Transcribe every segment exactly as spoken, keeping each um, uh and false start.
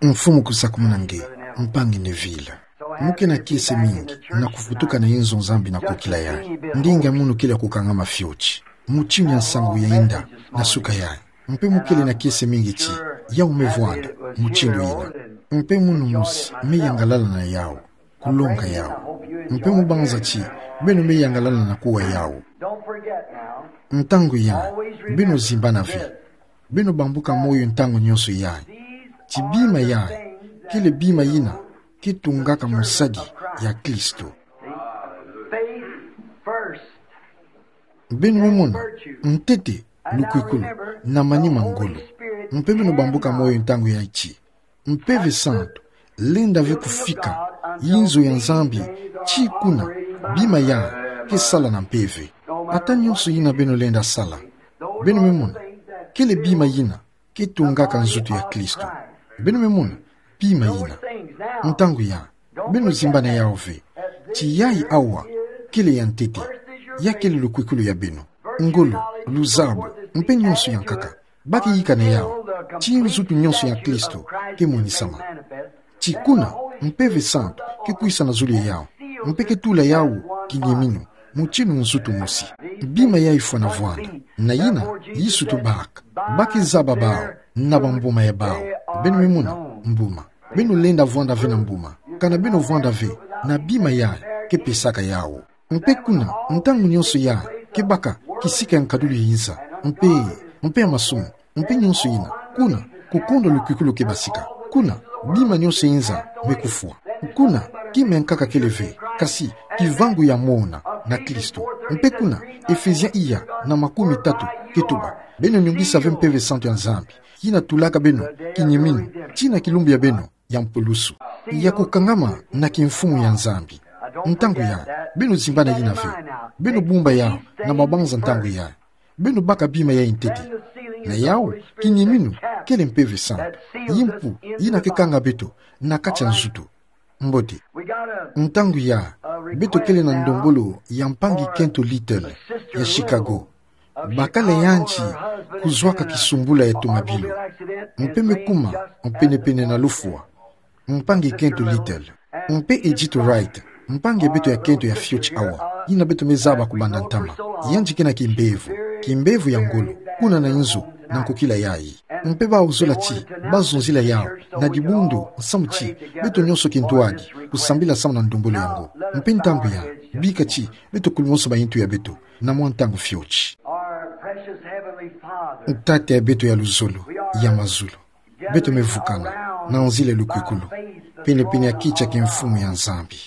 Mfumu kusakumuna nge, mpangi Neville. Mu ke na kiese mingi na kuvutuka na inzo Nzambi na kokila yayi. Ndinga munu kele ya kukangama fioti. Mutindu ya nsangu ya inda na suka yayi. Mpe mu kele na kiese mingi ti, yau me vwanda mutindu yina. Mpe munu mosi me yangalala na yau, kulonga yau. Mpe mu banza ti beno me yangalala na kuwa yau. Ntangu yayi, beno zimbana ve. Beno bambuka moyo ntangu nionso yayi ti bima yayi kele bima yina ke tungaka mosadi ya Kristo. Beno me mona ntete, lukwikulu, na manima ngolo. Mpe beno bambuka moyo ntangu yayi ti Mpeve Santu lenda ve kufika inzo ya Nzambi, ti kuna bima yayi ke sala na mpeve. Ata nionso yina beno lenda sala, beno me mona, kele bima yina ke tungaka nzutu ya Kristo. Beno me mona bima yina. Ntangu yayi, beno zimbana yau ve ti yayi awa kele ya ntete. Ya kele lukwikulu ya beno, ngolo, luzabu, mpe nionso ya nkaka. Ba ke yika na yau ti nzutu nionso ya Kristo ke monisama. Ti kuna Mpeve Santu ke kwisa na zulu ya yau, mpe ke tula yau kinyeminu, mutindu nzutu mosi. Bima yayi fwana vwanda, na yina Yesu tubaka. Ba ke zaba bau na bambuma ya bau. Beno me mona mbuma. Beno lenda vwanda ve na mbuma kana beno vwanda ve na bima yayi ke pesaka yau. Mpe kuna, ntangu nionso yayi ke baka kisika ya nkadulu ya inza, mpe, mpe ya masumu, mpe nionso yina. Kuna, kukondwa lukwikulu ke basika. Kuna, bima nionso ya inza me kufwa. Kuna, kima ya nkaka kele ve, kasi kivangu ya mona na Kristo. Mpe kuna, Efesiens iya na makumi tatu ke tuba: Beno nungisa ve Mpeve Santu ya Nzambi, yina tulaka beno kinyeminu, tina kilumbu ya beno ya mpulusu, ya kukangama na kimfumu ya Nzambi. Ntangu yayi, beno zimbana yina ve. Beno bumba yau na mabanza ntangu yayi. Beno baka bima yayi ntete. Na yau, kinyeminu kele Mpeve Santu, yimpu yina ke kanga beto na kati ya nzutu. Mbote. Ntangu yayi, beto kele na ndombolo ya mpangi kento Little ya Chicago. Bakala yandi kuzwaka kisumbula ya tomabilu, mpe me kuma penepene na lufwa. Mpangi kento Little, mpe Edith Wright, mpangi ya beto ya kento ya fioti awa, yina beto me zaba kubanda ntama. Yandi ke na kimbevo, kimbevo ya ngolo, kuna na inzo, na nkokila yayi. Mpe bawu zola ti bazonzila yau na dibundu, nsamu ti beto nionso kintwadi kusambila samu na ndombolo yango. Mpe ntangu yayi, bika ti beto kulumonso bayintu ya beto na mwa ntangu fioti. Our precious Heavenly Father, Tata ya beto ya luzolo, ya mazulu, beto me vukana na nzila lukwikulu penepene ya kiti ya kimfumu ya Nzambi.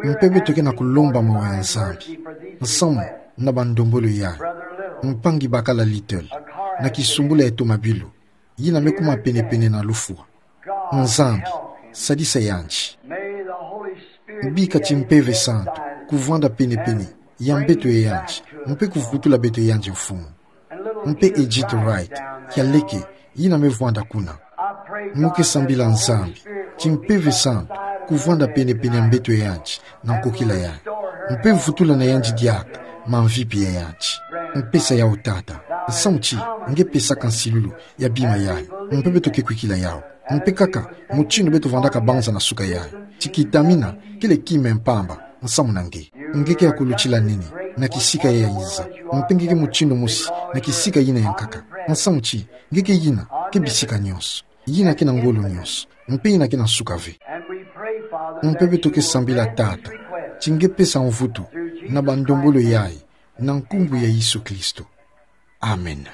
Mpe beto ke na kulomba mawa ya Nzambi nsamu na bandombolo yayi, mpangi bakala Little, na kisumbula ya tomabilu, yina me kuma penepene na lufwa. Nzambi, sadisa yandi. Bika ti Mpeve Santu kuvwanda penepene ya mbeto ya yandi, mpe kuvutula beto ya yandi, Mfumu. Mpe Edith Wright ya leke, yina me vwanda kuna. Mu ke sambila, Nzambi, ti Mpeve Santu kuvwanda penepene ya mbeto ya yandi na nkokila yayi, mpe vutula na yandi diaka mamvipi ya yandi. Mpesa yau, Tata, nsamu ti nge pesaka nsilulu ya bima yayi, mpe beto ke kwikila yau. Mpe kaka mutindu beto vwandaka banza na suka yayi, ti kitamina kele kima ya mpamba nsamu na nge. Nge ke ya kulutila nene na kisika ya inza, mpe nge ke mutindu mosi na kisika yina ya nkaka. Nsamu ti nge ke yina ke bisika nionso, yina ke na ngolo nionso, mpe yina ke na nsuka ve. Mpe beto ke sambila, Tata, ti nge pesa mvutu na bandombolo yayi, na nkumbu ya Yesu Kristo. Amen.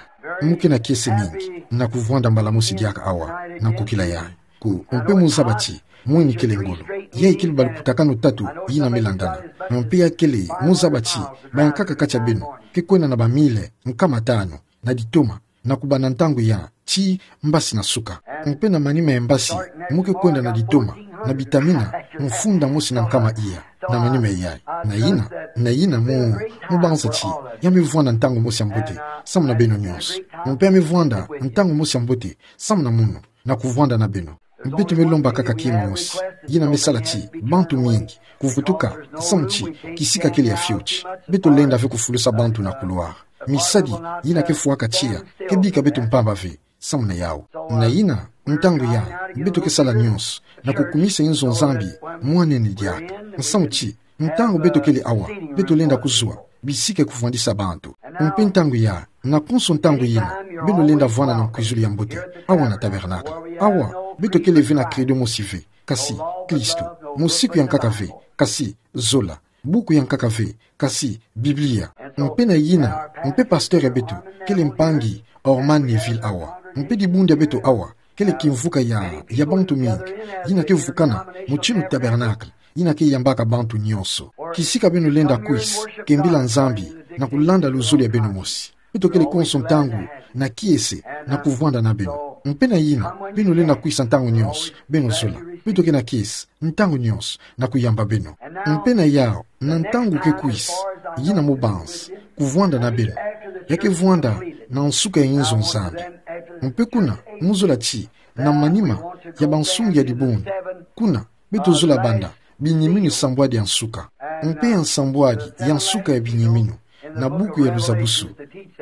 Mu ke na kiese mingi na kuvwanda mbala mosi diaka awa na nkokila yayi. Ku, mpe mu zaba ti mwini kele ngolo. Yayi kele balukutakanu tatu yina me landana. Mpe ya kele, mu zaba ti bayankaka kati ya beno ke kwenda na bamile nkama tanu na ditoma, na kubanda ntangu yayi tii mbasi na suka. Mpe na manima ya mbasi, mu ke kwenda na ditoma na bitamina mfunda mosi na nkama iya na manima yayi. Na yina, na yina mu, mu banza ti ya me vwanda ntangu mosi ya mbote samu na beno nionso. Mpe ya me vwanda ntangu mosi ya mbote samu na mono, na kuvwanda na beno. Beto me lomba kaka kima mosi, yina me sala ti bantu mingi kuvutuka, nsamu ti kisika kele ya fioti. Beto lenda ve kufulusa bantu na couloir. Misadi yina ke fwaka tiya ke bika beto mpamba ve samu na yau. Na yina, Ntangu ya, beto ke sala nyonso na kukumisa nzo Nzambi mwan'ani diaka. Nsamu ti, ntangu beto kele awa, beto lenda kuzwa bisika ya kuvwandisa bantu. Mpe ntangu ya, na konso ntangu yina, beno lenda vwanda na nkwizulu ya mbote awa na tabernacle. Awa, beto kele ve na credo mosi ve, kasi Kristo. Mosiku ya nkaka ve, kasi zola. Buku ya nkaka ve, kasi Biblia. Mpe na yina, mpe pasteur ya beto kele mpangi Orman Neville awa. Mpe dibundu ya beto awa kele kimvuka ya, ya bantu mingi yina ke vukana mutinu tabernacle, yina ke yambaka bantu nyonso. Kisika beno lenda kwisa kembila Nzambi na kulanda luzolo ya beno mosi. Beto kele konso ntangu na kiese na kuvwanda na beno. Mpe na yina, beno lenda kwisa ntangu nyonso beno zola. Beto ke na kiese ntangu nyonso na kuyamba beno. Mpe na yawu, na ntangu ke kwisa, yina mu banza kuvwanda na beno, ya ke vwanda na nsuka ya nzo Nzambi. Mpe kuna, mu zola ti, na manima ya bansungi ya dibundu, kuna, beto zola banda binyeminu sambwadi ya nsuka. Mpe ya nsambwadi ya nsuka ya binyeminu na buku ya luzabusu,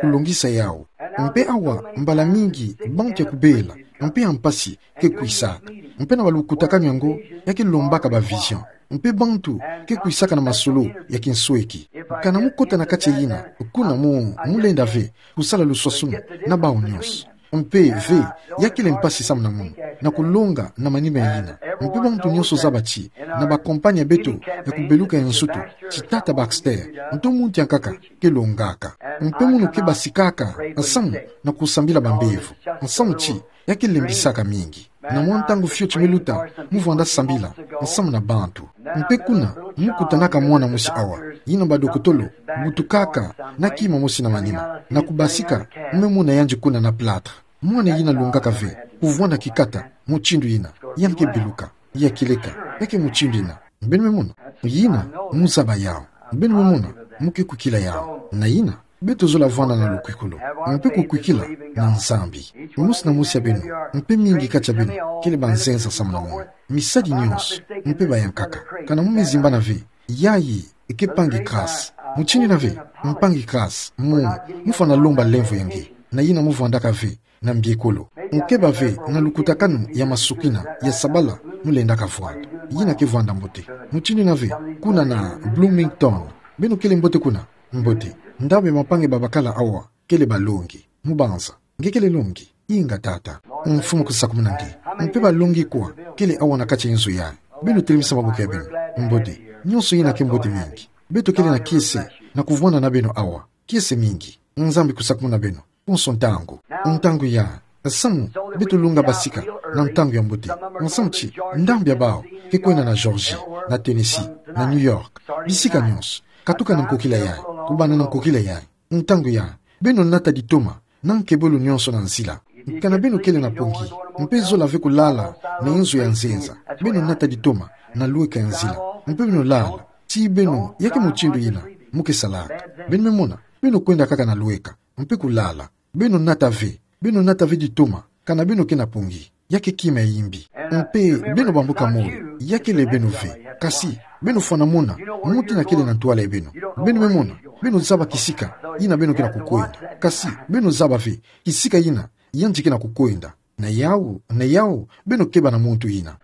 kulongisa yawu. Mpe awa, mbala mingi, bantu ya kubela mpe ya mpasi ke kwisaka. Mpe na balukutakanu yango, ya ke lombaka ba vision. Mpe bantu ke kwisaka na masolo ya kinsweki. Kana mu kota na kati ya yina, kuna mu, mu lenda ve kusala luswaswanu na bawu nyonso. Mpe ve, ya kele mpasi samu na munu na kulonga na manima ya yina. Mpe bantu nyonso zaba ti, na ba compagne ya beto ya kubeluka ya nsutu, ti tata Baxter, nto muntu ya nkaka ke longaka. Mpe munu ke basikaka nsamu na kusambila bambevo. Nsamu ti, ya ke lembisaka mingi. Na mwa ntangu fioti me luta, mu vwanda sambila nsamu na bantu. Mpe kuna, mu kutanaka mwana mosi awa, yina badokotolo butukaka na kima mosi na manima, na kubasika, me mona yandi kuna na plâtre. Mwana yina longaka ve kuvwanda kikata mutindu yina, ya ke beluka, ya kieleka, ya ke mutindu yina. Beno me mona, yina, mu zaba yawu. Beno me mona, mu ke kwikila yawu. Na yina, beto zola vwanda na lukwikulu, mpe kukwikila na Nzambi. Mosi na mosi ya beno, mpe mingi kati ya beno, kele banzenza samu na munu. Misadi nyonso, mpe bayankaka. Kana mu me zimbana ve, yayi, ke mpangi Grace. Mutindu yina ve, mpangi Grace, mu, mu fwana lomba lemvo ya nge. Na yina mu vwandaka ve na mbiekolo. Mu keba ve na lukutakanu ya masukina ya sabala mu lendaka vwanda. Yina ke vwanda mbote. Mutindu yina ve, kuna na Bloomington. Beno kele mbote kuna? Mbote. Ndambu ya bampangi babakala awa kele balongi. Mu banza. Nge kele longi? Inga tata. Mfumu kusakumuna nge. Mpe balongi kwa kele awa na kati ya nzo yayi? Beno telemisa maboko ya beno. Mbote. Nyonso yina ke mbote mingi. Beto kele na kiese na kuvwanda na beno awa. Kiese mingi. Nzambi kusakumuna beno konso ntangu. Ntangu ya, samu beto longa basika na ntangu ya mbote. Nsamu ti, ndambu ya bawu ke kwenda na Georgia, na Tennessee, na New York, bisika nyonso, katuka na nkokila yayi, kubanda na nkokila yayi. Ntangu ya, beno nata ditoma na nkebolo nyonso na nzila. Kana beno kele na pongi, mpe zola ve kulala na nzo ya nzenza, beno nata ditoma na lweka ya nzila, mpe beno lala. Ti beno, ya ke mutindu yina mu ke salaka. Beno me mona, beno kwenda kaka na lweka, mpe kulala. Beno nata ve, beno nata ve ditoma, kana beno ke na pongi, ya ke kima ya yimbi. Mpe beno bambuka moyo, ya kele beno ve. Kasi, beno fwana mona mutindu yina kele na ntwala ya beno. Beno me mona, beno zaba kisika yina beno ke na kukwenda. Kasi, beno zaba ve kisika yina yandi ke na kukwenda. Na yawu, na yawu, beno keba na muntu yina.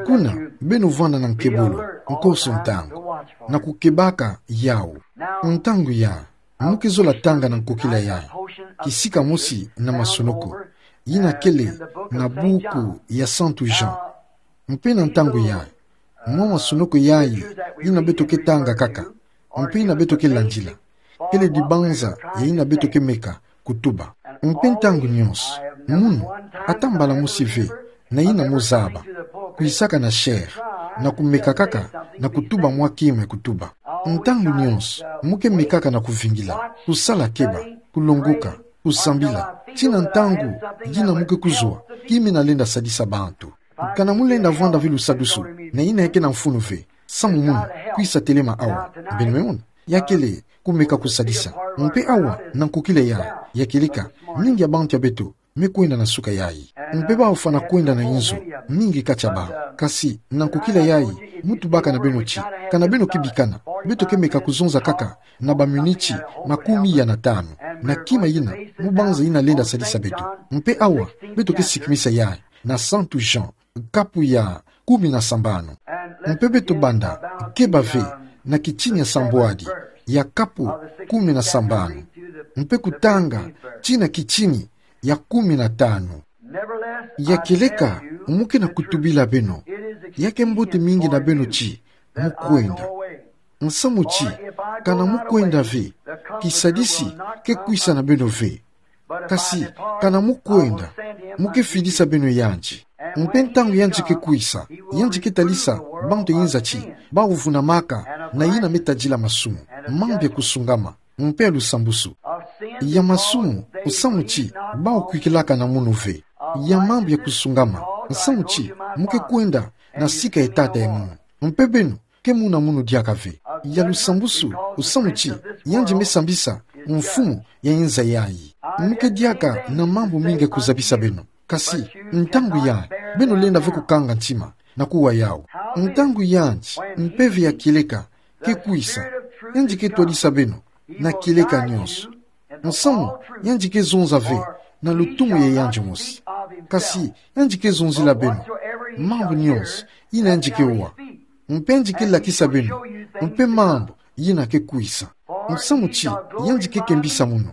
Kuna, beno vwanda na nkebolo konso ntangu, na kukebaka yawu. Ntangu ya, mu ke zola tanga na nkokila yayi kisika mosi na masonoko yina kele na buku ya Santu Jean. Mpe na ntangu yayi, mwa masonoko yayi yina beto ke tanga kaka, mpe yina beto ke landila, kele dibanza ya yina beto ke meka kutuba. Mpe ntangu nyonso, munu, ata mbala mosi ve, na yina mu zaba, kwisaka na chaire, na kumeka kaka na kutuba mwa kima ya kutuba. Ntangu nyonso, mu ke mekaka na kuvingila, kusala keba, kulongoka, kusambila, tii na ntangu yina mu ke kuzwa kima yina lenda sadisa bantu. Kana mu lenda vwanda ve lusadusu na yina ya ke na mfunu ve, samu munu kwisa telema awa. Beno me mona, ya kele kumeka kusadisa. Mpe awa na nkokila yayi, ya kieleka, mingi ya bantu ya beto me kwenda na suka yayi. Mpe bawu fwana kwenda na inzo, mingi ka tia bau. Kasi, na nkokila yayi, mu tubaka na beno ti, kana beno ke bikana, beto ke meka kuzonza kaka na baminiti makumi ya na tanu, na kima ina, mu banza ina lenda sadisa beto. Mpe awa, beto ke sikimisa yayi, na Santu Jean, kapu ya kumi na sambanu. Mpe beto banda keba ve na kitini ya sambwadi ya kapu kumi na sambanu, mpe kutanga tii na kitini ya kumi na tanu. Ya kieleka, mu ke na kutubila beno, ya ke mbote mingi na beno ti mu kwenda. Nsamu ti, kana mu kwenda ve, kisadisi ke kwisa na beno ve. Kasi, kana mu kwenda, mu ke fidisa beno yandi. Mpe ntangu yandi ke kwisa, yandi ke talisa bantu inza ti, bawu vunamaka na ina me tadila masumu, mambu ya kusungama, mpe ya lusambusu. Ya masumu, nsamu ti, bawu kwikilaka na munu ve. Ya mambu ya kusungama, nsamu ti, mu ke kwenda na sika ya Tata ya munu. Mpe beno, ke muna munu diaka ve. Ya lusambusu, nsamu ti, yandi me sambisa mfumu ya inza yayi. Mu ke diaka na mambu mingi ya kuzabisa beno. Kasi, ntangu yayi, beno lenda ve kukanga ntima, na kuwa yawu. Ntangu yandi, mpeve ya kieleka, ke kwisa, yandi ke twadisa beno, na kieleka nyonso. Nsamu, yandi ke zonza ve, na lutumu ya yandi mosi. Kasi, yandi ke zonzila beno mambu nyonso, ina yandi ke wa. Mpe yandi ke lakisa beno, mpe mambu, ina ke kwisa. Nsamu ti, yandi ke kembisa munu.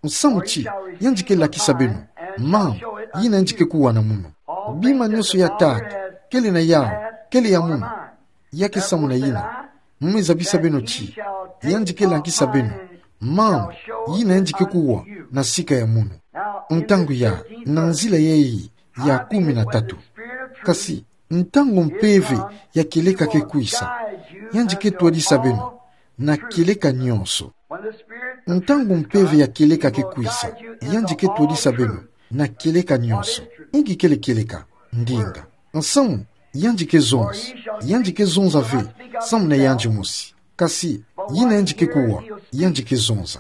Nsamu ti, yandi ke lakisa beno mambu, ina yandi ke kuwa na munu. Bima nyonso ya Tata, kele na yawu, kele ya munu. Ya ke samu na ina, mu me zabisa beno ti, yandi ke lakisa beno mambu, ina yandi ke kuwa na sika ya munu. Ntangu yayi, na nzila yayi ya kumi na tatu. Kasi, ntangu mpeve ya kieleka ke kwisa, yandi ke twadisa beno, na kieleka nyonso. Ntangu mpeve ya kieleka ke kwisa, yandi ke twadisa beno, na kieleka nyonso. Inki kele kieleka, ndinga. Nsamu, yandi ke zonza, yandi ke zonza ve, samu na yandi mosi. Kasi, ina yandi ke kuwa, yandi ke zonza.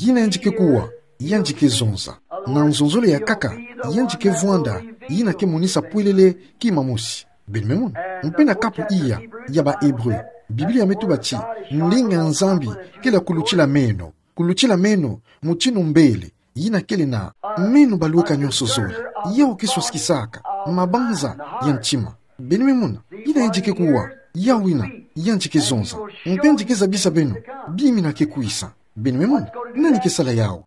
Ina yandi ke kuwa, yandi ke zonza. Na nzonzolo ya nkaka, yandi ke vwanda, ina ke monisa pwelele kima mosi. Beno me mona. Mpe na kapu iya, ya ba Hébreu. Biblia me tuba ti, ndinga ya Nzambi, kele ya kulutila meno. Kulutila meno, mutindu mbele, ina kele na meno balweka nyonso zole. Yawu ke swasikisaka mabanza ya ntima. Beno me mona, ina yandi ke kuwa, yawu ina, yandi ke zonza. Mpe yandi ke zabisa beno bima ina ke kwisa. Beno me mona, nani ke sala yawu?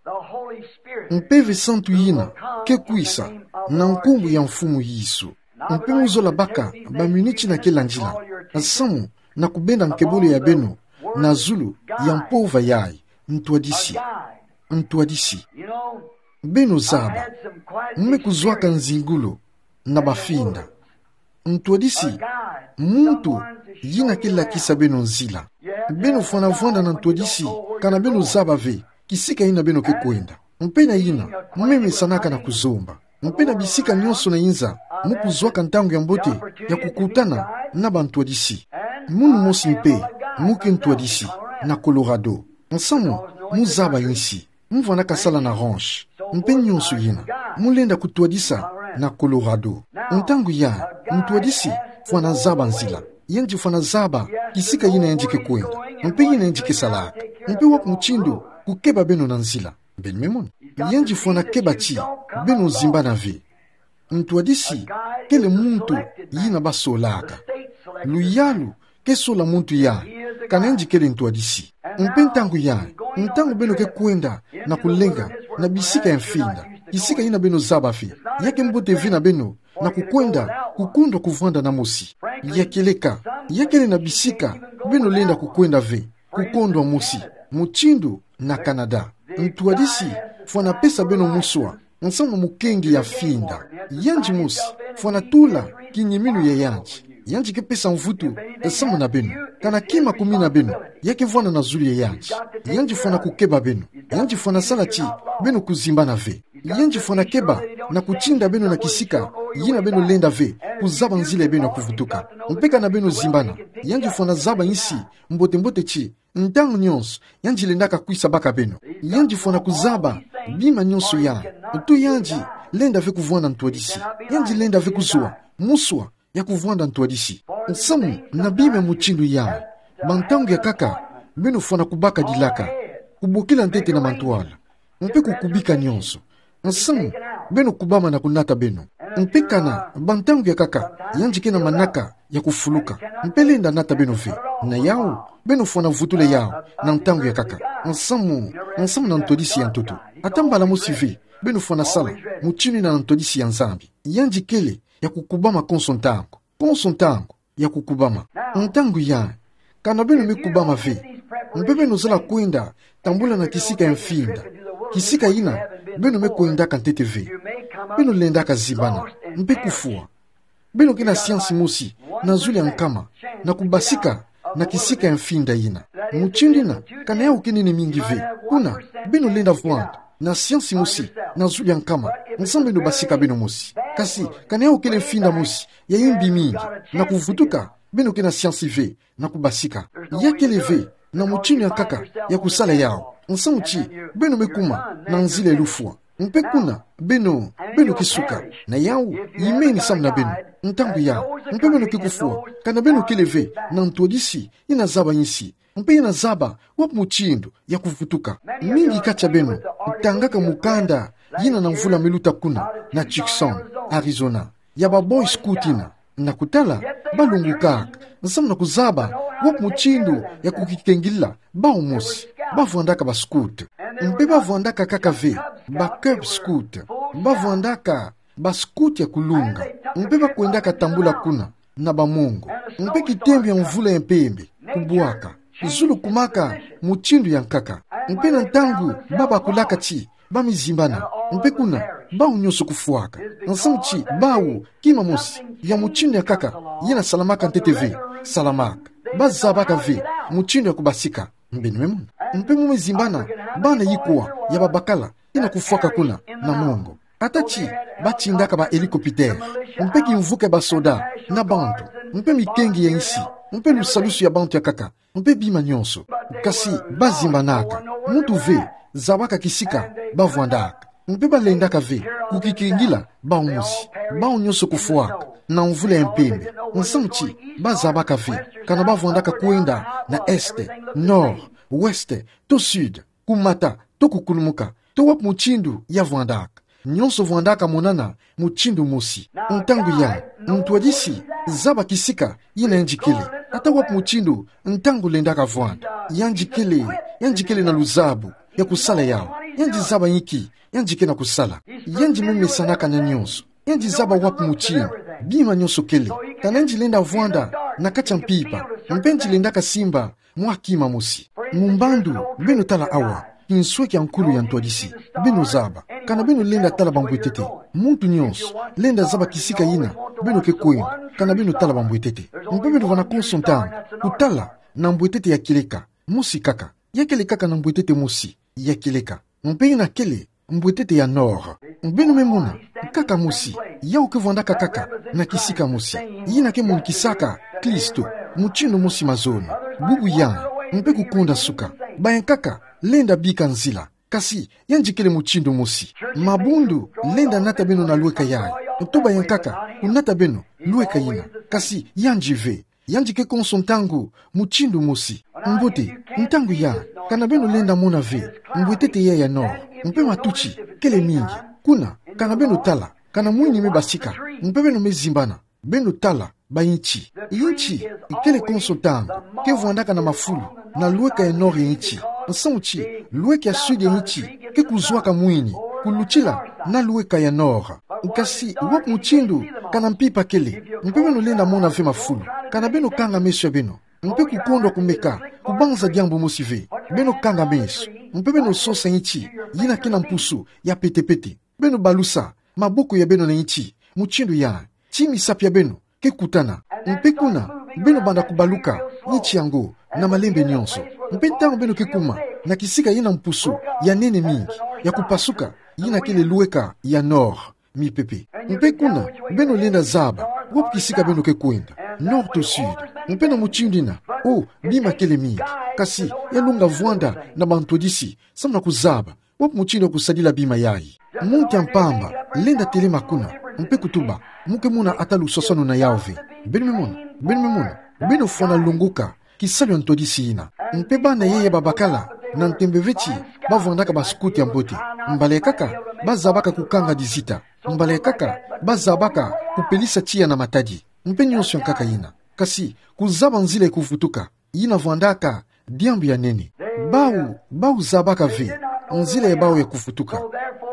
Mpeve santu ina ke kwisa na nkumbu ya Mfumu Yesu. Mpe mu zola baka baminiti ina ke landila, nsamu na kubenda nkebolo ya beno na zulu ya mpova yayi, ntwadisi. Ntwadisi. Beno zaba, mu me kuzwaka nzingulu na bafinda. Ntwadisi, muntu ina ke lakisa beno nzila. Beno fwana vwanda na ntwadisi, kana beno zaba ve kisika ina beno ke kwenda. Mpe na ina, mu me mesanaka na kuzomba. Mpe na bisika nyonso na inza, mu kuzwaka ntangu ya mbote ya kukutana na bantwadisi. Munu mosi mpe, mu ke ntwadisi, na Colorado. Nsamu, mu zaba insi. Mu vwandaka sala na ranch. Mpe nyonso ina, mu lenda kutwadisa na Colorado. Ntangu yayi, ntwadisi fwana zaba nzila. Yandi fwana zaba kisika ina yandi ke kwenda. Mpe ina yandi ke salaka. Mpe wapi mutindu kukeba beno na nzila. Beno me mona. Yandi fwana keba ti beno zimbana ve. Ntwadisi kele muntu ina basolaka. Luyalu ke sola muntu yayi, kana yandi kele ntwadisi. Mpe ntangu yayi, ntangu beno ke kwenda na kulenga na bisika ya mfinda, kisika ina beno zaba ve, ya ke mbote ve na beno na kukwenda kukundwa kuvwanda na mosi. Ya kieleka, ya kele na bisika beno lenda kukwenda ve kukondwa mosi, mutindu na Canada. Ntwadisi fwana pesa beno muswa, nsamu na mukengi ya finda. Yandi mosi fwana tula kinyiminu ya yandi. Yandi ke pesa mvutu samu na beno. Kana kima kumina beno, ya ke vwanda na zulu ya yandi. Yandi fwana kukeba beno. Yandi fwana sala ti beno kuzimbana ve. Yandi fwana keba na kutinda beno na kisika ina beno lenda ve kuzaba nzila ya beno ya kuvutuka. Mpe kana beno zimbana, yandi fwana zaba insi mbote mbote ti ntangu nyonso yandi lendaka kwisa baka beno. Yandi fwana kuzaba bima nyonso yayi. Ntu yandi Lenda ve kuvwanda ntwadisi. Yandi lenda ve kuzwa moswa ya kuvwanda ntwadisi. Nsamu na bima mutindu yayi, ba ntangu ya nkaka, beno fwana kubaka dilaka, kubokila ntete na mantwala, mpe kukubika nionso. Nsamu, beno kubama na kunata beno. Mpe kana ba ntangu ya nkaka, yandi ke na manaka ya kufuluka, mpe lenda nata beno ve. Na yawu, beno fwana vutula yawu na ntangu ya nkaka. Nsamu, nsamu na ntwadisi ya ntoto. Ata mbala mosi ve beno fwana sala mutindu yina na ntwadisi ya Nzambi. Yandi kele ya kukubama konso ntangu. Konso ntangu ya kukubama. Ntangu yayi, kana beno me kubama ve, mpe beno zala kwenda tambula na kisika ya mfinda, kisika yina beno me kwendaka ntete ve, beno lendaka zimbana mpe kufwa. Beno ke na siansi mosi na zulu ya nkama na kubasika na kisika ya mfinda yina. Mutindu yina, kana yawu ke nene mingi ve, kuna beno lenda vwanda na siansi mosi na zulu ya nkama, nsamu beno basika beno mosi. Kasi kana yawu kele mfinda mosi ya yimbi mingi, na kuvutuka, beno ke na siansi ve na kubasika. Ya kele ve na mutindu ya nkaka ya kusala yawu, nsamu ti beno me kuma na nzila ya lufwa. Mpe kuna beno, beno ke suka. Na yawu, yimeni samu na beno. Ntangu yayi, mpe beno ke kufwa, kana beno kele ve na ntwadisi yina zaba insi, mpe yina zaba wapi mutindu ya kuvutuka. Mingi kati ya beno tangaka mukanda yina na mvula me luta kuna na Tucson, Arizona, ya ba Boy Scout yina, na kutala, balungukaka nsamu na kuzaba wapi mutindu ya kukikengila bawu mosi. Bavwandaka ba scout, mpe bavwandaka kaka ve ba Cub Scout. Bavwandaka ba scout ya kulunga, mpe bakwendaka tambula kuna na ba mongo. Mpe kitembe ya mvula ya mpembe kubwaka, zulu kumaka mutindu ya nkaka. Mpe na ntangu babakulaka ti ba me zimbana, mpe kuna bawu nionso kufwaka. Nsamu ti bawu kima mosi ya mutindu ya nkaka yina salamaka ntete ve salamaka. Bazabaka ve mutindu ya kubasika. Beno me mona. Mpe mu me zimbana, bana yikwa ya babakala yina kufwaka kuna na mongo. Ata ti batindaka ba hélicoptère, mpe kimvuka ya basoda na bantu, mpe mikengi ya insi, mpe lusalusu ya bantu ya nkaka, mpe bima nionso. Kasi bazimbanaka, muntu ve zabaka kisika bavwandaka. Mpe balendaka ve kukikengila bawu mosi, bawu nionso kufwaka na mvula ya mpembe. Nsamu ti bazabaka ve kana bavwandaka kwenda na est, nord, ouest to sud, kumata to kukulumuka, to wapi mutindu ya vwandaka. Nionso vwandaka monana mutindu mosi. Ntangu yayi, ntwadisi zaba kisika yina yandi kele, ata wapi mutindu ntangu lendaka vwanda. Yandi kele, yandi kele na luzabu ya kusala yawu. Yandi zaba inki yandi ke na kusala. Yandi me mesanaka na nionso. Yandi zaba wapi mutindu bima nionso kele. Kana yandi lenda vwanda na kati ya mpimpa, mpe yandi lendaka simba mwa kima mosi. Mu mbandu, beno tala awa kinsweki ya nkulu ya ntwadisi. Beno zaba, kana beno lenda tala bambwetete. Muntu nionso lenda zaba kisika yina beno ke kwenda, kana beno tala bambwetete. Mpe beno vwanda konso ntangu kutala na mbwetete ya kieleka mosi kaka. Ya kele kaka na mbwetete mosi ya kieleka, mpe yina kele mbwetete ya nord. Beno me mona, nkaka mosi yawu ke vwandaka kaka na kisika mosi, yina ke monikisaka Kristo mutindu mosi mazono, bubu yayi, mpe kukonda suka. Ba ya nkaka lenda bika nzila, kasi yandi kele mutindu mosi. Mabundu lenda nata beno na lweka yayi, to ba ya nkaka kunata beno lweka yina, kasi yandi ve. Yandi ke konso ntangu mutindu mosi. Mbote, ntangu yayi, kana beno lenda mona ve mbwetete yayi ya nord, mpe matuti kele mingi. Kuna, kana beno tala, kana mwini me basika, mpe beno me zimbana, beno tala ba inti. Inti kele konso ntangu ke vwandaka na mafulu na lweka ya nord ya inti. Nsamu ti lweka ya sud ya inti ke kuzwaka mwini kulutila na lweka ya nord. Kasi wapi mutindu kana mpimpa kele, mpe beno lenda mona ve mafulu, kana beno kanga meso ya beno, mpe kukondwa kumeka kubanza diambu mosi ve. Beno kanga meso, mpe beno sosa inti yina ke na mpusu ya pete-pete. Beno balusa maboko ya beno na inti mutindu yayi, ti misapi ya beno ke kutana. Mpe kuna, beno banda kubaluka inti yango na malembe nionso. Mpe ntangu beno ke kuma na kisika yina mpusu ya nene mingi ya kupasuka, yina kele lweka ya nord, mipepe. Mpe kuna, beno lenda zaba wapi kisika beno ke kwenda, nord to sud. Mpe na mutindu yina, oh, bima kele mingi. Kasi ya longa vwanda na bantwadisi samu na kuzaba Wapi mutindu kusadila bima yayi? Muntu ya mpamba lenda telema kuna, mpe kutuba, mu ke mona ata luswaswanu na yawu ve. Beno me mona, beno me mona, beno fwana longoka kisalu ya ntwadisi yina. Mpe bana yeye babakala, na ntembe ve ti bavwandaka ba scout ya mbote. Mbala ya nkaka, bazabaka kukanga dizita. Mbala ya nkaka, bazabaka kupelisa tiya na matadi. Mpe nyonso ya nkaka yina. Kasi, kuzaba nzila ya kuvutuka, yina vwandaka diambu ya nene. Bawu, bawu zabaka ve nzila ya bawu ya kuvutuka.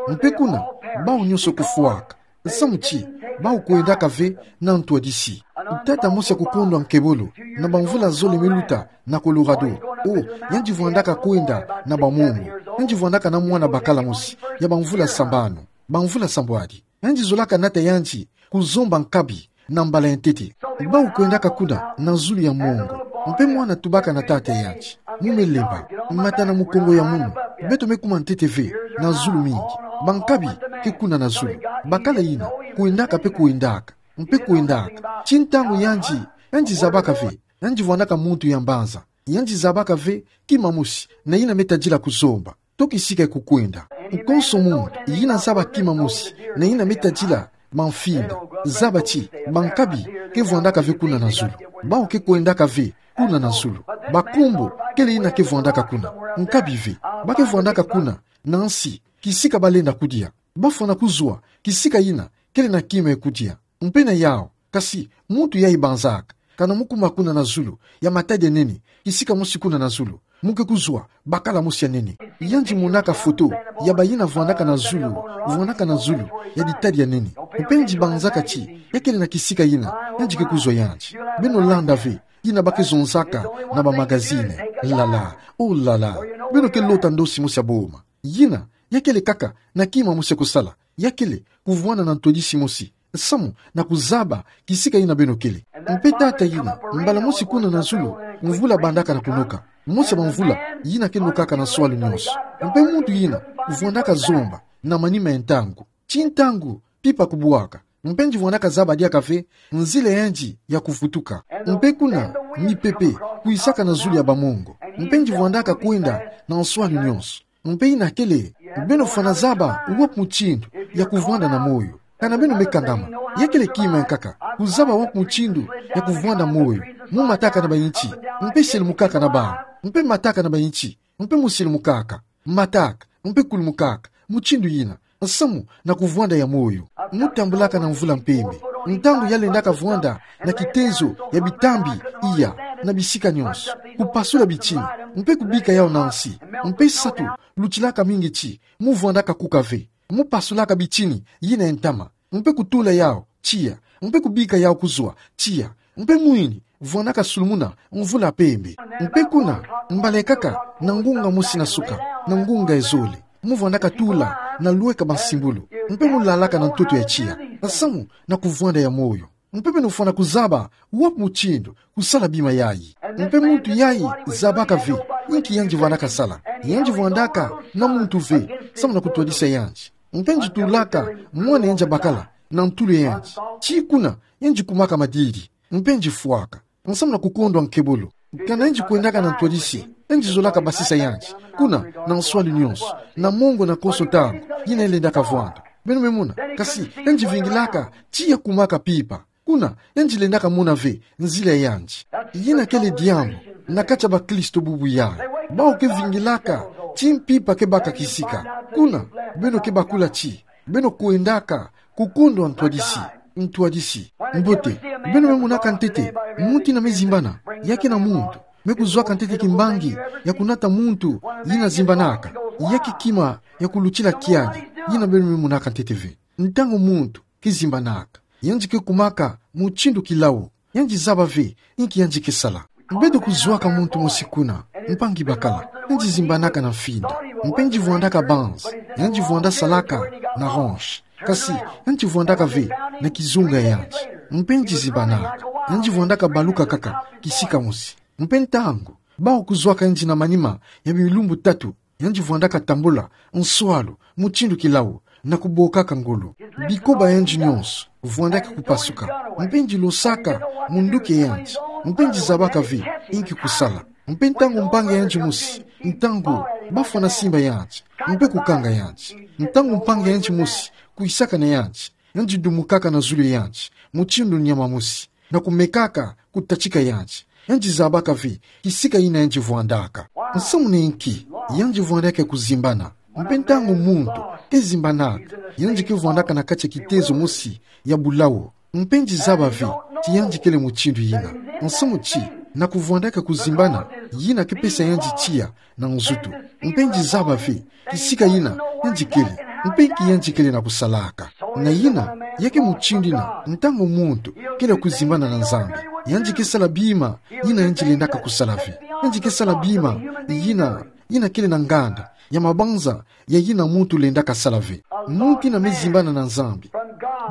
Mpe kuna, bawu nyonso kufwaka. Samu ti, bawu kwendaka ve na ntwadisi. Tata mosi ya kukondwa nkebolo, na bamvula zole me luta na Colorado. O, yandi vwandaka kwenda na bamongo. Yandi vwandaka na mwana bakala mosi, ya bamvula sambanu, bamvula sambwadi. Yandi zolaka nata yandi kuzomba nkabi na mbala ya ntete. Bawu kwendaka kuna na zulu ya mongo. Mpe mwana tubaka na tata yandi: Mu me lemba, mata na mukongo ya munu. Beto me kuma ntete ve na zulu mingi. Bankabi ke kuna na zulu. Bakala yina kwendaka mpe kwendaka, mpe kwendaka. Ti ntangu yandi, yandi zabaka ve, yandi vwandaka muntu ya mbanza. Yandi zabaka ve kima mosi na yina me tadila kuzomba, to kisika ya kukwenda. Konso muntu yina zaba kima mosi na yina me tadila mamfinda, zaba ti bankabi ke vwandaka ve kuna na zulu. Bawu ke kwendaka ve kuna na zulu. Bakombo kele yina ke vwandaka kuna. Nkabi ve. Ba ke vwandaka kuna na nsi, kisika balenda kudia. Bafwana kuzwa kisika yina kele na kima ya kudia. Mpe na yawu, kasi muntu yayi banzaka, kana mu kuma kuna na zulu, ya matadi ya nene, kisika mosi kuna na zulu, mu ke kuzwa bakala mosi ya nene. Yandi monaka foto ya bayina vwandaka na zulu, vwandaka na zulu, ya ditadi ya nene. Mpe yandi banzaka ti ya kele na kisika yina yandi ke kuzwa yandi. Beno landa ve yina ba ke zonzaka na bamagazini. Lala, o lala. Beno ke lota ndosi mosi ya boma. Yina ya kele kaka na kima mosi ya kusala. Ya kele kuvwanda na ntwadisi mosi, samu na kuzaba kisika yina beno kele. Mpe tata yina, mbala mosi kuna na zulu, mvula bandaka na kunoka. Mosi ya bamvula yina ke nokaka na nswalu nyonso. Mpe muntu yina vwandaka zomba na manima ya ntangu. Ti ntangu pimpa kubwaka, mpe yandi vwandaka zaba diaka ve nzila ya yandi ya kuvutuka. Mpe kuna, mipepe kwisaka na zulu ya bamongo. Mpe yandi vwandaka kwenda na nswalu nyonso. Mpe yina kele, beno fwana zaba wapi mutindu ya kuvwanda na moyo. Kana beno me kangama. Ya kele kima ya nkaka kuzaba wapi mutindu ya kuvwanda moyo. Mu mataka na ba nti, mpe sielumukaka na ba, mpe mataka na ba nti, mpe mu sielumukaka, mataka, mpe kulumukaka mutindu yina, samu na kuvwanda ya moyo. Mu tambulaka na mvula mpembe. Ntangu ya lendaka vwanda na kitezo ya bitambi, iya, na bisika nyonso, kupasula bitini, mpe kubika yawu na nsi. Mpe satu, lutilaka mingi ti mu vwandaka kuka ve. Mu pasulaka bitini yina ya ntama, mpe kutula yawu tiya, mpe kubika yawu kuzwa tiya. Mpe mwini vwandaka sulumuna mvula mpembe. Mpe kuna, mbala ya nkaka, na ngunga mosi na suka, na ngunga ya zole, mu vwandaka tula na lweka bansimbulu, mpe mu lalaka na ntoto ya tiya, samu na kuvwanda ya moyo. Mpe beno fwana kuzaba wapi mutindu kusala bima yayi. Mpe muntu yayi zabaka ve inki yandi vwandaka sala. Yandi vwandaka na muntu ve, samu na kutwadisa yandi. Mpe yandi tulaka mwana yandi ya bakala na ntulu ya yandi. Ti kuna yandi kumaka madiri, mpe yandi fwaka, samu na kukondwa nkebolo. Kana yandi kwendaka na ntwadisi, yandi zolaka basisa yandi kuna na nswalu nyonso, na mongo na konso ntangu yina yalendaka vwanda. Beno me mona, kasi yandi vingilaka tiya kumaka pimpa. Kuna yandi lendaka mona ve nzila ya yandi. Yina kele diambu na kati ya bakristo bubu yayi. Bawu ke vingilaka ti mpimpa ke baka kisika. Kuna beno ke bakula ti beno kwendaka kukondwa ntwadisi, ntwadisi. Mbote, beno me monaka ntete muntu yina me zimbana, ya ke na muntu me kuzwaka ntete kimbangi ya kunata muntu yina zimbanaka. Ya ke kima ya kulutila kiadi, yina beno me monaka ntete ve. Ntangu muntu ke zimbanaka, yandi ke kumaka mutindu kilawu. Yandi zaba ve inki yandi ke sala. Beto kuzwaka muntu mosi kuna, mpangi bakala, yandi zimbanaka na mfinda, mpe yandi vwandaka banzi, yandi vwanda salaka na hanche. Kasi yandi vwandaka ve na kizunga ya yandi, mpe yandi zimbanaka. Yandi vwandaka baluka kaka kisika mosi. Mpe ntangu bawu kuzwaka yandi na manima ya bilumbu tatu, yandi vwandaka tambula nswalu mutindu kilawu, na kubokaka ngolo. Bikoba ya yandi nyonso vwandaka kupasuka, mpe yandi losaka munduki ya yandi, mpe yandi zabaka ve inki kusala. Mpe ntangu mpangi ya yandi mosi, ntangu bafwana simba yandi, mpe kukanga yandi. Ntangu mpangi yandi mosi kwisaka na yandi, yandi dumukaka na zulu yandi, mutindu nyama mosi, na kumekaka kutatika yandi. Yandi zabaka ve kisika yina yandi vwandaka. Nsamu ni nki yandi vwandaka kuzimbana? Mpe ntangu muntu kizimbanaka, yandi kivwandaka na kati ya kitezo mosi ya bulawu. Mpe yandi zaba ve ti yandi kele mutindu yina. Nsamu ti, na kuvwandaka kuzimbana, yina kipesa yandi tiya na nzutu. Mpe yandi zaba ve kisika yina yandi kele, mpe nki yandi kele na kusalaka. Na yina, ya ke mutindu yina, ntangu muntu kele kuzimbana na Nzambi, yandi kisala bima yina yandi lendaka kusala ve. Yandi kisala bima yina, yina kele na nganda ya mabanza ya yina muntu lendaka sala ve. Muntu yina mezimbana na Nzambi,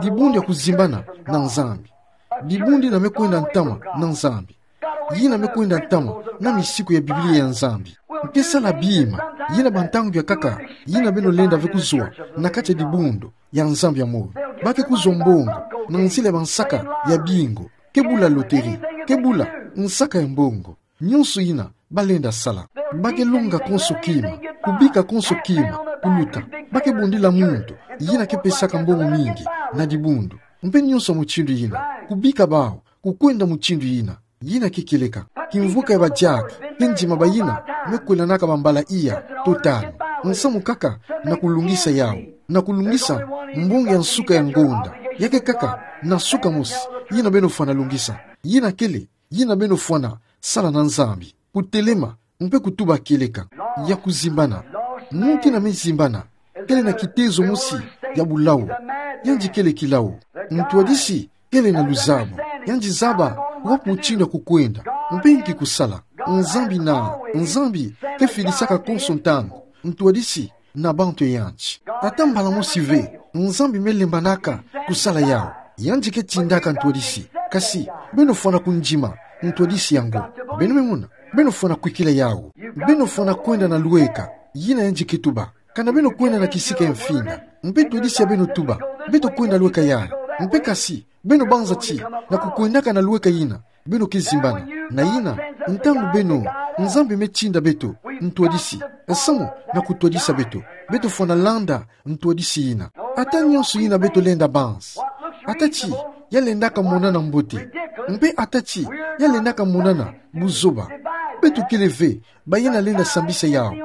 dibundu ya kuzimbana na Nzambi, dibundu yina mekwenda ntama na Nzambi, yina mekwenda ntama na misiku ya Biblia ya Nzambi, kisala bima yina bantangu ya nkaka, yina beno lenda ve kuzwa na kati ya dibundu ya Nzambi ya moyo. Ba ke kuzwa mbongo na nzila ya bansaka ya bingo, ke bula loterie, ke bula nsaka ya mbongo. Nyonso yina balenda sala, ba ke longa konso kima, kubika konso kima, kuluta. Ba ke bundila muntu yina kipesaka mbongo mingi na dibundu. Mpe nyonso mutindu yina, kubika bawu, kukwenda mutindu yina, yina ke kieleka. Kimvuka ya badiaka, ke ndima bayina mekwelanaka bambala iya to tanu. Nsamu kaka na kulungisa yawu, na kulungisa mbongo ya nsuka ya ngonda. Ya ke kaka na nsuka mosi yina beno fwana lungisa. Yina kele yina beno fwana sala na Nzambi, kutelema mpe kutuba kieleka. Ya kuzimbana. Muntu yina mezimbana kele na kitezo mosi ya bulawu. Yandi kele kilawu. Ntwadisi kele na luzabu. Yandi zaba wapi mutindu ya kukwenda, mpe nki kusala. Nzambi na, Nzambi kefidisaka konso ntangu ntwadisi na bantu ya yandi. Ata mbala mosi ve Nzambi melembanaka kusala yawu. Yandi ketindaka ntwadisi. Kasi beno fwana kundima ntwadisi yango. Beno memona, beno fwana kwikila yawu. Beno fwana kwenda na lweka yina yandi ketuba. Kana beno kwenda na kisika ya mfinda, mpe ntwadisi ya beno tuba, beto kwenda lweka yayi. Mpe kasi beno banza ti na kukwendaka na lweka yina, beno kezimbana. Na yina, ntangu beno, Nzambi metinda beto ntwadisi, samu na kutwadisa beto, beto fwana landa ntwadisi yina. Ata nyonso yina beto lenda banza, ata ti ya lendaka monana mbote, mpe ata ti ya lendaka monana buzoba, beto kele ve bayina lenda sambisa yawu.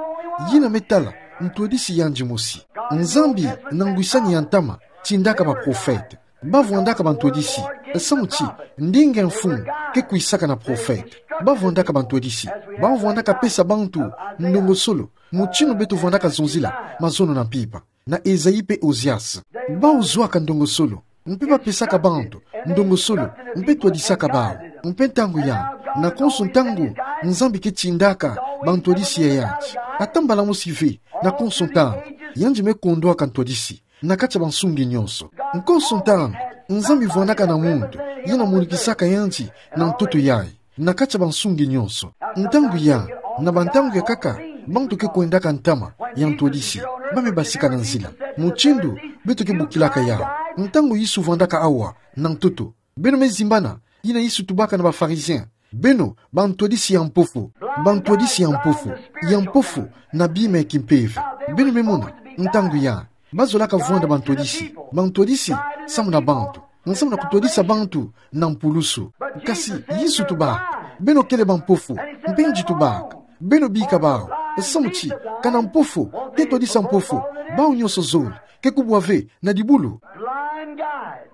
Yina metala ntwadisi yandi mosi. Nzambi na ngwisani ya ntama tindaka baprofete. Bavwandaka bantwadisi, samu ti ndinga ya mfumu kekwisaka na profete. Bavwandaka bantwadisi. Bavwandaka pesa bantu ndongosolo, mutindu beto vwandaka zonzila mazono na mpimpa na Ezaïe mpe Ozias. Bawu zwaka ndongosolo, mpe bapesaka bantu ndongosolo, mpe twadisaka bawu. Mpe ntangu yandi, na konso ntangu, Nzambi ketindaka bantwadisi ya yandi. Ata mbala mosi ve, na konso ntangu, yandi mekondwaka ntwadisi na kati ya bansungi nyonso. Nkonso ntangu, Nzambi vwandaka na muntu yina monikisaka yandi na ntoto yayi na kati ya bansungi nyonso. Ntangu yandi, na bantangu ya nkaka, bantu kekwendaka ntama ya ntwadisi, bamebasika na nzila. Mutindu beto kebokilaka yawu. Ntangu Yesu vwandaka awa na ntoto, beno mezimbana yina Yesu tubaka na bapharisien: Beno bantwadisi ya mpofu, bantwadisi ya mpofu, ya mpofu na bima ya kimpeve. Beno memona, ntangu yandi, bazolaka vwanda bantwadisi, bantwadisi samu na bantu, samu na kutwadisa bantu na mpulusu. Kasi Yesu tubaka: Beno kele bampofu. Mpe yandi tubaka: Beno bika bawu, samu ti kana mpofu ketwadisa mpofu, bawu nyonso zole kekubwa ve na dibulu. Blind guides.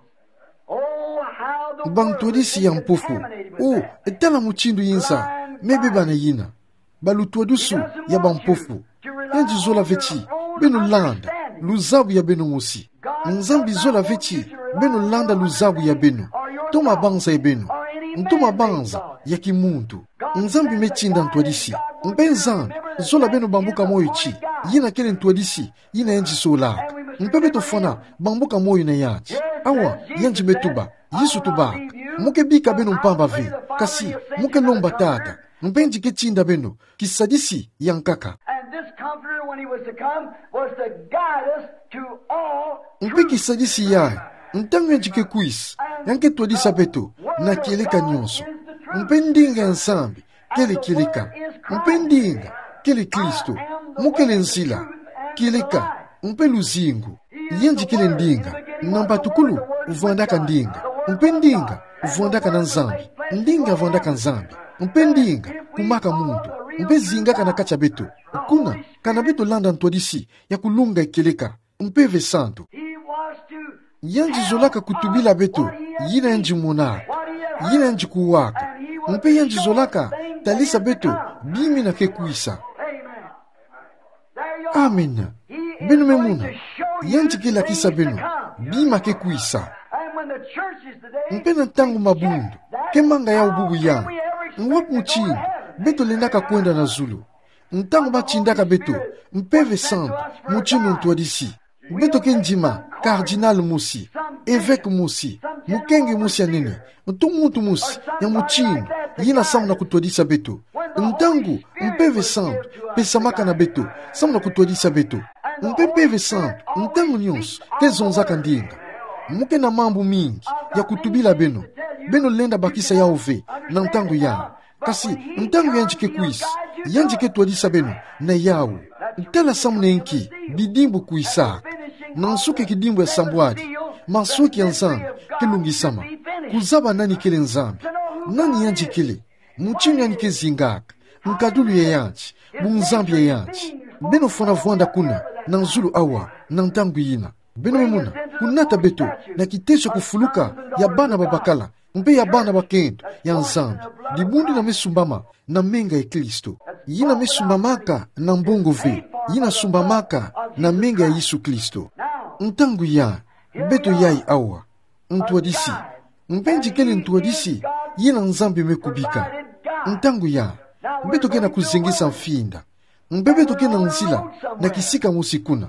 Oh, how the world is contaminated with that. Bantwadisi ya mpofu. Oh, tala mutindu yinza mebeba na yina. Balutwadusu ya bampofu. Yandi zola ve ti beno landa luzabu ya beno mosi. Nzambi zola ve ti beno landa luzabu ya beno, to mabanza ya beno, to mabanza ya kimuntu. Nzambi metinda ntwadisi. Mpe Nzambi zola beno bambuka moyo ti yina kele ntwadisi yina yandi zolaka. Mpe beto fwana bambuka moyo na yandi. Awa, yandi metuba, Yesu tubaka: Mu kebika beno mpamba ve, kasi mu kelomba Tata, mpe yandi ketinda beno kisadisi ya nkaka. And this Comforter, when he was to come, was to guide us to all truth. Mpe kisadisi yayi, ntangu yandi kekwisa, yandi ketwadisa beto na kieleka nyonso. Mpe ndinga ya Nzambi kele kieleka. Mpe ndinga kele Kristo. Mo kele nzila, kieleka, mpe luzingu. Yandi kele ndinga. Na batukulu vwandaka ndinga. Mpe ndinga vwandaka na Nzambi. Ndinga vwandaka Nzambi. Mpe ndinga kumaka muntu. Mpe zingaka na kati ya beto. Kuna, kana beto landa ntwadisi ya kulunga kieleka, Mpeve Santu. Yandi zolaka kutubila beto yina yandi monaka, yina yandi kuwaka. Mpe yandi zolaka talisa beto bi mina ke kwisa. Amen. Beno me mona, yandi ke lakisa beno bi ma ke kwisa. Mpe na ntangu mabundu ke manga yau bubu yandi, wapi mutindu beto lendaka kwenda na zulu? Ntangu batindaka beto Mpeve Santu, mutindu ntwadisi, beto ke ndima cardinal mosi, évêque mosi, mukenge mosi ya nene, ntu muntu mosi ya mutindu yina samu na kutwadisa beto. Ntangu Mpeve Santu pesamaka na beto samu na kutwadisa beto. Mpe Mpeve Santu ntangu nyonso ke zonzaka ndinga. Mo ke na mambu mingi ya kutubila beno, beno lenda bakisa yau ve na ntangu yandi. Kasi ntangu yandi ke kwisa, yandi ke twadisa beno na yau. Tala samu na inki bidimbu kwisaka. Na nsuki ya kidimbu ya sambwadi, masweki ya Nzambi ke lungisama. Kuzaba nani kele Nzambi, nani yandi kele, mutindu yandi ke zingaka, nkadulu ya yandi, bunzambi ya yandi. Beno fwana vwanda kuna na zulu awa na ntangu yina. Beno me mona, kunata beto na kiteso ya kufuluka ya bana babakala mpe ya bana bakento ya Nzambi. Dibundu yina me sumbama na menga ya Kristo. Yina me sumbamaka na mbongo ve, yina sumbamaka na menga ya Yesu Kristo. Ntangu yandi, beto yai awa, ntwadisi. Mpe yandi kele ntwadisi yina Nzambi me kubika. Ntangu yandi, beto ke na kuzengisa mfinda. Mpe beto ke na nzila na kisika mosi kuna.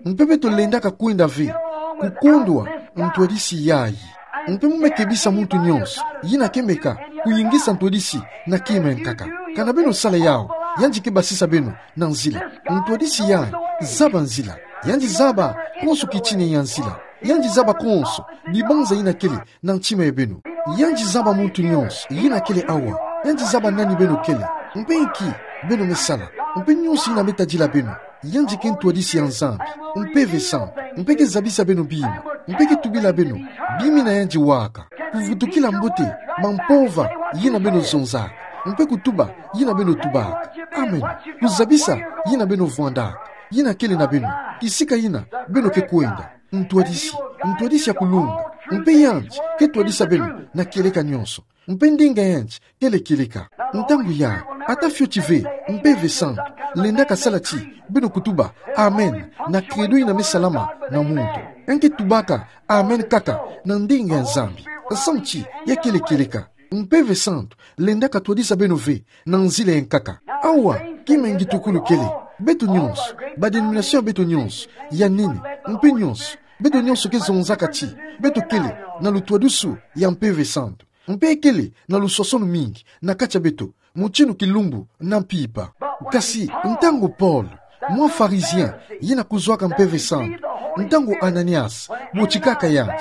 Mpe beto lendaka kwenda ve, kukondwa ntwadisi yai. Mpe mo me kebisa muntu nyonso yina ke meka kuyingisa ntwadisi na kima ya nkaka. Kana beno sala yau, yandi ke basisa beno na nzila. Ntwadisi yandi zaba nzila. Yandi zaba konso kitina ya nzila. Yandi zaba konso bibanza yina kele na ntima ya beno. Yandi zaba muntu nyonso yina kele awa. Yandi zaba nani beno kele, mpe inki beno me sala, mpe nyonso yina me tadila beno. Yandi ke ntwadisi ya Nzambi Mpeve Santu, mpe ke zabisa beno bi mina, mpe ke tubila beno bi mina yandi waka. Kuvutukila mbote mampova yina beno zonzaka, mpe kutuba yina beno tubaka. Amen. Kuzabisa yina beno vwandaka, yina kele na beno, kisika yina beno ke kwenda. Ntwadisi, ntwadisi ya kulunga. Mpe yandi ke twadisa beno na kieleka nyonso. Mpe ndinga yandi kele kieleka. Ntangu yandi, ata fioti ve Mpeve Santu lendaka sala ti beno kutuba amen na credo yina me salama na muntu. Yandi ke tubaka amen kaka na ndinga ya Nzambi, samu ti ya kele kieleka. Mpeve Santu lendaka twadisa beno ve na nzila ya nkaka. Awa, kima ya ngitukulu kele, beto nyonso, ba denomination ya beto nyonso, ya nene mpe nyonso, beto nyonso ke zonzaka ti beto kele na lutwadusu ya Mpeve Santu. Mpe kele na lusosono mingi na kati ya beto, mutindu kilumbu na mpimpa. Kasi ntangu Paul, mwa Pharisien yina kuzwaka Mpeve Santu, ntangu Ananias botikaka yandi,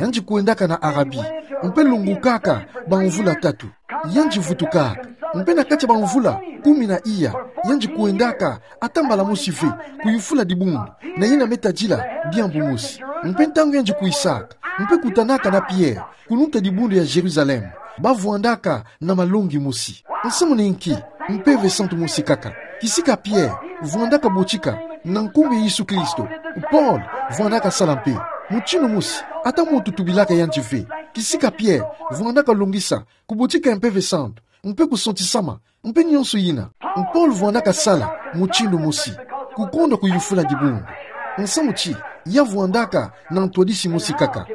yandi kwendaka na Arabie, mpe lungukaka bamvula tatu. Yandi vutukaka, mpe na kati ya bamvula kumi na iya, yandi kwendaka ata mbala mosi ve kuyufula dibundu na yina me tadila diambu mosi. Mpe ntangu yandi kwisaka, mpe kutanaka na Pierre, kununta dibundu ya Jérusalem, bavwandaka na malongi mosi. Nsamu na inki? Mpeve Santu mosi kaka. Kisika Pierre vwandaka botika na nkumbu ya Yesu Kristo, Paul vwandaka sala mpe. Mutindu mosi, ata muntu tubilaka yandi ve, kisika Pierre vwandaka longisa kubotika ya Mpeve Santu, mpe kusantisama, mpe nyonso yina, Paul vwandaka sala mutindu mosi, kukondwa kuyufula dibundu. Nsamu ti ya vwandaka na ntwadisi mosi kaka.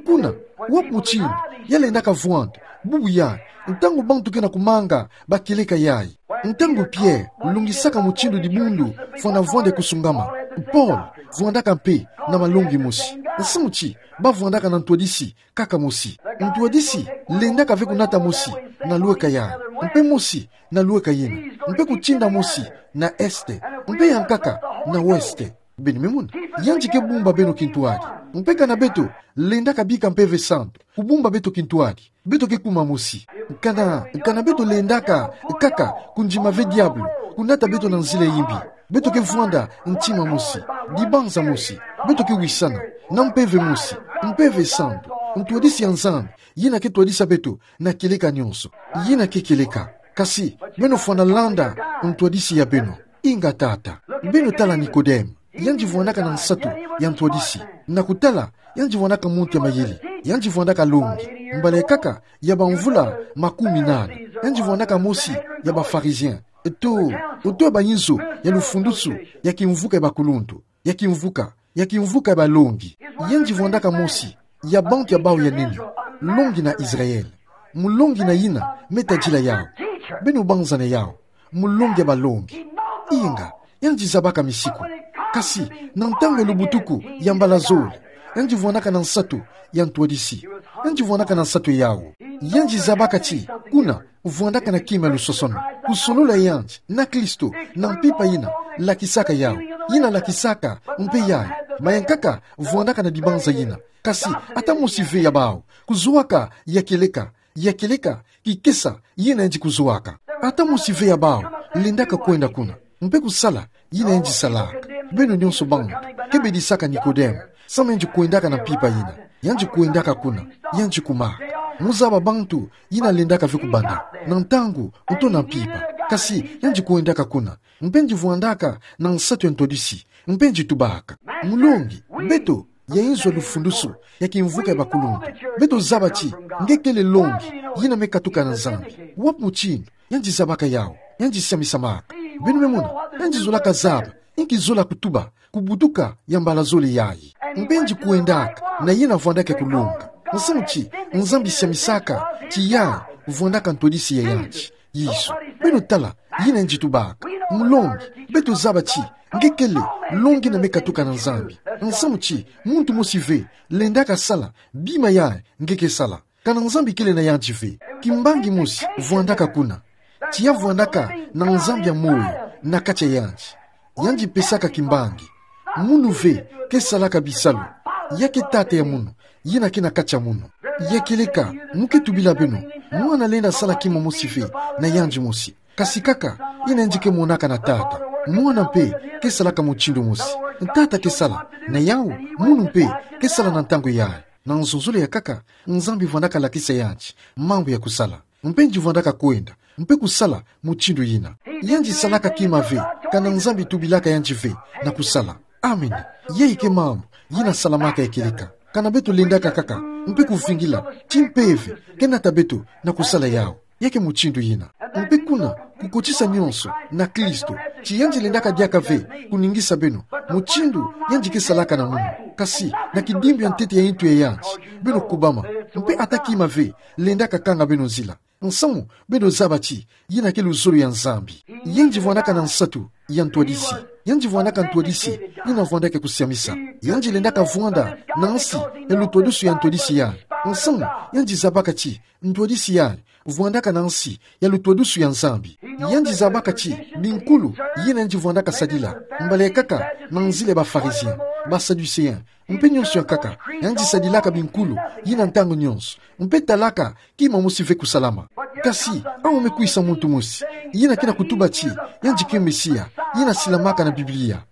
Kuna, wapi mutindu ya lendaka vwanda? Bubu yandi, ntangu bantu ke na kumanga bakieleka yandi. Ntangu Pierre longisaka mutindu dibundu fwana vwanda kusungama, Paul vwandaka mpe na malongi mosi. Nsamu ti bavwandaka na ntwadisi kaka mosi. Ntwadisi lendaka ve kunata mosi na lweka yandi, mpe mosi na lweka yina, mpe kutinda mosi na est, mpe ya nkaka na ouest. Beno me mona, yandi ke bumba beno kintwadi. Mpe kana beto lendaka bika Mpeve Santu kubumba beto kintwadi, beto ke kuma mosi. Kana, kana beto lendaka kaka kundima ve diabulu kunata beto na nzila ya yimbi, Beto ke vwanda ntima mosi, dibanza mosi. Beto ke wisana na mpeve mosi, mpeve santu, ntwadisi ya Nzambi, yina ke twadisa beto na kieleka nionso. Yina ke kieleka. Kasi beno fwana landa ntwadisi ya beno. Inga tata. Beno tala Nikodeme. Yandi vwandaka na nsatu ya ntwadisi. Na kutala, yandi vwandaka muntu ya mayele. Yandi vwandaka longi. Mbala ya nkaka ya bamvula makumi nana, yandi vwandaka mosi ya ba Pharisiens. Eto, oto ya bayinzo ya lufundusu ya kimvuka ya bakuluntu, ya kimvuka, ya kimvuka ya balongi. Yandi vwandaka mosi ya bantu ya bawu ya nene, longi na Israël. Mulongi na yina me tadila yawu. Beno banzana yawu. Mulongi ya balongi. Inga, yandi zabaka misiku. Kasi na ntangu ya lubutuku ya mbala zole, yandi vwandaka na nsatu ya ntwadisi. Yandi vwandaka na nsatu yawu. Yandi zabaka ti kuna vwandaka na kima ya lusosono. Kusolola yandi na Kristo na mpimpa yina lakisaka yawu, yina lakisaka mpe yayi. Maya nkaka vwandaka na dibanza yina. Kasi ata mosi ve ya bawu. Kuzoaka ya kieleka, ya kieleka kikesa yina yandi kuzoaka. Ata mosi ve ya bawu lendaka kwenda kuna mpe kusala yina yandi salaka. Beno nionso bantu ke bedisaka Nikodeme, samu yandi kwendaka na mpimpa yina. Yandi kwendaka kuna, yandi kumaka. Muzaba bantu yina lendaka ve kubanda na ntangu oto na mpimpa. Kasi yandi kwendaka kuna mpe yandi vwandaka na nsatu ya ntwadisi, mpe yandi tubaka: Mulongi, beto ya inzo ya lufundusu ya kimvuka ya bakuluntu, beto zaba ti nge kele longi yina me katuka na Nzambi. Wapi mutindu yandi zabaka yawu? Yandi siamisamaka. Beno me mona, yandi zolaka zaba, inki zola kutuba kubutuka ya mbala zole yayi. Mpe yandi kwendaka na yina vwandaka kulonga. Nsamu ti Nzambi siamisaka ti yayi vwandaka ntwadisi ya yandi. Yesu. Beno tala yina yandi tubaka: Mulongi, beto zaba ti nge kele longi yina me katuka na Nzambi. Nsamu ti muntu mosi ve lendaka sala bima yayi nge ke sala. Kana Nzambi kele na yandi ve. Kimbangi mosi vwandaka kuna. Tiya vwandaka na Nzambi ya moyo na kati ya yandi. Yandi pesaka kimbangi. Munu ve ke salaka bisalu. Ya ke Tata ya munu, yina ke na kati ya munu. Ya kieleka, mu ke tubila beno, Mwana lenda sala kima mosi ve na yandi mosi. Kasi kaka yina yandi ke monaka na Tata. Mwana mpe ke salaka mutindu mosi. Tata ke sala na yawu, munu mpe ke sala na ntangu yayi. Na nzonzolo ya nkaka, Nzambi vwandaka lakisa yandi mambu ya kusala. Mpe yandi vwandaka kwenda mpe kusala mutindu yina. Yandi salaka kima ve kana Nzambi tubilaka yandi ve na kusala. Amen. Yayi ke mambu yina salamaka ya kieleka. Kana beto lendaka kaka mpe kuvingila ti mpeve ke nata beto na kusala yawu, ya ke mutindu yina. Mpe kuna kukotisa nionso na Kristo, ti yandi lendaka diaka ve kuningisa beno mutindu yandi ke salaka na munu, kasi na kidimbu ya ntete ya intu ya yandi beno kubama. Mpe ata kima ve lendaka kanga beno nzila. Nsamu beno zaba ti yina ke luzolo ya Nzambi. Yandi vwandaka na nsatu ya ntwadisi. Yandi vwandaka ntwadisi yina vwandaka kusiamisa. Yandi lendaka vwanda na nsi ya lutwadusu ya ntwadisi yayi. Nsamu yandi zabaka ti ntwadisi yayi vwandaka na nsi ya lutwadusu ya Nzambi. Yandi zabaka ti binkulu yina yandi vwandaka sadila, mbala ya nkaka na nzila ya ba Pharisiens, ba Sadducéens, mpe nionso ya nkaka. Yandi sadilaka binkulu yina ntangu nionso, mpe talaka kima mosi ve kusalama. Kasi awu me kwisa muntu mosi yina ke na kutuba ti yandi ke Mesia, yina silamaka na Biblia.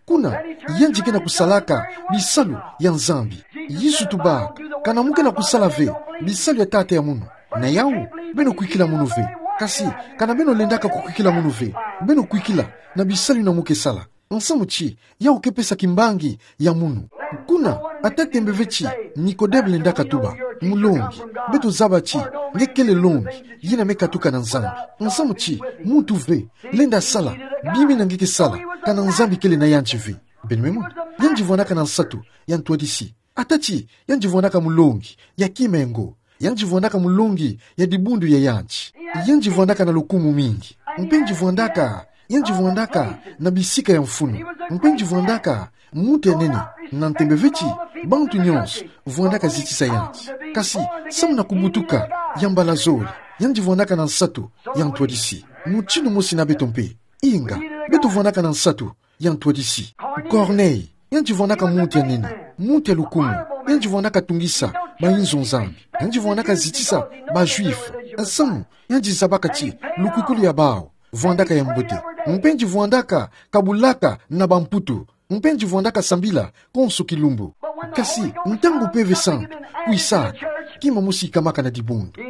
Kuna yandi ke na kusalaka bisalu ya Nzambi. Yesu tubaka: Kana mu ke na kusala ve bisalu ya Tata ya munu, na yawu beno kwikila munu ve. Kasi kana beno lendaka kukwikila munu ve, beno kwikila na bisalu yina mu ke sala. Nsamu ti yawu ke pesa kimbangi ya munu. Kuna ata tembe ve ti Nikodeme lendaka tuba: Mulongi, beto zaba ti nge kele longi yina me katuka na Nzambi. Nsamu ti muntu ve lenda sala bima yina nge ke sala kana Nzambi kele na yandi ve. Beno me mona, yandi vwandaka na nsatu ya ntwadisi. Ata ti yandi vwandaka mulongi ya kima ya ngo, yandi vwandaka mulongi ya dibundu ya yandi. Yandi vwandaka na lukumu mingi. Mpe yandi vwandaka, yandi vwandaka na bisika ya mfunu. Mpe yandi vwandaka muntu ya nene. Na ntembe ve ti bantu nionso vwandaka zitisa yandi. Kasi samu na kubutuka ya mbala zole, yandi vwandaka na nsatu ya ntwadisi. Mutindu mosi na beto mpe. Inga, beto vwandaka na nsatu ya ntwadisi. Corneille, yandi vwandaka muntu ya nene, muntu ya lukumu. Yandi vwandaka tungisa bayinzo Nzambi. Yandi vwandaka zitisa ba Juifs. Nsamu yandi zabaka ti lukwikulu ya bawu vwandaka ya mbote. Mpe yandi vwandaka kabulaka na bamputu. Mpe yandi vwandaka sambila konso kilumbu. Kasi ntangu Mpeve Santu kwisaka, kima mosi ikamaka na dibundu.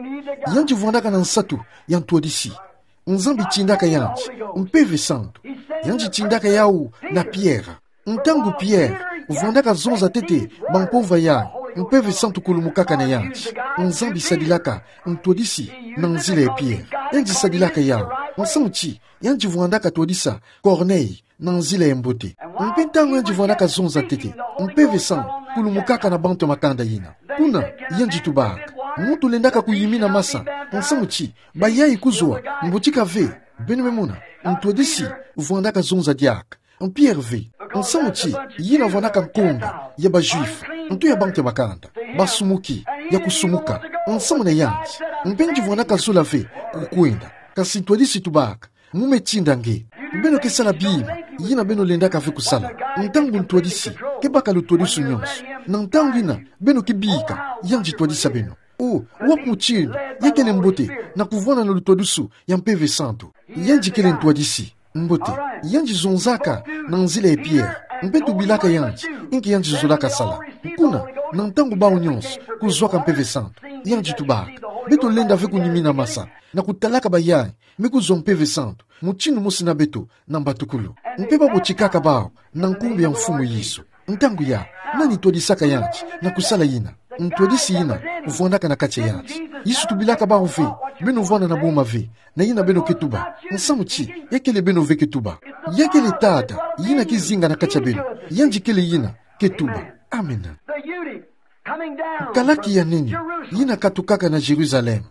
Yandi vwandaka na nsatu ya ntwadisi. Nzambi tindaka yandi Mpeve Santu. Yandi tindaka yawu na Pierre. Ntangu Pierre vwandaka zonza ntete bampomva yayi, Mpeve Santu kulumukaka na yandi. Nzambi sadilaka ntwadisi na nzila ya Pierre. Yandi sadilaka yawu. Nsamu ti yandi vwandaka twadisa Corneille na nzila ya mbote. Mpe ntangu yandi vwandaka zonza ntete, Mpeve Santu kulumukaka na bantu ya makanda yina. Kuna, yandi tubaka: Muntu lendaka kuyimina masa, nsamu ti bayayi kuzwa, mbotika ve. Beno me mona, ntwadisi vwandaka zonza diaka. Pierre ve, nsamu ti yina vwandaka nkonga ya ba Juifs, nto ya bantu ya makanda, basumuki, ya kusumuka, nsamu na yandi. Mpe yandi vwandaka zola ve kukwenda. Kasi ntwadisi tubaka: Mu me tinda nge. Beno ke sala bima yina beno lendaka ve kusala. Ntangu ntwadisi ke baka lutwadusu nyonso, na ntangu yina beno ke bika, yandi twadisa beno. O, wapi mutindu ya kele mbote na kuvwanda na lutwadusu ya Mpeve Santu? Yandi kele ntwadisi. Mbote, yandi zonzaka na nzila ya Pierre. Mpe tubilaka yandi inki yandi zolaka sala. Kuna, na ntangu bawu nyonso kuzwaka Mpeve Santu, yandi tubaka: Beto lenda ve kuyimina masa na kutalaka bayayi me kuzwa Mpeve Santu, mutindu mosi na beto na mbatukulu. Mpe babotikaka bawu na nkumbu ya Mfumu Yesu. Ntangu yayi, nani twadisaka yandi na kusala yina? Ntwadisi yina vwandaka na kati ya yandi. Yesu tubilaka bawu ve: Beno vwanda na boma ve na yina beno ke tuba. Nsamu ti ya kele beno ve ke tuba. Ya kele Tata yina ke zinga na kati ya beno. Yandi kele yina ke tuba. Amen. Kalaki ya nene yina katukaka na Jérusalem.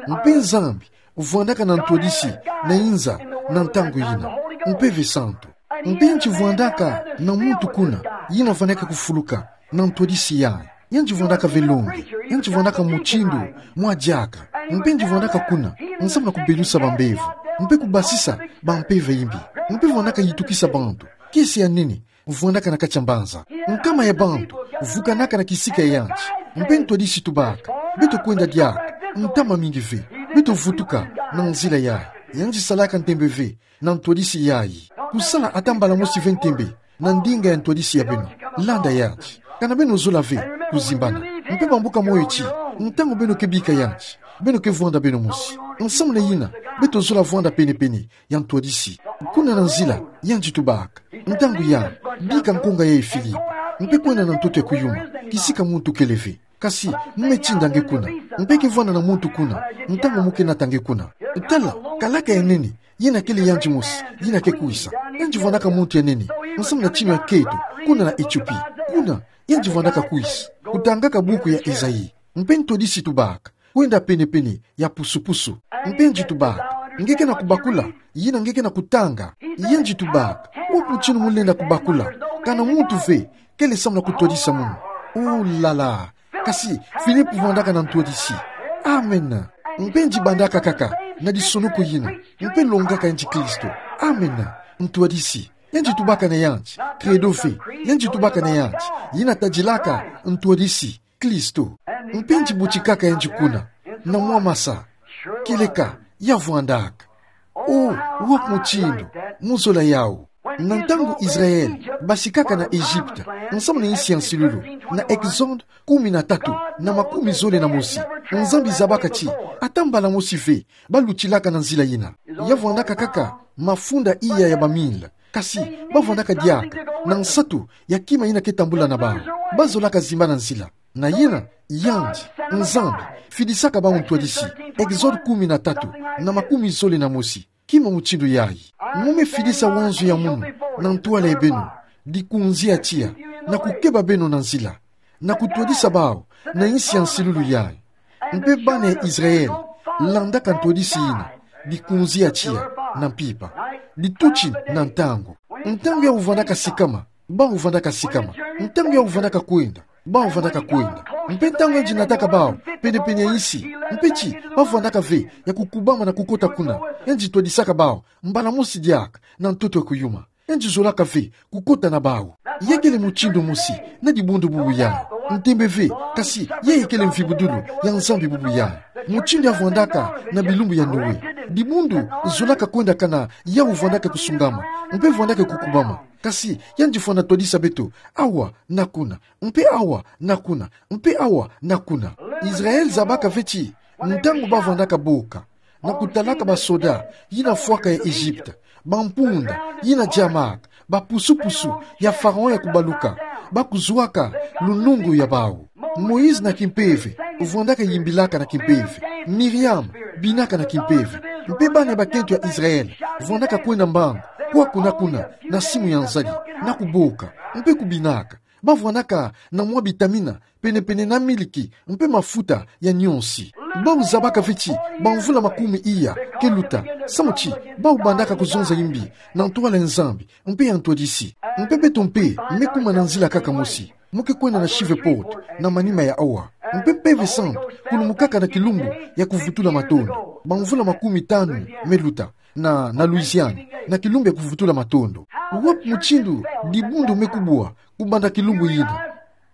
Mpe Nzambi vwandaka na ntwadisi na inza na ntangu yina, Mpeve Santu. Mpe yandi vwandaka na muntu kuna yina fwanaka kufuluka na ntwadisi yayi. Yandi vwandaka ve longi. Yandi vwandaka mutindu mwa diaka. Mpe yandi vwandaka kuna nsamu na kubelusa bambevo mpe kubasisa bampeve imbi. Mpe vwandaka yitukisa bantu. Kiese ya nene vwandaka na kati ya mbanza. Nkama ya bantu vukanaka na kisika ya yandi. Mpe ntwadisi tubaka: Beto kwenda diaka, ntama mingi ve. Beto vutuka na nzila yayi. Yandi salaka ntembe ve na ntwadisi yayi. Kusala ata mbala mosi ve ntembe na ndinga ya ntwadisi ya beno. Landa yandi. Kana beno zola ve kuzimbana. Mpe bambuka moyo ti, ntangu beno ke bika yandi, beno ke vwanda beno mosi. Nsamu na yina, beto zola vwanda pene-pene ya ntwadisi. Kuna na nzila, yandi tubaka: Ntangu yayi, bika nkonga yayi Philippe, mpe kwenda na ntoto ya kuyuma, kisika muntu kele ve. Kasi mu me tinda nge kuna. Mpe ke vwanda na muntu kuna ntangu mu ke nata nge kuna. Tala, kalaka ya nene yina kele yandi mosi yina ke kwisa. Yandi vwandaka muntu ya nene nsamu na tinu ya keto kuna na Ethiopie. Kuna yandi vwandaka kwisa, kutangaka buku ya Esaïe. Mpe ntwadisi tubaka: Kwenda pene-pene ya pusu-pusu. Mpe yandi tubaka: Nge ke na kubakula yina nge ke na kutanga? Yandi tubaka: Wapi mutindu mu lenda kubakula? Kana muntu ve kele samu na kutwadisa munu. Oh là là. Kasi Philippe vwandaka na ntwadisi. Amen. Mpe yandi bandaka kaka na disonoko yina, mpe longaka yandi Kristo. Amen. Ntwadisi. Yandi tubaka na yandi Credo ve. Yandi tubaka na yandi yina tadilaka ntwadisi, Kristo. Mpe yandi botikaka yandi kuna na mwa masa. Kieleka ya vwandaka. Oh, wapi mutindu mu zola yawu? Na ntangu Israël basikaka na Egypte, nsamu na insi ya nsilulu, na Exode kumi na tatu na makumi zole na mosi, Nzambi zabaka ti ata mbala mosi ve balutilaka na nzila yina. Ya vwandaka kaka mafunda iya ya ba mille. Kasi ba vwandaka diaka na nsatu ya kima yina ke tambula na bawu. Ba zolaka zimbana nzila. Na yina, yandi, Nzambi, fidisaka bawu ntwadisi. Exode kumi na tatu na makumi zole na mosi. Kima mutindu yayi? Mu me fidisa wanzu ya munu na ntwala ya beno, dikunzi ya tiya, na kukeba beno na nzila, na kutwadisa bawu na insi ya nsilulu yayi. Mpe bana ya Israël landaka ntwadisi yina, dikunzi ya tiya na mpimpa, di tuti na ntangu. Ntangu yawu vandaka sikama, bawu vandaka sikama. Ntangu yawu vandaka kwenda, bawu vandaka kwenda. Mpe ntangu yandi nataka bawu pene-pene ya insi, mpe ti ba vandaka ve ya kukubama na kukota kuna, yandi twadisaka bawu mbala mosi diaka na ntoto ya kuyuma. Yandi zolaka ve kukota na bawu. Ya kele mutindu mosi na dibundu bubu yayi. Ntembe ve, kasi yayi kele mvibudulu ya Nzambi bubu yayi. Mutindu ya vandaka na bilumbu ya Noé. Dibundu zolaka kwenda kana yawu vwandaka kusungama, mpe vwandaka kukubama. Kasi, yandi fwana twadisa beto, awa, na kuna, mpe awa, na kuna, mpe awa, na kuna. Israel zabaka ve ti, ntangu bavwandaka boka, na kutalaka basoda, yina fwaka ya Egypte, bampunda, yina diamaka, bapusupusu, ya Pharaon ya kubaluka, bakuzwaka, lunungu ya bawu. Moïse na kimpeve, vwandaka yimbilaka na kimpeve. Miriam, binaka na kimpeve. Mpe bana bakento ya Israel, vwandaka kwenda mbangu, kwaku na kuna, na simu ya nzadi, na kuboka, mpe kubinaka. Bavwandaka na mwa bitamina, penepene na miliki, mpe mafuta ya nionsi. Bawu zabaka ve ti, bamvula makumi iya, ke luta, samu ti, bawu bandaka kuzonza yimbi, na ntwala ya Nzambi, mpe ya ntwadisi. Mpe beto mpe, me kuma na nzila kaka mosi. Mu ke kwenda na Shreveport, na manima ya awa. Mpe Mpeve Santu, kulumukaka na kilumbu, ya kuvutula matondo. Bamvula makumi tanu, me luta. Na, na Louisiane, na kilumbu ya kuvutula matondo. Wapi mutindu, dibundu me kubwa, kubanda kilumbu yina.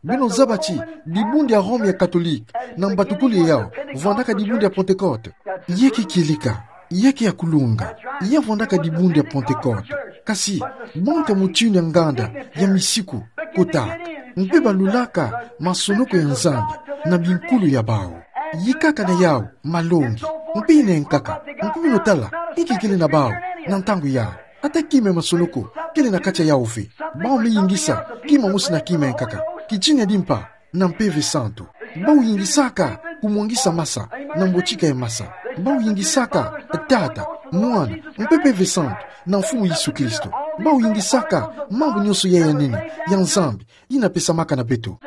Beno zaba ti, dibundu ya Rome ya Katolike, na mbatukuli yawu, vwandaka dibundu ya Pentecote. Ya ke kieleka, ya ke ya kulunga, ya vwandaka dibundu ya Pentecote. Kasi, bantu ya mutindu ya nganda, ya misiku, kotaka. Mpe balulaka, masonoko ya Nzambi, na binkulu ya bawu. Yikaka na yawu, malongi. Mpe yina nkaka, mpe beno tala, inki kele na bawu, na ntangu yawu. Ata kima ya masonoko, kele na kati ya yawu ve. Bawu me yingisa, kima mosi na kima ya nkaka. Kitina di mpa, na Mpeve Santu. Bawu yingisaka, kumwangisa masa, na mbotika ya masa. Bawu yingisaka, Tata, Mwana, mpe Mpeve Santu, na Mfumu Yesu Kristo. Bawu yingisaka, mambu nionso ya, ya nene, ya Nzambi, yina pesamaka na beto.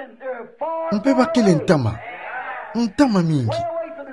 Mpe bakele ntama. Ntama mingi.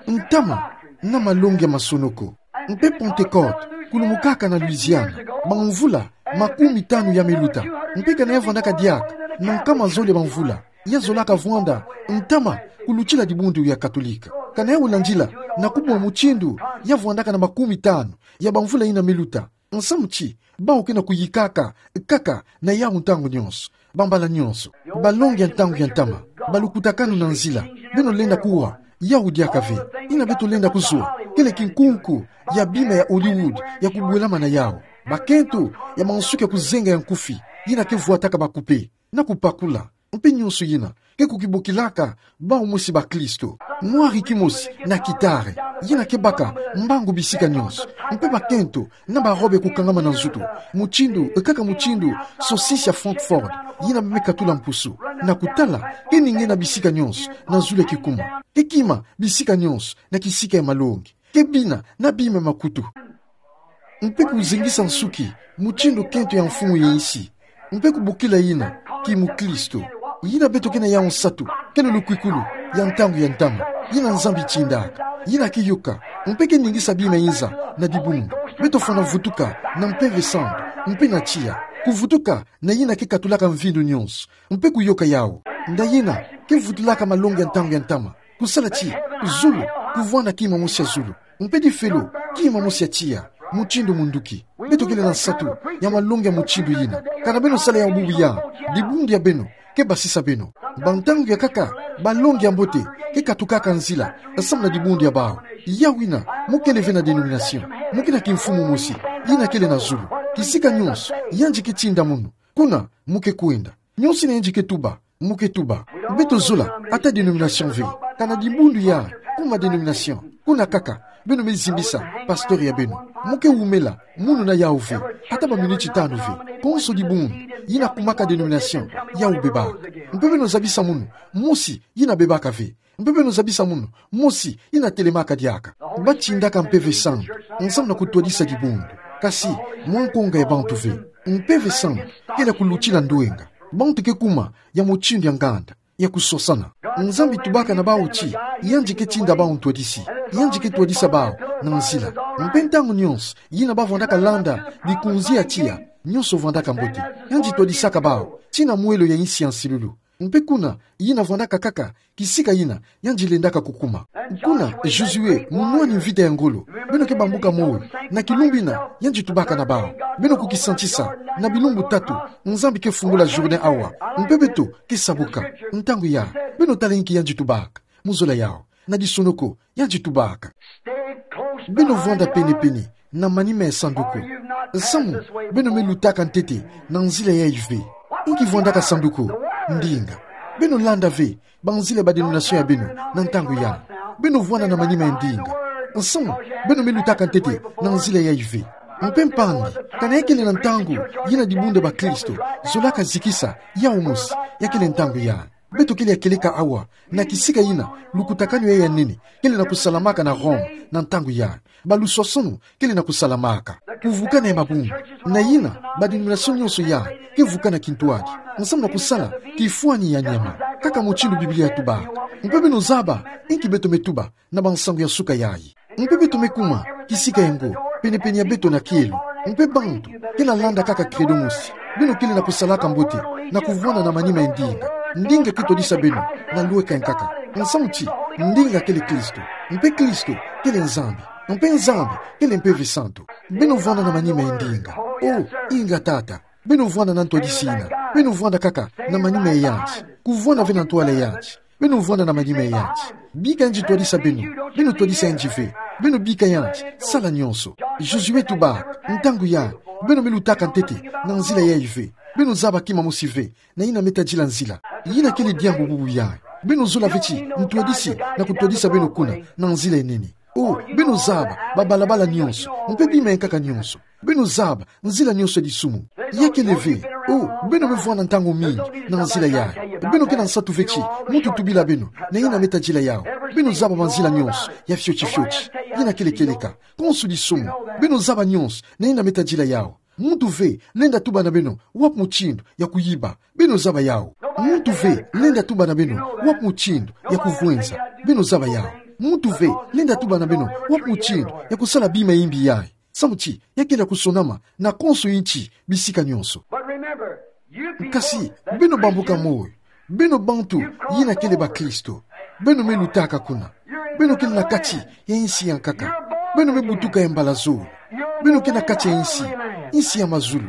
Ntama, na malongi ya masonoko. Mpe Pentecote, kulumukaka na Louisiane, bamvula, makumi tanu ya me luta, mpe kana ya vwandaka diaka, na nkama zole bamvula, ya zolaka vwanda, ntama, kulutila dibundu ya Katolike. Kana ya landila, na kubwa mutindu, ya vwandaka na makumi tanu, ya bamvula yina me luta, nsamu ti, bawu ke na kuyikaka, kaka, na yawu ntangu nionso. Bambala nionso, balongi ya ntangu ya ntama, balukutakanu na nzila, beno lenda kuwa, yawu diaka ve, yina beto lenda kuzwa, kele kinkunku, ya bima ya Hollywood, ya kubwelama na yawu. Bakento, ya mansuki ya kuzenga ya nkufi, yina ke vwataka bakupe, na kupakula, mpe nionso yina, ke kukibokilaka, bawu mosi bakristo. Mwari kimosi, na kitare, yina ke baka, mbangu bisika nionso, mpe bakento, na barobe kukangama na nzutu, mutindu, kaka mutindu, saucisse ya Francfort, yina me katula mpusu, na kutala, ke ninge na bisika nionso, na zulu ya kikuma, ke kima, bisika nionso, na kisika ya malongi, ke bina, na bima ya makutu. Mpe kuzengisa nsuki, mutindu kento ya mfumu ya insi, mpe kubokila yina, kimukristo. Yina beto ke na yawu nsatu, kele lukwikulu, ya ntangu ya ntama, yina Nzambi tindaka, yina ke yoka, mpe ke ningisa bima inza, na dibundu. Beto fwana vutuka, na Mpeve Santu, mpe na tiya, kuvutuka, na yina ke katulaka mvindu nionso, mpe kuyoka yawu. Nda yina, ke vutulaka malongi ya ntangu ya ntama, kusala ti, zulu, kuvwanda kima mosi ya zulu. Mpe difelo, kima mosi ya tiya, mutindu munduki. Beto kele na nsatu, ya malongi ya mutindu yina. Kana beno sala yawu bubu ya, dibundu ya beno, ke basisa beno. Ba ntangu ya kaka, balongi ya mbote, ke katukaka nzila, samu na dibundu ya bawu. Yawu yina, mu kele ve na dénomination. Mu ke na kimfumu mosi, yina kele na zulu. Kisika nionso, yandi ke tinda munu. Kuna, mu ke kwenda. Nionso yina yandi ke tuba, mu ke tuba. Beto zola, ata dénomination ve. Kana dibundu ya, kuma dénomination. Kuna kaka, beno me zimbisa, pasteur ya beno. Mu ke wumela, munu na yawu ve. Ata ba miniti tanu ve. Konso dibundu, yina kumaka dénomination, yawu bebaka. Mpe beno zabisa munu, mosi, yina bebaka ve. Mpe beno zabisa munu, mosi, yina telemaka diaka. Batindaka Mpeve Santu, nsamu na kutwadisa dibundu. Kasi, mwa nkonga ya bantu ve. Mpeve Santu, kele ya kulutila ndwenga. Bantu ke kuma, ya mutindu ya nganda, ya kuswasana. Nzambi tubaka na bawu ti, yandi ke tinda bawu ntwadisi. Yandi ke twadisa bawu, na nzila. Mpe ntangu nionso, yina bavwandaka landa, bikunzi ya tiya, nionso vwandaka mbote. Yandi twadisaka bawu, tii na mwelo ya insi ya nsilulu. Mpe kuna, yina vwandaka kaka, kisika yina, yandi lendaka kukuma. Kuna, Josué, munwani mvita ya ngolo, beno ke bambuka moyo, na kilumbu yina, yandi tubaka na bawu. Beno kukisantisa, na bilumbu tatu, Nzambi ke fungula Jourdain awa, mpe beto, ke sabuka, ntangu ya, beno tala inki yandi tubaka, mu zola yawu, na disonoko, yandi tubaka. Beno vwanda pene-pene na manima ya sanduku. Nsamu beno me lutaka ntete na nzila yayi ve? Inki vwandaka sanduku? Ndinga. Beno landa ve banzila ya ba denomination ya beno na ntangu ya. Beno vwanda na manima ya ndinga. Nsamu beno me lutaka ntete na nzila yayi ve? Mpe mpangi, kana ya kele na ntangu yina dibundu ya bakristo zolaka zikisa yawu mosi, ya kele ntangu ya. Beto kele ya kieleka awa na kisika yina lukutakanu yayi ya nene kele na kusalamaka na Rome na ntangu ya. Baluswasono kele na kusalamaka. Kuvukana ya mabundu na yina ba denomination nyonso ya ke vukana kintwadi, nsamu na kusala kifwani ya nyama, kaka mutindu Biblia yatuba. Mpe beno zaba inki beto me tuba na bansangu ya suka yayi. Mpe beto me kuma kisika ya ngo pene-pene ya beto na kielo. Mpe bantu kele landa kaka credo mosi. Beno kele na kusalaka mbote na kuvwanda na manima ya ndinga. Ndinga ke twadisa beno na lweka ya nkaka. Nsamu ti ndinga kele Kristo. Mpe Kristo kele Nzambi. Mpe Nzambi kele Mpeve Santu. Beno vwanda na manima ya ndinga. O, inga tata. Beno vwanda na ntwadisi yina. Beno vwanda kaka na manima ya yanti. Kuvwanda ve na ntwala ya yanti. Beno vwanda na manima ya yanti. Bika yandi twadisa beno. Beno twadisa yandi ve. Beno bika yandi sala nyonso. Josué tubaka, ntangu ya, beno me lutaka ntete na nzila yayi ve? Beno zaba kima mosi ve na yina me tadila nzila. Yina kele diambu bubu yayi. Beno zola ve ti ntwadisi na kutwadisa beno kuna na nzila ya nene. O, beno zaba babalabala nyonso mpe bima ya nkaka nyonso. Beno zaba nzila nyonso ya disumu. Ya kele ve. O, beno me vwanda ntangu mingi na nzila yayi. Beno ke na nsatu ve ti muntu tubila beno na yina me tadila yawu. Beno zaba banzila nyonso ya fioti-fioti yina kele kieleka. Konso disumu. Beno zaba nyonso na yina me tadila yawu. Muntu ve lenda tuba na beno wapi mutindu ya kuyiba. Beno zaba yawu. Muntu ve lenda tuba na beno wapi mutindu ya kuvwenza. Beno zaba yawu. Muntu ve lenda tuba na beno wapi mutindu ya kusala bima ya imbi yayi. Samu ti ya kele ya kusonama na konso inti bisika nyonso. But remember, you people Kasi, that beno bambuka Christian, moyo. Beno bantu yina kele bakristo. Beno me lutaka kuna. Beno kele na kati ya insi ya nkaka. Beno me butuka ya mbala zole. Beno ke na kati ya insi, insi ya mazulu.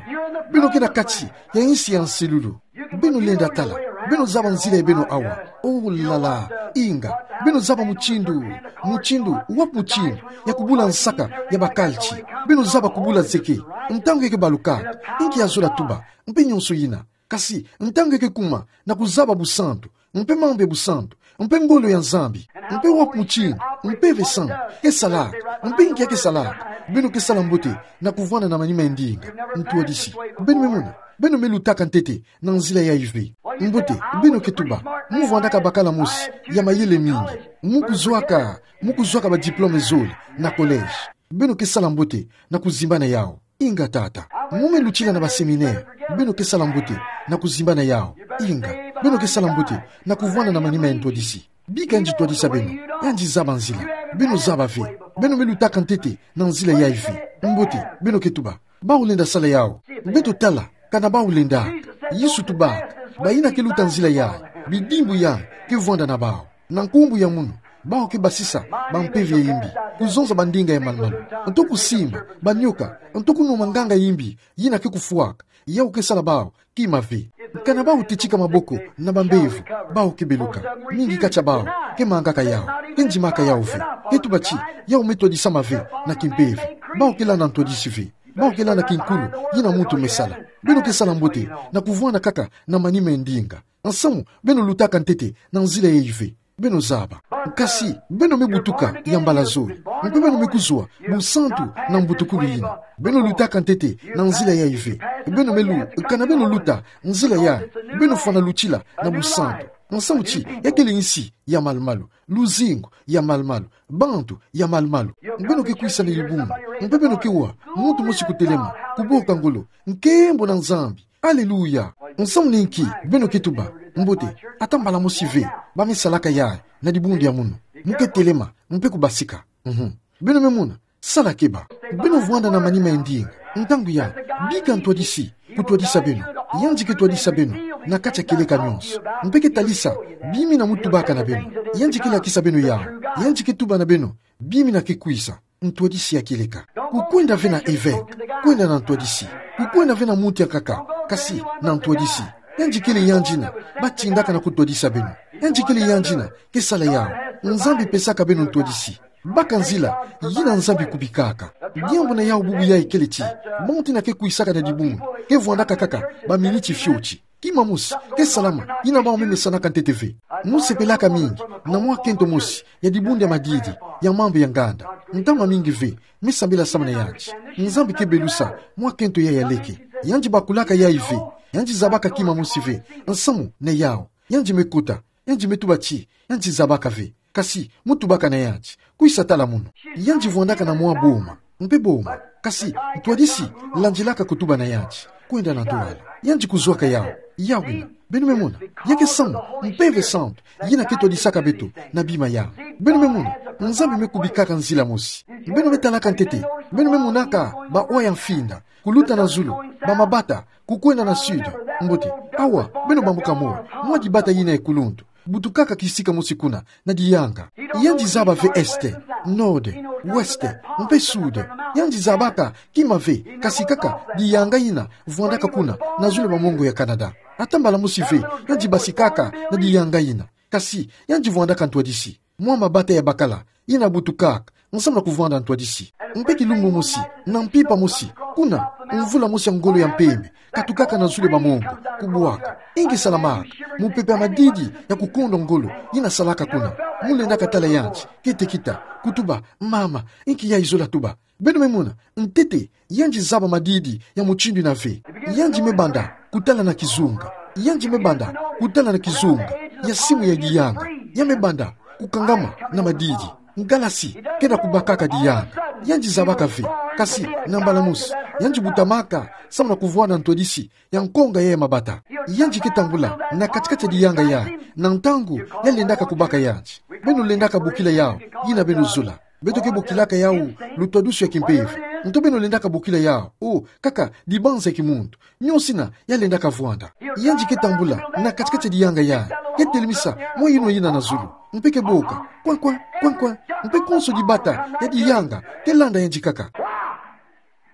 Beno ke na kati ya insi ya nsilulu. Beno lenda tala. Beno zaba nzila ya beno awa. Oh la la, inga. Beno zaba mutindu, mutindu, wapi mutindu ya kubula nsaka ya bakalti. Beno zaba kubula zeke. Ntangu ya ke balukaka, inki ya zola tuba, mpe nyonso yina. Kasi ntangu ya ke kuma na kuzaba busantu, mpe mambu ya busantu, mpe ngolo ya Nzambi, mpe wapi mutindu Mpeve Santu ke salaka, mpe inki ya ke salaka, beno ke sala mbote na kuvwanda na manima ya ndinga. Ntwadisi. Beno me mona, beno me lutaka ntete na nzila yayi ve? Mbote, beno ke tuba, mu vwandaka bakala mosi ya mayele mingi, mu kuzwaka, mu kuzwaka ba diplôme zole na collège. Beno ke sala mbote na kuzimbana yawu. Inga tata. Mu me lutila na ba séminaire. Beno ke sala mbote na kuzimbana yawu. Inga. Beno ke sala mbote na kuvwanda na manima ya ntwadisi. Bika yandi twadisa beno. Yandi zaba nzila. Beno zaba ve. Beno me lutaka ntete na nzila yayi ve? Mbote, beno ke tuba, bawu lenda sala yawu. Beto tala kana bawu lenda. Yesu tubaka, bayina ke luta nzila yayi, bidimbu yayi ke vwanda na bawu. Na nkumbu ya munu, bawu ke basisa bampeve ya imbi, kuzonza bandinga ya malu-malu, nto kusimba banyoka, nto kunwa manganga ya imbi yina ke kufwaka. Yawu ke sala bawu kima ve. Kana bawu tetika maboko na bambevo, bawu ke beluka. Mingi kati ya bawu ke mangaka yawu, ke ndimaka yawu ve. Ke tuba ti yawu me twadisama ve na kimpeve. Bawu ke landa ntwadisi ve. Bawu ke landa kinkulu yina muntu me sala. Beno ke sala mbote na kuvwanda kaka na manima ya ndinga. Nsamu beno lutaka ntete na nzila yayi ve? Beno zaba. Kasi beno me butuka ya mbala zole, mpe beno me kuzwa busantu na mbutukulu yina. Beno lutaka ntete na nzila yayi ve? Beno me lu-, kana beno luta nzila yayi, beno fwana lutila na busantu. Nsamu ti ya kele insi ya malu-malu, luzingu ya malu-malu, bantu ya malu-malu. Beno ke kwisa na dibundu, mpe beno ke wa muntu mosi kutelema, kuboka ngolo, nkembo na Nzambi. Aleluya! Nsamu ni inki beno ke tuba, mbote, ata mbala mosi ve ba me salaka yayi na dibundu ya munu? Mu ke telema, mpe kubasika. Mhm. Beno me mona, sala keba. Beno vwanda na manima ya ndinga. Ntangu ya, bika ntwadisi kutwadisa beno. Yandi ke twadisa beno na kati ya kieleka nyonso, mpe ke talisa bimina mu tubaka na beno. Yandi ke lakisa beno yawu. Yandi ke tuba na beno bimina ke kwisa. Ntwadisi ya kieleka. Kukwenda ve na evêque, kwenda na ntwadisi. Kukwenda ve na muntu ya nkaka, kasi na ntwadisi. Yandi kele yandi yina ba tindaka na kutwadisa beno. Yandi kele yandi yina ke sala yawu. Nzambi pesaka beno ntwadisi. Baka nzila yina Nzambi kubikaka. Diambu na yawu bubu yayi kele ti, monte na ke kwisaka na dibundu ke vwandaka kaka baminiti fioti. Kima mosi ke salama yina bawu me mesanaka ntete ve. Mo sepelaka mingi na mwa kento mosi ya dibundu ya madidi ya mambu ya nganda. Ntama mingi ve me sambila samu na yandi. Nzambi ke belusa mwa kento yayi ya leke. Yandi bakulaka yayi ve. Yandi zabaka kima mosi ve nsamu na yawu. Yandi me kota, yandi me tuba ti yandi zabaka ve. Kasi mo tubaka na yandi: Kwisa tala munu. Yandi vwandaka na mwa boma mpe boma. Kasi ntwadisi landilaka kutuba na yandi kwenda na ntwala. Yandi kuzwaka yawu, yawu yina. Beno me mona, ya ke samu Mpeve Santu yina ke twadisaka beto na bima yawu. Beno me mona, Nzambi me kubikaka nzila mosi. Beno me talaka ntete, beno me monaka bawa ya mfinda kuluta na zulu, bamabata kukwenda na sud. Mbote. Awa beno bambuka moyo, mwa dibata yina ya kuluntu butukaka kisika mosi kuna na diyanga. Yandi zaba ve est, nord, ouest mpe sud. Yandi zabaka kima ve, kasi kaka diyanga yina vwandaka kuna na zulu ya bamongo ya Canada. Ata mbala mosi ve yandi basikaka na diyanga yina. Kasi yandi vwandaka ntwadisi, mwa mabata ya bakala yina butukaka nsamu na kuvwanda ntwadisi. Mpe kilumbu mosi, na mpimpa mosi, kuna mvula mosi ya ngolo ya mpembe katukaka na zulu ya bamongo, kubwaka. Inki salamaka? Mupepe ya madidi ya kukondo ngolo yina salaka kuna. Mo lendaka tala yandi, kete kita, kutuba: Mama, inki yayi zola tuba? Beno me mona, ntete yandi zaba madidi ya mutindu yina ve. Yandi me banda kutala na kizunga. Yandi me banda kutala na kizunga ya simu ya diyanga. Ya me banda kukangama na madidi. Ngalasi kenda kubakaka diyanga. Yandi zabaka ve. Kasi na mbala mosi yandi butamaka samu na kuvwanda ntwadisi ya nkonga ya mabata. Yandi ke tambula na kati-kati ya diyanga yayi na ntangu ya lendaka kubaka yandi. Beno lendaka bokila yawu yina beno zola. Beto ke bokilaka yawu lutwadusu ya kimpeve. Nto beno lendaka bokila yawu o kaka dibanza ya kimuntu. Nionso yina ya lendaka vwanda. Yandi ke tambula na kati-kati ya diyanga yayi, ke telemisa mwa yinwa yina na zulu, mpe ke boka: Kwen-kwen, kwen-kwen. Mpe konso dibata ya diyanga ke landa yandi kaka.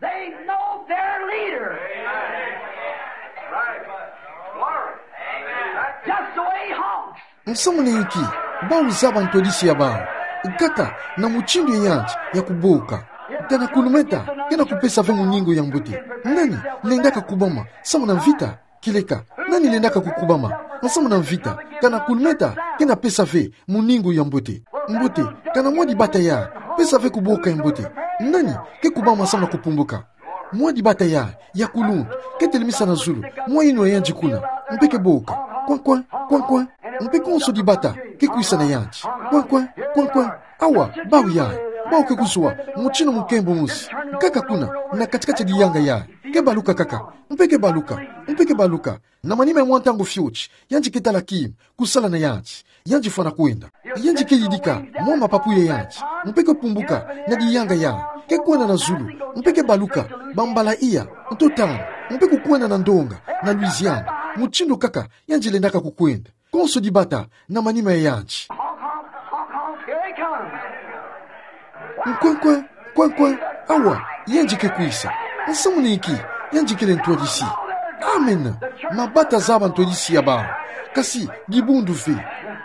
They know their leader. Just the way he honks. Nsamu na inki? Bawu zaba ntwadisi ya bawu kaka na mutindu ya yandi ya kuboka. Kana kulumeta kena kupesa ve muningu ya mbote. Nani lendaka kubama samu na mvita? Kieleka, nani lendaka kukubama samu na mvita? Kana kulumeta kena pesa ve muningu ya mbote. Mbote, kana mwa dibata yayi pesa ve kuboka ya mbote. Nani ke kubama samu na kupumbuka? Mwa dibata yayi ya kuluntu ke telemisa na zulu mwa yinwa ya yandi kuna, mpe ke boka: Kwen-kwen, kwen-kwen. Mpe konso dibata ke kwisa na yandi: Kwen-kwen, kwen-kwen. Awa bawu yayi, bawu ke kuzwa mutindu munkembo mosi kaka kuna na kati-kati ya diyanga yayi. Ke baluka kaka, mpe ke baluka, mpe ke baluka. Na manima ya mwa ntangu fioti, yandi ke tala kima kusala na yandi. Yandi fwana kwenda. Yandi ke yidika mwa mapapu ya yandi, mpe ke pumbuka na diyanga yayi, ke kwenda na zulu, mpe ke baluka bambala iya, nto tanu, mpe kukwenda na ndonga na Louisiane, mutindu kaka yandi lendaka kukwenda. Konso dibata na manima ya yandi. Here he comes. Kwen-kwen, kwen-kwen. Awa yandi ke kwisa. Nsamu na inki? Yandi kele ntwadisi. Amen. Mabata zaba ntwadisi ya bawu. Kasi dibundu ve.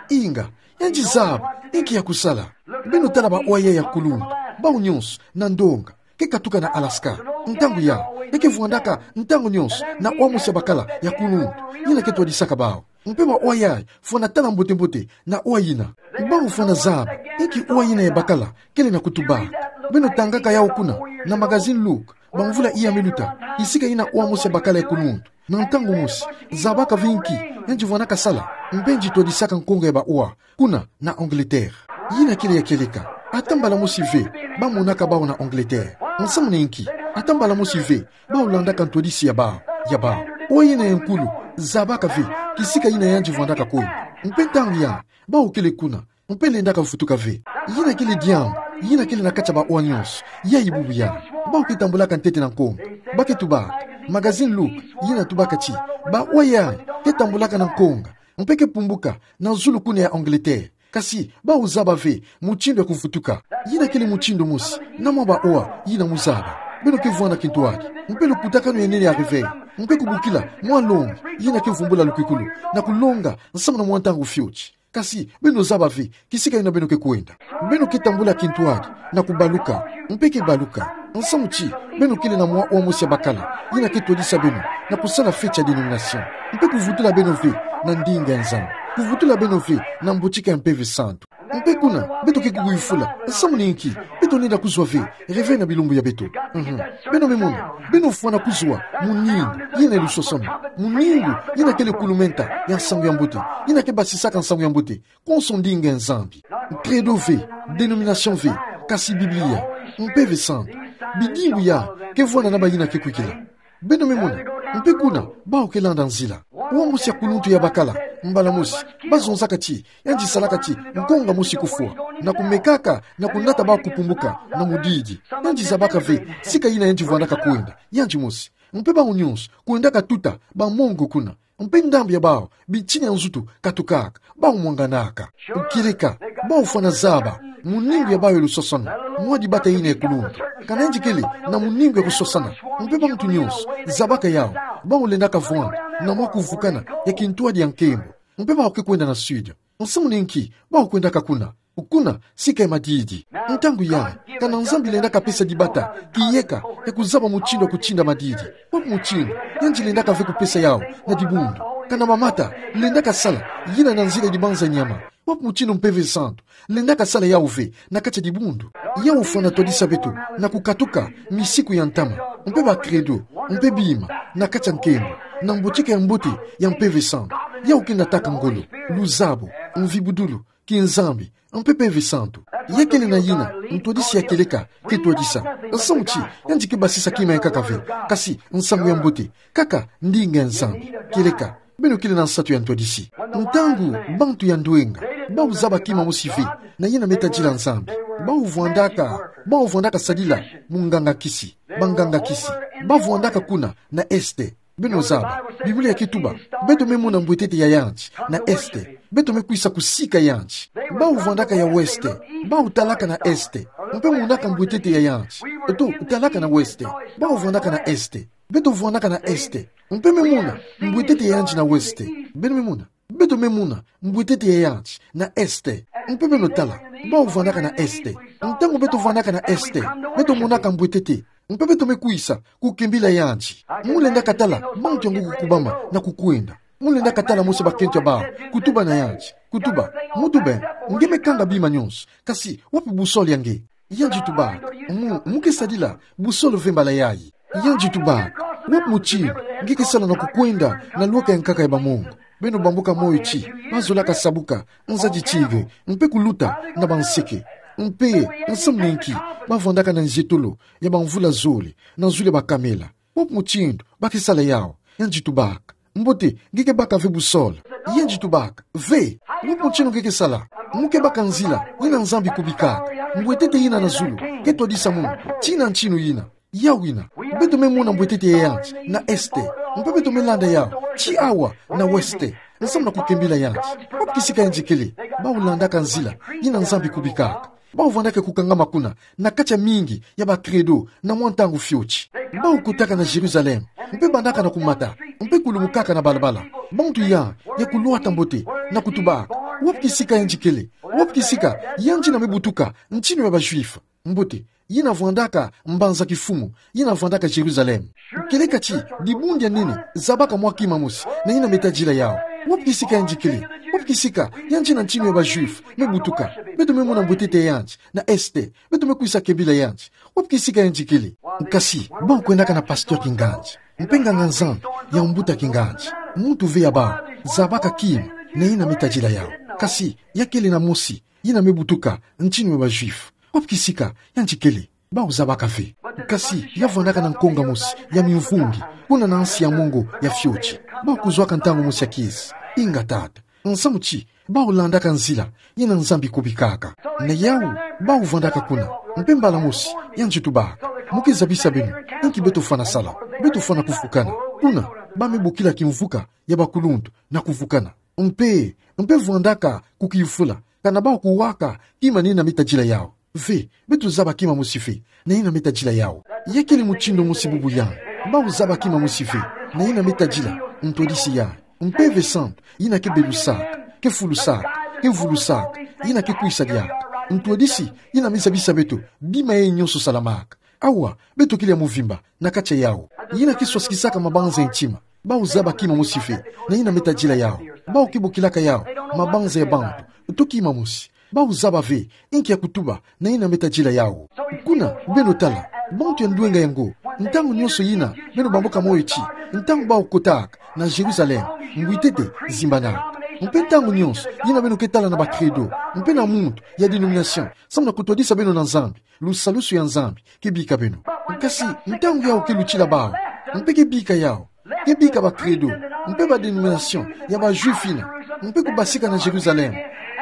Inga, yandi zaba inki ya kusala. Beno tala bawa yayi ya kuluntu, bawu nionso na ndonga ke katuka na Alaska. Ntangu yayi, ya ke vwandaka ntangu nionso na wa mosi ya bakala ya kuluntu yina ke twadisaka bawu. Mpe bawa yayi fwana tala mbote-mbote na wa yina. Bawu fwana zaba inki wa yina ya bakala kele na kutubaka. Beno tangaka yawu kuna na magazine Look, bamvula iya me luta, kisika yina wa mosi ya bakala ya kuluntu na ntangu mosi zabaka ve inki yandi vwandaka sala, mpe yandi twadisaka nkonga ya bawa kuna na Angleterre. Yina kele ya kieleka. Ata mbala mosi ve bamonaka bawu na Angleterre. Nsamu na inki? Ata mbala mosi ve bawu landaka ntwadisi ya bawu, ya bawu. Wa yina ya nkulu zabaka ve kisika yina yandi vwandaka kwenda. Mpe ntangu yayi bawu kele kuna, mpe lendaka vutuka ve. Yina kele diambu yina kele na kati ya bawa nionso yayi bubu yayi. Bawu ke tambulaka ntete na nkonga. Ba ke tubaka. Magazine Look yina tubaka ti bawa yayi ke tambulaka na nkonga, mpe ke pumbuka na zulu kuna ya Angleterre. Kasi bawu zaba ve mutindu ya kuvutuka. Yina kele mutindu mosi na mwa bawa yina mo zaba. Beno ke vwanda kintwadi, mpe lukutakanu ya nene ya réveil, mpe kubokila mwa longi yina ke vumbula lukwikulu na kulonga nsamu na mwa ntangu fioti. Kasi, beno zaba ve, kisika yina beno ke kwenda. Beno ke tambula kintwadi, na kubaluka, mpe ke baluka. Nsamu ti, beno kele na mwa oa mosi ya bakala, yina ke twadisa beno, na kusala fête ya dénomination. Mpe kuvutula beno ve, na ndinga ya Nzambi. Kuvutula beno ve, na mbotika ya Mpeve Santu. Mpe kuna, beto ke kukuyufula, nsamu ni nki, beto lenda kuzwa ve, réveil na bilumbu ya beto. Mhm. Beno me mona, beno fwana kuzwa, muningu, yina lusosono. Muningu, yina kele kulumenta, ya nsangu ya mbote. Yina ke basisaka nsangu ya mbote. Konso ndinga ya Nzambi. Credo ve, dénomination ve, kasi Biblia, Mpeve Santu. Bidimbu ya, ke vwanda na bayina ke kwikila. Beno me mona, mpe kuna, bawu ke landa nzila. Oa mosi ya kuluntu ya bakala, mbala mosi, bazonzaka ti, yandi salaka ti, nkonga mosi kufwa. Na kumekaka, na kunata bawu kupumuka, na mudidi. Yandi zabaka ve, sika yina yandi vwandaka kwenda, yandi mosi. Mpe bawu nyonso, kwendaka tuta, bamongo kuna. Mpe ndambu ya bawu, bitini ya nzutu, katukaka, bawu mwanganaka. Kieleka, bawu fwana zaba, muningu ya bawu ya lusosono, mwa dibata yina ya kuluntu. Kana yandi kele, na muningu ya kusosana, mpe bamuntu nyonso, zabaka yawu, bawu lendaka vwanda, na mwa kuvukana, ya kintwadi ya nkembo. Mpe bawu ke kwenda na sud. Nsamu ni nki, bawu kwendaka kuna. Kuna, sika ya madidi. Ntangu ya, kana Nzambi lendaka pesa dibata, kiyeka, ya kuzaba mutindu ya kutinda madidi. Wapi mutindu, yandi lendaka ve kupesa yawu, na dibundu. Kana mamata, lendaka sala, yina na nzila dibanza nyama. Wapi mutindu Mpeve Santu, lendaka sala yawu ve, na kati ya dibundu. Yawu fwana twadisa beto, na kukatuka, misiku ya ntama. Mpe ba credo, mpe bima, na kati ya nkembo. Na mbotika ya mbote, ya Mpeve Santu. Yawu ke nataka ngolo, luzabo, mvibudulu, kinzambi, mpe Mpeve Santu. Ya kele na yina, ntwadisi ya kieleka, ke twadisa. Nsamu ti, yandi ke basisa kima ya nkaka ve, kasi, nsangu ya mbote, kaka, ndinga ya Nzambi, kieleka, beno kele na nsatu ya ntwadisi. Ntangu, bantu ya ndwenga, bawu zaba kima mosi ve, na yina me tadila Nzambi. Bawu vwandaka, bawu vwandaka sadila, munganga kisi, banganga kisi, bawu vwandaka kuna, na este. Beno zaba, Biblia ke tuba, beto me mona mbwetete ya yandi, na este, beto me kwisa kusika yandi. Bawu vwandaka ya ouest, bawu talaka na este, mpe monaka mbwetete ya yandi. Eto, talaka na ouest, bawu vwandaka na este, beto vwandaka na este, mpe me mona, mbwetete ya yandi na ouest, beno me mona. Beto me mona, mbwetete ya yandi, na este. Mpe beno tala, bawu vwandaka na este. Ntangu beto vwandaka na este, beto monaka mbwetete. Mpe beto me kwisa, kukembila yandi. Mu lenda katala, bantu yango kukubama, na kukwenda. Mu lenda katala mosi bakento ya bawu, kutuba na yandi. Kutuba, mu tube, nge me kanga bima nyonso. Kasi, wapi boussole ya nge? Yandi tubaka, mu, mu ke sadila, boussole ve mbala yayi. Yandi tubaka, wapi mutindu, nge ke sala na kukwenda, na lweka ya nkaka ya bamongo. Beno bambuka moyo ti, bazolaka sabuka, nzadi tigre, mpe kuluta, na banseke. Mpe, nsamu ni nki, bavwandaka na nzietolo, ya bamvula zole, na zulu ya bakamela. Wapi mutindu, ba ke sala yawu, yandi tubaka. Mbote, nge ke baka ve boussole. Yandi tubaka, ve, wapi mutindu nge ke sala. Mu ke baka nzila, yina Nzambi kubikaka. Mbwetete yina na zulu, ke twadisa munu, tina ntinu yina. Yawu yina, beto me mona mbwetete ya yandi, na este. Mpe beto me landa yawu, ti awa, na ouest. Nsamu na kukembila yandi. Wapi kisika yandi kele, bawu landaka nzila, yina Nzambi kubikaka. Bawu vwandaka kukangama kuna, na kati ya mingi, ya ba credo, na mwa ntangu fioti. Bawu kotaka na Jérusalem, mpe bandaka na kumata, mpe kulumukaka na balabala. Bantu ya, ya kulwata mbote, na kutubaka. Wapi kisika yandi kele, wapi kisika, yandi yina me butuka, ntinu ya ba juif. Mbote, yina vwandaka, mbanza kifumu, yina vwandaka Jérusalem. Kieleka ti, dibundu ya nene, zabaka mwa kima mosi, na yina me tadila yawu. Wapi kisika yandi kele, wapi kisika, yandi yina ntinu ya ba juif, me butuka. Beto me mona mbwetete ya yandi, na este, beto me kwisa kembila yandi. Wapi kisika yandi kele. Kasi, bawu kwendaka na pasteur kingandi. Mpe nganga-Nzambi, ya mbuta kingandi. Muntu ve ya bawu, zabaka kima, na yina me tadila yawu. Kasi, ya kele na mosi, yina me butuka, ntinu ya ba juif. Wapi kisika, yandi kele. Bawu zabaka ve. Kasi, ya vwandaka na nkonga mosi, ya mimvungi, kuna na nsi ya mongo, ya fioti. Bawu kuzwaka ntangu mosi ya kiese. Inga tata. Nsamu ti, bawu landaka nzila, yina Nzambi kubikaka. Na yawu, bawu vwandaka kuna. Mpe mbala mosi, yandi tubaka. Mu ke zabisa beno, inki beto fwana sala. Beto fwana kuvukana. Kuna, ba me bokila kimvuka, ya bakuluntu, na kuvukana. Mpe, mpe vwandaka, kukiyufula. Kana bawu kuwaka, kima na yina me tadila yawu. Ve, beto zaba kima mosi ve, na yina me tadila yawu. Ya kele mutindu mosi bubu yandi. Bawu zaba kima mosi ve, na yina me tadila, ntwadisi yandi. Mpeve Santu, yina ke belusaka, ke fulusaka. ke vulusaka, yina ke kwisa diaka. Ntwadisi, yina mizabisa beto bima yayi nyonso salamaka. Awa, beto kele ya mvimba na kati ya yawu. Yina ke swasikisaka mabanza ya ntima. Bawu zaba kima mosi ve na yina me tadila yawu. Bawu ke bokilaka yawu mabanza ya bantu, to kima mosi. Bawu zaba ve inki ya kutuba na yina me tadila yawu. Kuna, beno tala, bantu ya ndwenga yango, ntangu nyonso yina beno bamboka moyo ti, ntangu bawu kotaka na Jérusalem, mbwitete zimbanaka. Mpe ntangu nyonso yina beno ke tala na ba credo mpe na muntu ya dénomination, samu na kutwadisa beno na Nzambi, lusalusu ya Nzambi ke bika beno. Kasi ntangu yawu ke lutila bawu, mpe ke bika yawu, ke bika ba credo mpe ba dénomination ya ba Juif yina, mpe kubasika na Jérusalem,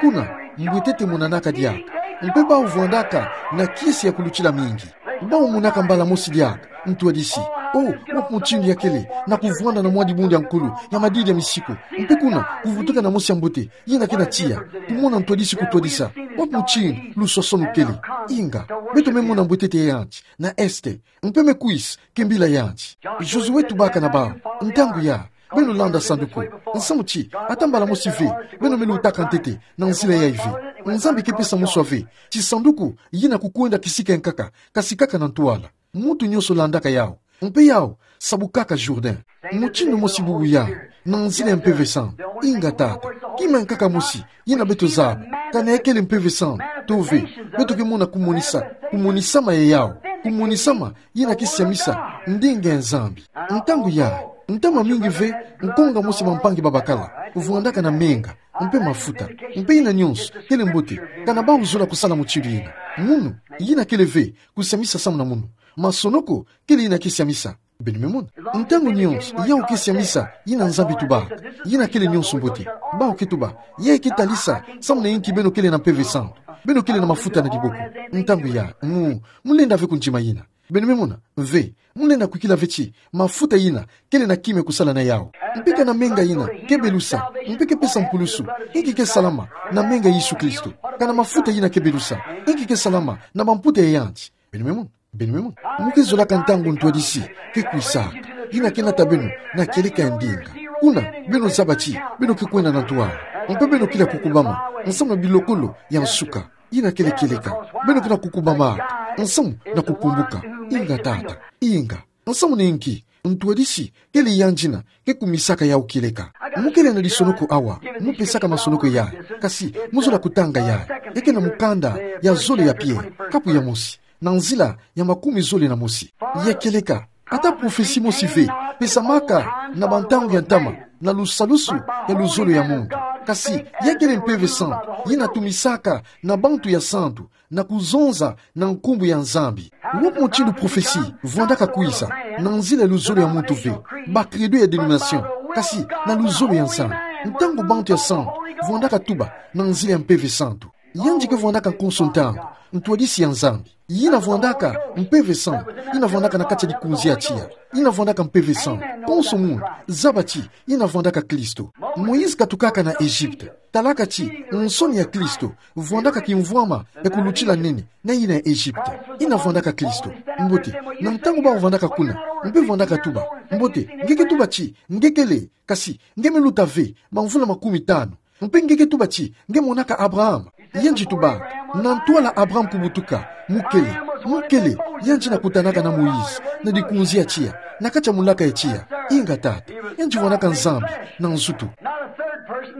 kuna, mbwetete monanaka diaka, mpe bawu vwandaka na kiese ya kulutila mingi. Bawu monaka mbala mosi diaka ntwadisi. O, wapi mutindu ya kele na kuvwanda na mwa dibundu ya nkulu ya madidi ya misiku, mpe kuna kuvutuka na mosi ya mbote yina ke na tiya, kumona ntwadisi kutwadisa? Wapi mutindu luswaswanu kele? Inga, beto me mona mbwetete ya yandi na este, mpe me kwisa ke mbila yandi. Josué tubaka na bawu: Ntangu ya, beno landa sanduku. Nsamu ti, ata mbala mosi ve beno me lutaka ntete na nzila yayi ve. Nzambi ke pesa moswa ve ti sanduku yina kukwenda kisika ya nkaka, kasi kaka na ntwala. Muntu nyonso landaka yawu, mpe yawu sabukaka Jourdain. Mutindu mosi bubu yayi, na nzila ya Mpeve Santu. Inga, Tata, kima ya nkaka mosi yina beto zaba, kana ya kele Mpeve Santu to ve, beto ke mona kumonisa, kumonisama ya yawu, kumonisama yina ke siamisa ndinga ya Nzambi. Ntangu yayi, ntama mingi ve nkonga mosi bampangi babakala vwandaka na menga mpe mafuta, mpe yina nyonso kele mbote, kana bawu zola kusala mutindu yina. Munu, yina kele ve kusiamisa samu na munu. Masonoko kele yina ke siamisa. Beno me mona? Ntangu nyonso yawu ke siamisa yina Nzambi tubaka, yina kele nyonso mbote. Bawu ke tuba, yayi ke talisa samu na inki beno kele na Mpeve Santu, beno kele na mafuta na diboko. Ntangu yayi, mu, mulenda ve kundima yina. Beno me mona? Ve, mulenda kwikila ve ti mafuta yina kele na kima ya kusala na yawu. Mpe kana menga yina ke belusa, mpe ke pesa mpulusu, inki ke salama na menga ya Yesu Kristo? Kana mafuta yina ke belusa, inki ke salama na bamputa ya yandi? Beno me mona? Beno me mona? Mu ke zolaka ntangu ntwadisi ke kwisaka, yina ke nata beno na kieleka ya ndinga. Kuna, beno zaba ti beno ke kwenda na ntwala, mpe beno kele ya kukubama nsamu na bilokolo ya nsuka. Yina kele kieleka. Beno ke na kukubamaka nsamu na kukumbuka. Inga, Tata, inga. Nsamu na inki? Ntwadisi kele yandi yina ke kumisaka yawu kieleka. Mu kele na lisonoko awa, mu pesaka masonoko yayi, kasi mu zola kutanga yayi. Ya ke na mukanda ya zole ya Pierre, kapu ya mosi, na nzila ya makumi zole na mosi. Ya kieleka. Ata prophetie mosi ve pesamaka na bantangu ya ntama na lusalusu ya luzolo ya muntu. Kasi ya kele Mpeve Santu yina tumisaka na bantu ya santu na kuzonza na nkumbu ya Nzambi. Wapi mutindu prophetie vwandaka kwisa? Na nzila ya luzolo ya muntu ve, ba credo ya dénomination, kasi na luzolo ya Nzambi. Ntangu bantu ya santu vwandaka tuba na nzila ya Mpeve Santu, yandi ke vwandaka konso ntangu ntwadisi ya Nzambi. Yina vwandaka Mpeve Santu, yina vwandaka na kati ya likunzi ya tiya. Yina vwandaka Mpeve Santu, konso muntu zaba ti yina vwandaka Kristo. Moïse katukaka na Egypte, talaka ti nsoni ya Kristo vwandaka kimvwama ya kulutila nene na yina ya Egypte. Yina vwandaka Kristo. Mbote, na ntangu bawu vwandaka kuna, mpe vwandaka tuba, mbote, nge ke tuba ti nge kele, kasi nge me luta ve bamvula makumi tanu, mpe nge ke tuba ti nge monaka Abraham. Yandi tuba, na ntwala Abraham kubutuka, mu kele, mu kele, yandi yina kutanaka na Moïse na likunzi ya tiya, na kati ya mulaka ya tiya. Inga, Tata, yandi vwandaka Nzambi na nzutu.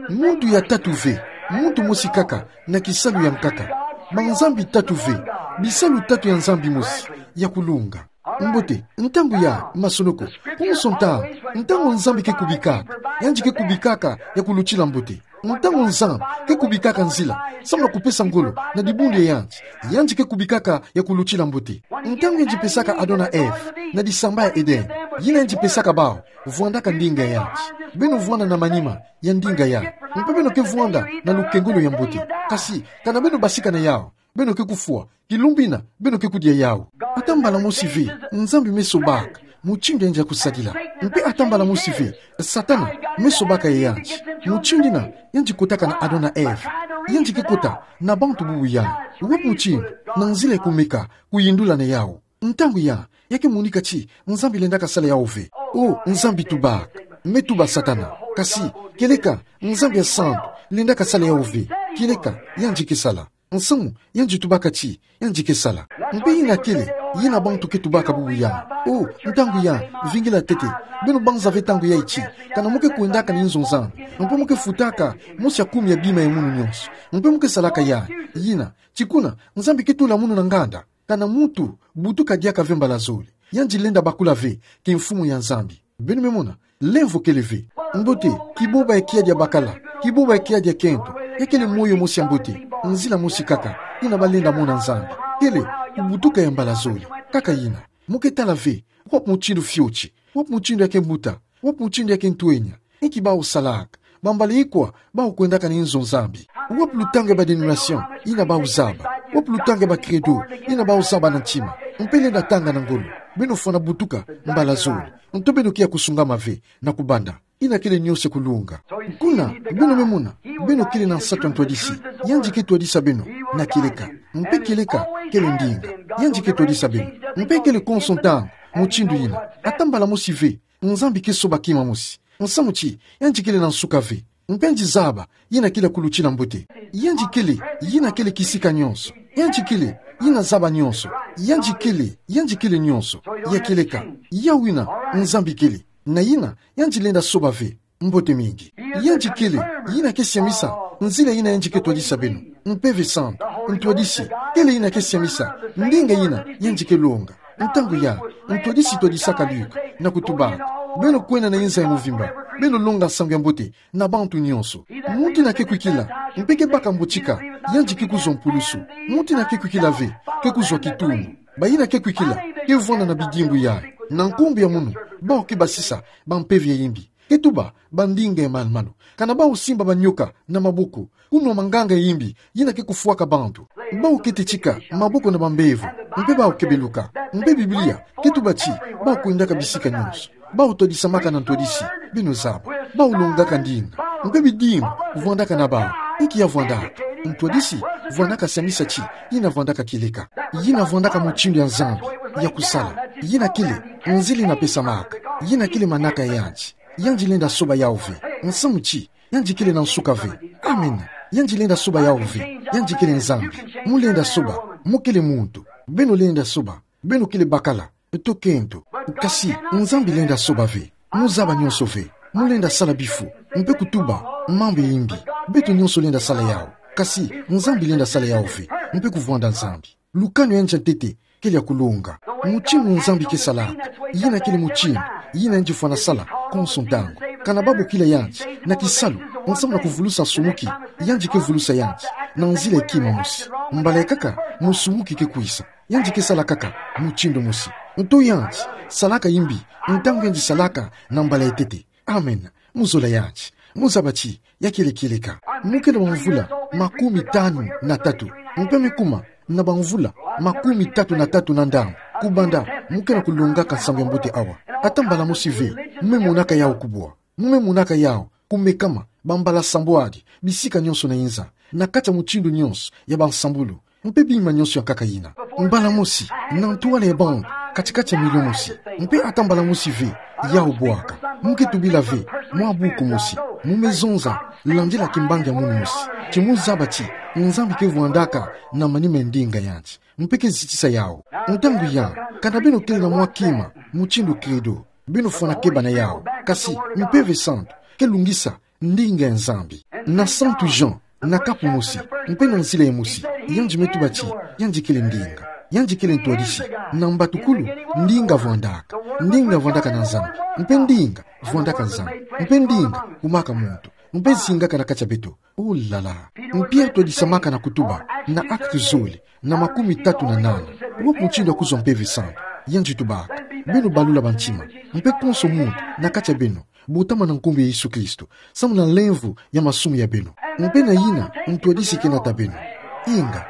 Muntu ya tatu ve, muntu mosi kaka na kisalu ya nkaka. Banzambi tatu ve, bisalu tatu ya Nzambi mosi ya kulunga. Mbote, ntangu ya masonoko, konso ntangu, ntangu Nzambi ke kubikaka, yandi ke kubikaka ya kulutila mbote. Ntangu Nzambi ke kubikaka nzila samu na kupesa ngolo na dibundu ya yandi, yandi ke kubikaka ya kulutila mbote. Ntangu yandi pesaka Adam na Eve na disamba ya Eden, yina yandi pesaka bawu vwandaka ndinga ya yandi. Beno vwanda na manima ya ndinga yayi, mpe beno ke vwanda na lukengolo ya mbote. Kasi kana beno basika na yawu, beno ke kufwa, kilumbu yina beno ke kudia yawu. Ata mbala mosi ve Nzambi me sobaka mutindu yandi ya kusadila. Mpe ata mbala mosi ve Satana me sobaka ya yandi. Mutindu yina yandi kotaka na Adam na Eve, yandi ke kota na bantu bubu yayi. Wapi mutindu? Na nzila ya kumeka kuyindula na yawu. Ntangu ya, ya ke monika ti Nzambi lendaka sala yawu ve. O, Nzambi tubaka, me tuba Satana. Kasi kieleka Nzambi ya santu, Lendaka sala yawu ve. Kieleka, yandi ke sala. Nsamu, yandi tubaka ti, yandi ke sala. Mpe yina kele, yina bantu ke tubaka bubu ya. O, ntangu ya, vingila tete. Beno banza ve ntangu yayi ti, kana mo ke kwendaka na inzo Nzambi, mpe mo ke futaka mosi ya kumi ya bima ya munu nyonso, mpe mo ke salaka ya, yina, ti kuna, Nzambi ke tula munu na nganda. Kana muntu butuka diaka ve mbala zole, yandi lenda bakula ve ki mfumu ya Nzambi. Beno me mona, lemvo kele ve. Mbote, kiboba ya kiadi ya bakala, kiboba ya kiadi ya kento, ya kele moyo mosi ya mbote, nzila mosi kaka, yina balenda mona Nzambi. Kele, kubutuka ya mbala zole. Kaka yina, mo ke tala ve, wapi mutindu fioti, wapi mutindu ya ke mbuta, wapi mutindu ya ke ntwenya, inki bawu salaka, bambala ikwa bawu kwendaka na inzo Nzambi. Wapi lutangu ya ba dénomination yina bawu zaba, wapi lutangu ya ba credo yina bawu zaba na ntima. Mpe lenda tanga na ngolo, beno fwana butuka mbala zole. Nto beno kia kusungama ve na kubanda. Yina kele nyonso kulunga. Kuna, beno me mona, beno kele na nsatu ya ntwadisi. Yandi ke twadisa beno na kieleka. Mpe kieleka kele ndinga. Yandi ke twadisa beno. Mpe kele konso ntangu, mutindu yina. Ata mbala mosi ve, Nzambi ke soba kima mosi. Nsamu ti, yandi kele na nsuka ve. Mpe yandi zaba yina kele ya kuluti na mbote. Yandi kele, yina kele kisika nyonso. Yandi kele, yina zaba nyonso. Yandi kele, yandi kele nyonso. Ya kieleka, yawu yina, Nzambi kele. Na yina, yandi lenda soba ve. Mbote mingi. Yandi kele, yina ke siamisa nzila yina yandi ke twadisa beno. Mpeve Santu, ntwadisi, kele yina ke siamisa ndinga yina yandi ke longa. Ntangu ya, ntwadisi twadisaka Luka na kutubaka: Beno kwenda na inza ya mvimba, beno longa nsangu ya mbote na bantu nyonso. Muntu yina ke kwikila, mpe ke baka mbotika, yandi ke kuzwa mpulusu. Muntu yina ke kwikila ve, ke kuzwa kitungu. Bayina ke kwikila, ke vwanda na bidimbu yayi. Na nkumbu ya munu, bawu ke basisa bampeve ya imbi. Ke tuba bandinga ya malu-malu. Kana bawu simba banyoka na maboko, kunwa manganga ya imbi yina ke kufwaka bantu. Bawu ke tetika maboko na bambevo, mpe bawu ke beluka. Mpe Biblia ke tuba ti bawu kwendaka bisika nyonso. Bawu twadisamaka na ntwadisi, beno zaba. Bawu longaka ndinga. Mpe bidimbu vwandaka na bawu. Inki ya vwandaka? Ntwadisi vwandaka siamisa ti, yina vwandaka kieleka. Yina vwandaka mutindu ya Nzambi ya kusala. Yina kele nzila yina pesamaka. Yina kele manaka ya yandi. Yandi lenda soba yawu ve. Nsamu ti, yandi kele na nsuka ve. Amen. Yandi lenda soba yawu ve. Yandi kele Nzambi. Mo lenda soba. Mo kele muntu. Beno lenda soba. Beno kele bakala, to kento. Kasi, Nzambi lenda soba ve. Mo zaba nyonso ve. Mo lenda sala bifu, mpe kutuba mambu ya imbi. Beto nyonso lenda sala yawu. Kasi, Nzambi lenda sala yawu ve, mpe kuvwanda Nzambi. Lukanu ya yandi ya ntete kele ya kulonga. Mutindu Nzambi ke salaka, yina kele mutindu yina yandi fwana sala konso ntangu. Kana babokila yandi na kisalu, nsamu na kuvulusa nsumuki, yandi ke vulusa yandi na nzila ya kima mosi. Mbala ya nkaka, musumuki ke kwisa, yandi ke sala kaka mutindu mosi. Nto yandi salaka imbi ntangu yandi salaka na mbala ya ntete. Amen. Mo zola yandi. Mo zaba ti, ya kele kieleka. Mo kele wa mvula makumi tanu na tatu. Mpe me kuma na bamvula makumi tatu na tatu na ndambu kubanda mo kena kulongaka nsangu ya mbote awa. Ata mbala mosi ve mo me monaka yawu kubwa. Mo me monaka yawu kumekama bambala sambwadi bisika nyonso na inza, na kati ya mutindu nyonso ya bansambulu, mpe bima nyonso ya nkaka yina. Mbala mosi, na ntwala ya bantu, kati-kati ya milio mosi. Mpe ata mbala mosi ve yawu bwaka. Mo ke tubila ve mwa buku mosi. Mo me zonza, landila kimbangi ya munu mosi. Ti mo zaba ti Nzambi ke vwandaka na manima ya ndinga yandi, mpe ke zitisa yawu. Ntangu ya, kana beno kele na mwa kima mutindu credo, beno fwana keba na yawu. Kasi Mpeve Santu ke lungisa ndinga ya Nzambi. Na Santu Jean, na kapu mosi, mpe na nzila ya mosi, yandi me tuba ti yandi kele ndinga, yandi kele ntwadisi. Na mbatukulu, ndinga vwandaka. Ndinga vwandaka na Nzambi, mpe ndinga vwandaka Nzambi, mpe ndinga kumaka muntu, mpe zingaka na kati ya beto. Oh là là. Pierre twadisamaka na kutuba, na Actes zole, na makumi tatu na nana. Wapi mutindu ya kuzwa Mpeve Santu? Yandi tubaka: Beno balula bantima, mpe konso muntu na kati ya beno botama na nkumbu ya Yesu Kristo, samu na lemvo ya masumu ya beno. Mpe na yina ntwadisi ke nata beno. Inga,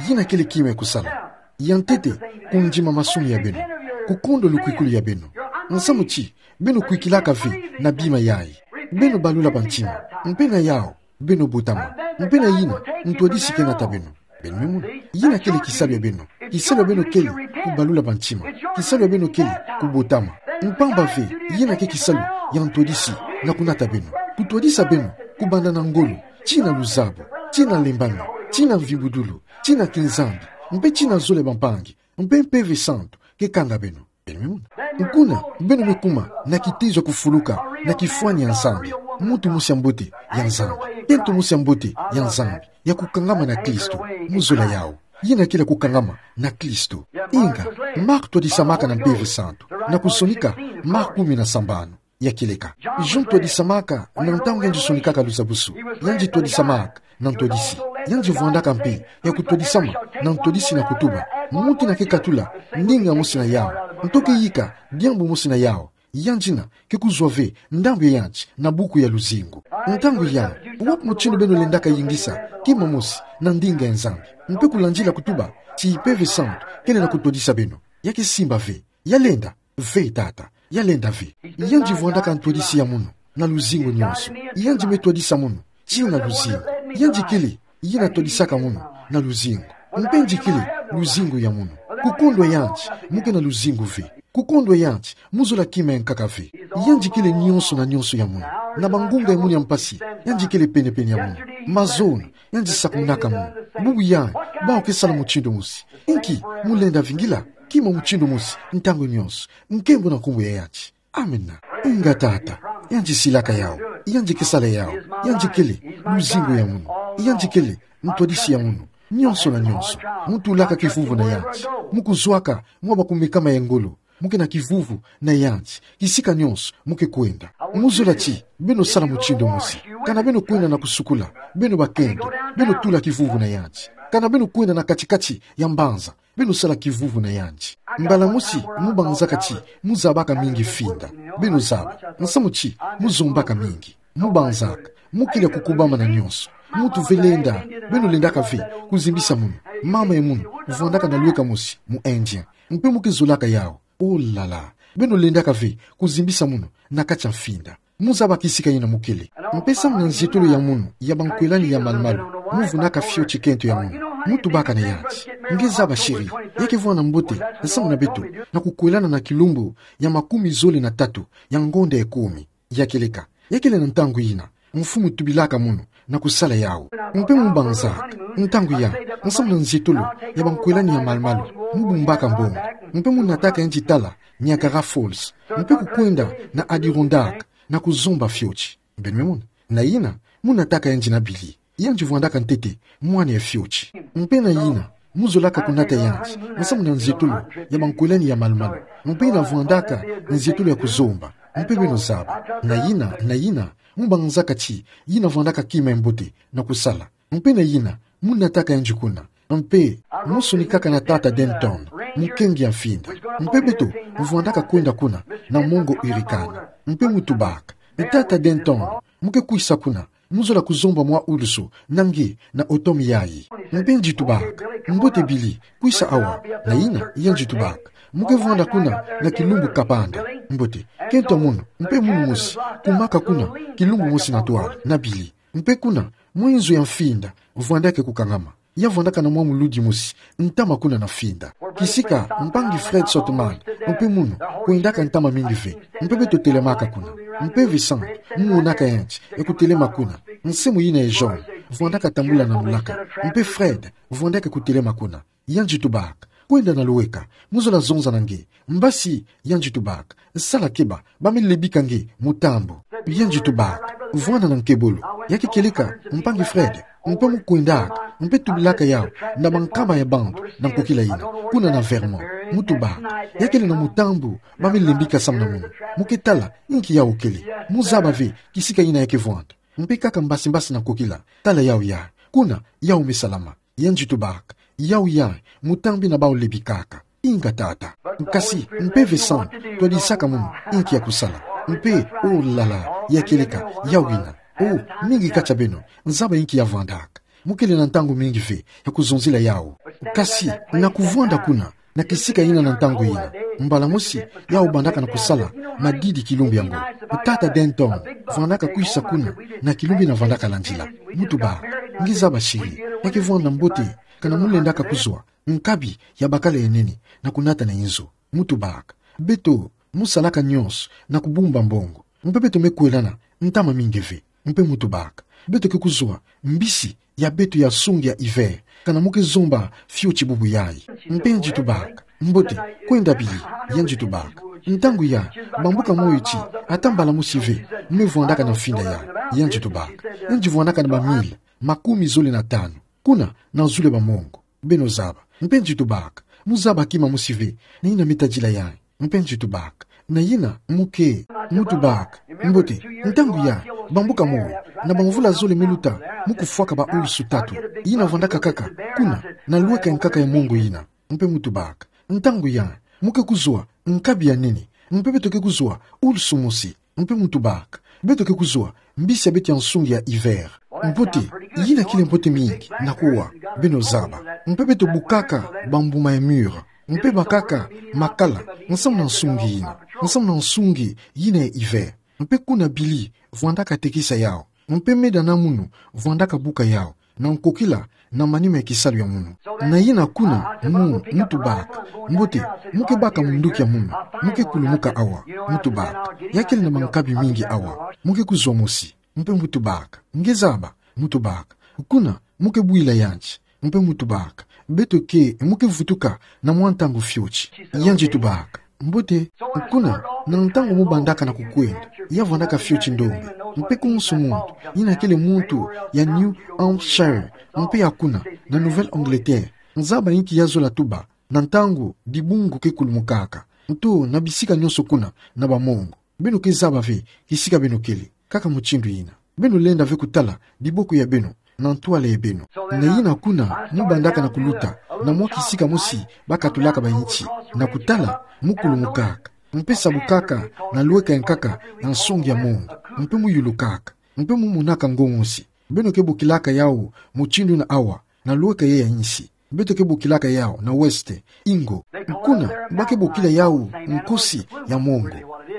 yina kele kima ya kusala. Ya ntete, kundima masumu ya beno, kukondolo kwikulu ya beno. Nsamu ti beno kwikilaka ve na bima yayi. Beno balula bantima, mpe na yawu beno botama. Mpe na yina ntwadisi ke nata beno. Beno me mona, yina kele kisalu ya beno. Kisalu ya beno kele kubalula bantima. Kisalu ya beno kele kubotama. Mpamba ve, yina ke kisalu ya ntwadisi na kunata beno, kutwadisa beno kubanda na ngolo, tina luzabu, tina lembana, tina mvibudulu, tina kinzambi, mpe tina zole bampangi, mpe Mpeve Santu ke kanga beno. Beno me mona. Kuna, beno me kuma na kitezo ya kufuluka na kifwani ya Nzambi, muntu mosi ya mbote ya Nzambi, kento mosi ya mbote ya Nzambi, ya kukangama na Kristo, mu zola yawu. Yena kele ya kukangama na Kristo. Inga, Mark twadisamaka na Mpeve Santu, na kusonika Mark kumi na sambanu. Ya kieleka. Jean twadisamaka na ntangu yandi sonikaka luzabusu. Yandi twadisamaka na ntwadisi. Yandi vwandaka mpe ya kutwadisama na ntwadisi na kutuba: Muntu ina ke katula ndinga mosi na yawu, nto ke yika diambu mosi na yawu, yandi ina ke kuzwa ve ndambu ya yandi na buku ya luzingu. Ntangu yayi, wapi mutindu beno lendaka yingisa kima mosi na ndinga ya Nzambi? Mpe kulandila kutuba ti Mpeve Santu kele na kutwadisa beno, ya ke simba ve, ya lenda ve, tata, ya lenda ve. Yandi vwandaka ntwadisi ya munu na luzingu nyonso. Yandi me twadisa munu tina luzingu. Yandi kele yina twadisaka munu na luzingu. Mpe yandi kele luzingu ya munu. Kukondwa yandi, mu ke na luzingu ve. Kukondwa yandi, mu zola kima ya nkaka ve. Yandi kele nyonso na nyonso ya munu. Na bangunga ya munu ya mpasi, yandi kele pene-pene ya munu. Mazono, yandi sakumunaka munu. Bubu yayi, bawu ke sala mutindu mosi. Inki, mu lenda vingila kima mutindu mosi ntangu nyonso. Nkembo na nkumbu ya yandi. Amina. Inga, tata, yandi silaka yawu, yandi ke sala yawu, yandi kele luzingu ya munu, yandi kele ntwadisi ya munu, nyonso na nyonso. Mu tulaka kivuvu na yandi, mu kuzwaka mwa bakumekama ya ngolo, mu ke na kivuvu na yandi kisika nyonso mu ke kwenda. Mu zola ti beno sala mutindu mosi. Kana beno kwenda na kusukula, beno bakento, beno tula kivuvu na yandi. Kana beno kwenda na kati-kati ya mbanza, beno sala kivuvu na yandi. Mbala mosi mu banzaka ti mu zabaka mingi mfinda. Beno zaba, nsamu ti mu zombaka mingi. Mu banzaka, mu kele ya kukubama na nyonso. Muntu ve lenda, beno lendaka ve kuzimbisa munu. Mama ya munu vwandaka na lweka mosi mu Indien. Mpe mu ke zolaka yawu. Oh là là. Beno lendaka ve kuzimbisa munu na kati ya mfinda. Mu zaba kisika yina mu kele. Mpe samu na nzietolo ya munu ya bankwelani ya malu-malu, mu vunaka fioti kento ya munu. Mu tubaka na yandi: Nge zaba, chéri, ya ke vwanda mbote nsamu na beto na kukwelana na kilumbu ya makumi zole na tatu ya ngonda ya kumi. Ya kieleka. Ya kele na ntangu yina mfumu tubilaka munu na kusala yawu. Mpe mu banzaka ntangu yayi nsamu na nzietolo ya bankwelani ya malu-malu, mu bumbaka mbongo. Mpe mu nataka yandi tala Niagara Falls, mpe kukwenda na Adirondack na kuzomba fioti. Beno me mona. Na yina, mu nataka yandi na bili. Yandi vwandaka ntete mwana ya fioti. Mpe na yina, mu zolaka kunata yandi nsamu na nzietolo ya bankwelani ya malu-malu. Mpe yina vwandaka nzietolo ya kuzomba. Mpe beno zaba. Na yina, na yina, mu banzaka ti yina vwandaka kima ya mbote na kusala. Mpe na yina, mu nataka yandi kuna. Mpe mu sonikaka na tata Denton, mukengi ya mfinda. Mpe beto vwandaka kwenda kuna na mongo Hurricane. Mpe mu tubaka: Tata Denton, mu ke kwisa kuna, mu zola kuzomba mwa ulusu na nge na automne yayi. Mpe yandi tubaka: Mbote Billy, kwisa awa. Na yina yandi tubaka: Mu ke vwanda kuna na kilumbu kapanda. Mbote. Kento munu, mpe munu mosi, kumaka kuna kilumbu mosi na twala na Billy. Mpe kuna, mwa inzo ya mfinda vwandaka kukangama. Ya vwandaka na mwa muludi mosi ntama kuna na mfinda, kisika mpangi Fred Sothmann mpe munu kwendaka ntama mingi ve. Mpe beto telemaka kuna. Mpe Vincent, mu monaka yandi ya kutelema kuna. Nsimu yina ya jaune vwandaka tambula na lulaka. Mpe Fred vwandaka kutelema kuna. Yandi tubaka: Kwenda na luweka, mu zola zonza na nge. Mbasi, yandi tubaka, sala keba, ba me lebika nge mutambu. Yandi tubaka: Vwanda na nkebolo. Ya ke kieleka mpangi Fred, mpe mu kwendaka, mpe tubilaka yawu na bankama ya bantu na nkokila yina, kuna na Vermont. Mu tubaka: Ya kele na mutambu ba me lebika samu na munu. Mu ke tala inki yawu kele. Mu zaba ve kisika yina ya ke vwanda. Mpe kaka mbasi-mbasi na nkokila, tala yawu yayi. Kuna, yawu me salama. Yandi tubaka: Yawu yayi mutambi na bawu lebikaka. Inga tata. Kasi, mpe Vincent twadisaka munu inki ya kusala. Mpe, oh là là, ya kieleka yawu yina. Oh, mingi kati ya beno nzaba inki ya vwandaka. Mu kele na ntangu mingi ve ya kuzonzila yawu. Kasi, na kuvwanda kuna, na kisika yina na ntangu yina, mbala mosi, yawu bandaka na kusala madidi kilumbu yango. Tata Denton vwandaka kwisa kuna na kilumbu yina vandaka landila. Mu tubaka: Nge zaba chéri, ya ke vwanda mbote kana mu lendaka kuzwa nkabi ya bakala ya nene na kunata na inzo. Mu tubaka: Beto, mu salaka nyonso na kubumba mbongo. Mpe beto me kwelana ntama mingi ve. Mpe mu tubaka: Beto ke kuzwa mbisi ya beto ya nsungi ya hiver, kana mo ke zomba fioti bubu yayi. Mpe nji tubaka: Mbote, kwenda bili. Yandi tubaka: Ntangu ya, bambuka moyo ti, ata mbala mosi ve, me vwandaka na mfinda ya. Yandi tubaka: Yandi vwandaka na ba mille makumi zole na tanu, kuna na zulu ya ba mongo. Beno zaba. Mpe nji tubaka: Mu zaba kima mosi ve na yina me tadila yayi. Mpe nji tubaka: Na yina mo ke? Mu tubaka: Mbote, ntangu ya, bambuka moyo, na bamvula zole me luta, mu kufwaka ba ulusu tatu, yina vwandaka kaka kuna na lweka ya nkaka ya mongo yina. Mpe mu tubaka: Ntangu ya, mo ke kuzwa nkabi ya nene, mpe beto ke kuzwa ulusu mosi. Mpe mu tubaka: Beto ke kuzwa mbisi ya beto ya nsungi ya hiver. Mbote, yina kele mbote mingi na kuwa, beno zaba. Mpe beto bukaka bambuma ya mûr, mpe bakaka makala, nsamu na nsungi yina, nsamu na nsungi yina ya hiver. Mpe kuna bili vwandaka tekisa yau, mpe medana munu vwandaka buka yau, na nkokila na manima ya kisalu ya munu. Na yina kuna, mu, mu tubaka: Mbote, mo ke baka munduki ya munu, mo ke kulumuka awa. Mu tubaka: Ya kele na mankabi mingi awa, mo ke kuzwa mosi. Mpe mu tubaka: Nge zaba. Mu tubaka: Kuna mo ke bwila yandi. Mpe mu tubaka: Beto ke, mo ke vutuka na mwa ntangu fioti. Yandi tubaka: Mbote, kuna na ntangu mo bandaka na kukwenda, ya vwandaka fioti ndombe. Mpe konso muntu, yina kele muntu ya New Hampshire, mpe ya kuna na Nouvelle-Angleterre, nzaba inki ya zola tuba na ntangu dibungu ke kulumukaka, nto na bisika nionso kuna na ba mongo. Beno ke zaba ve kisika beno kele, kaka mutindu yina. Beno lenda ve kutala diboko ya beno na ntwala ya beno. Na yina kuna, mu bandaka na kuluta na mwa kisika mosi bakatulaka ba inti, na kutala, mu kulumukaka, mpe sabukaka na lweka ya nkaka ya nsungi ya mongo, mpe mu yulukaka, mpe mu monaka ngongosi. Beno ke bokilaka yau mutindu yina awa na lweka ye ya insi. Beto ke bokilaka yau na weste ingo. Kuna ba ke bokila yau nkosi ya mongo.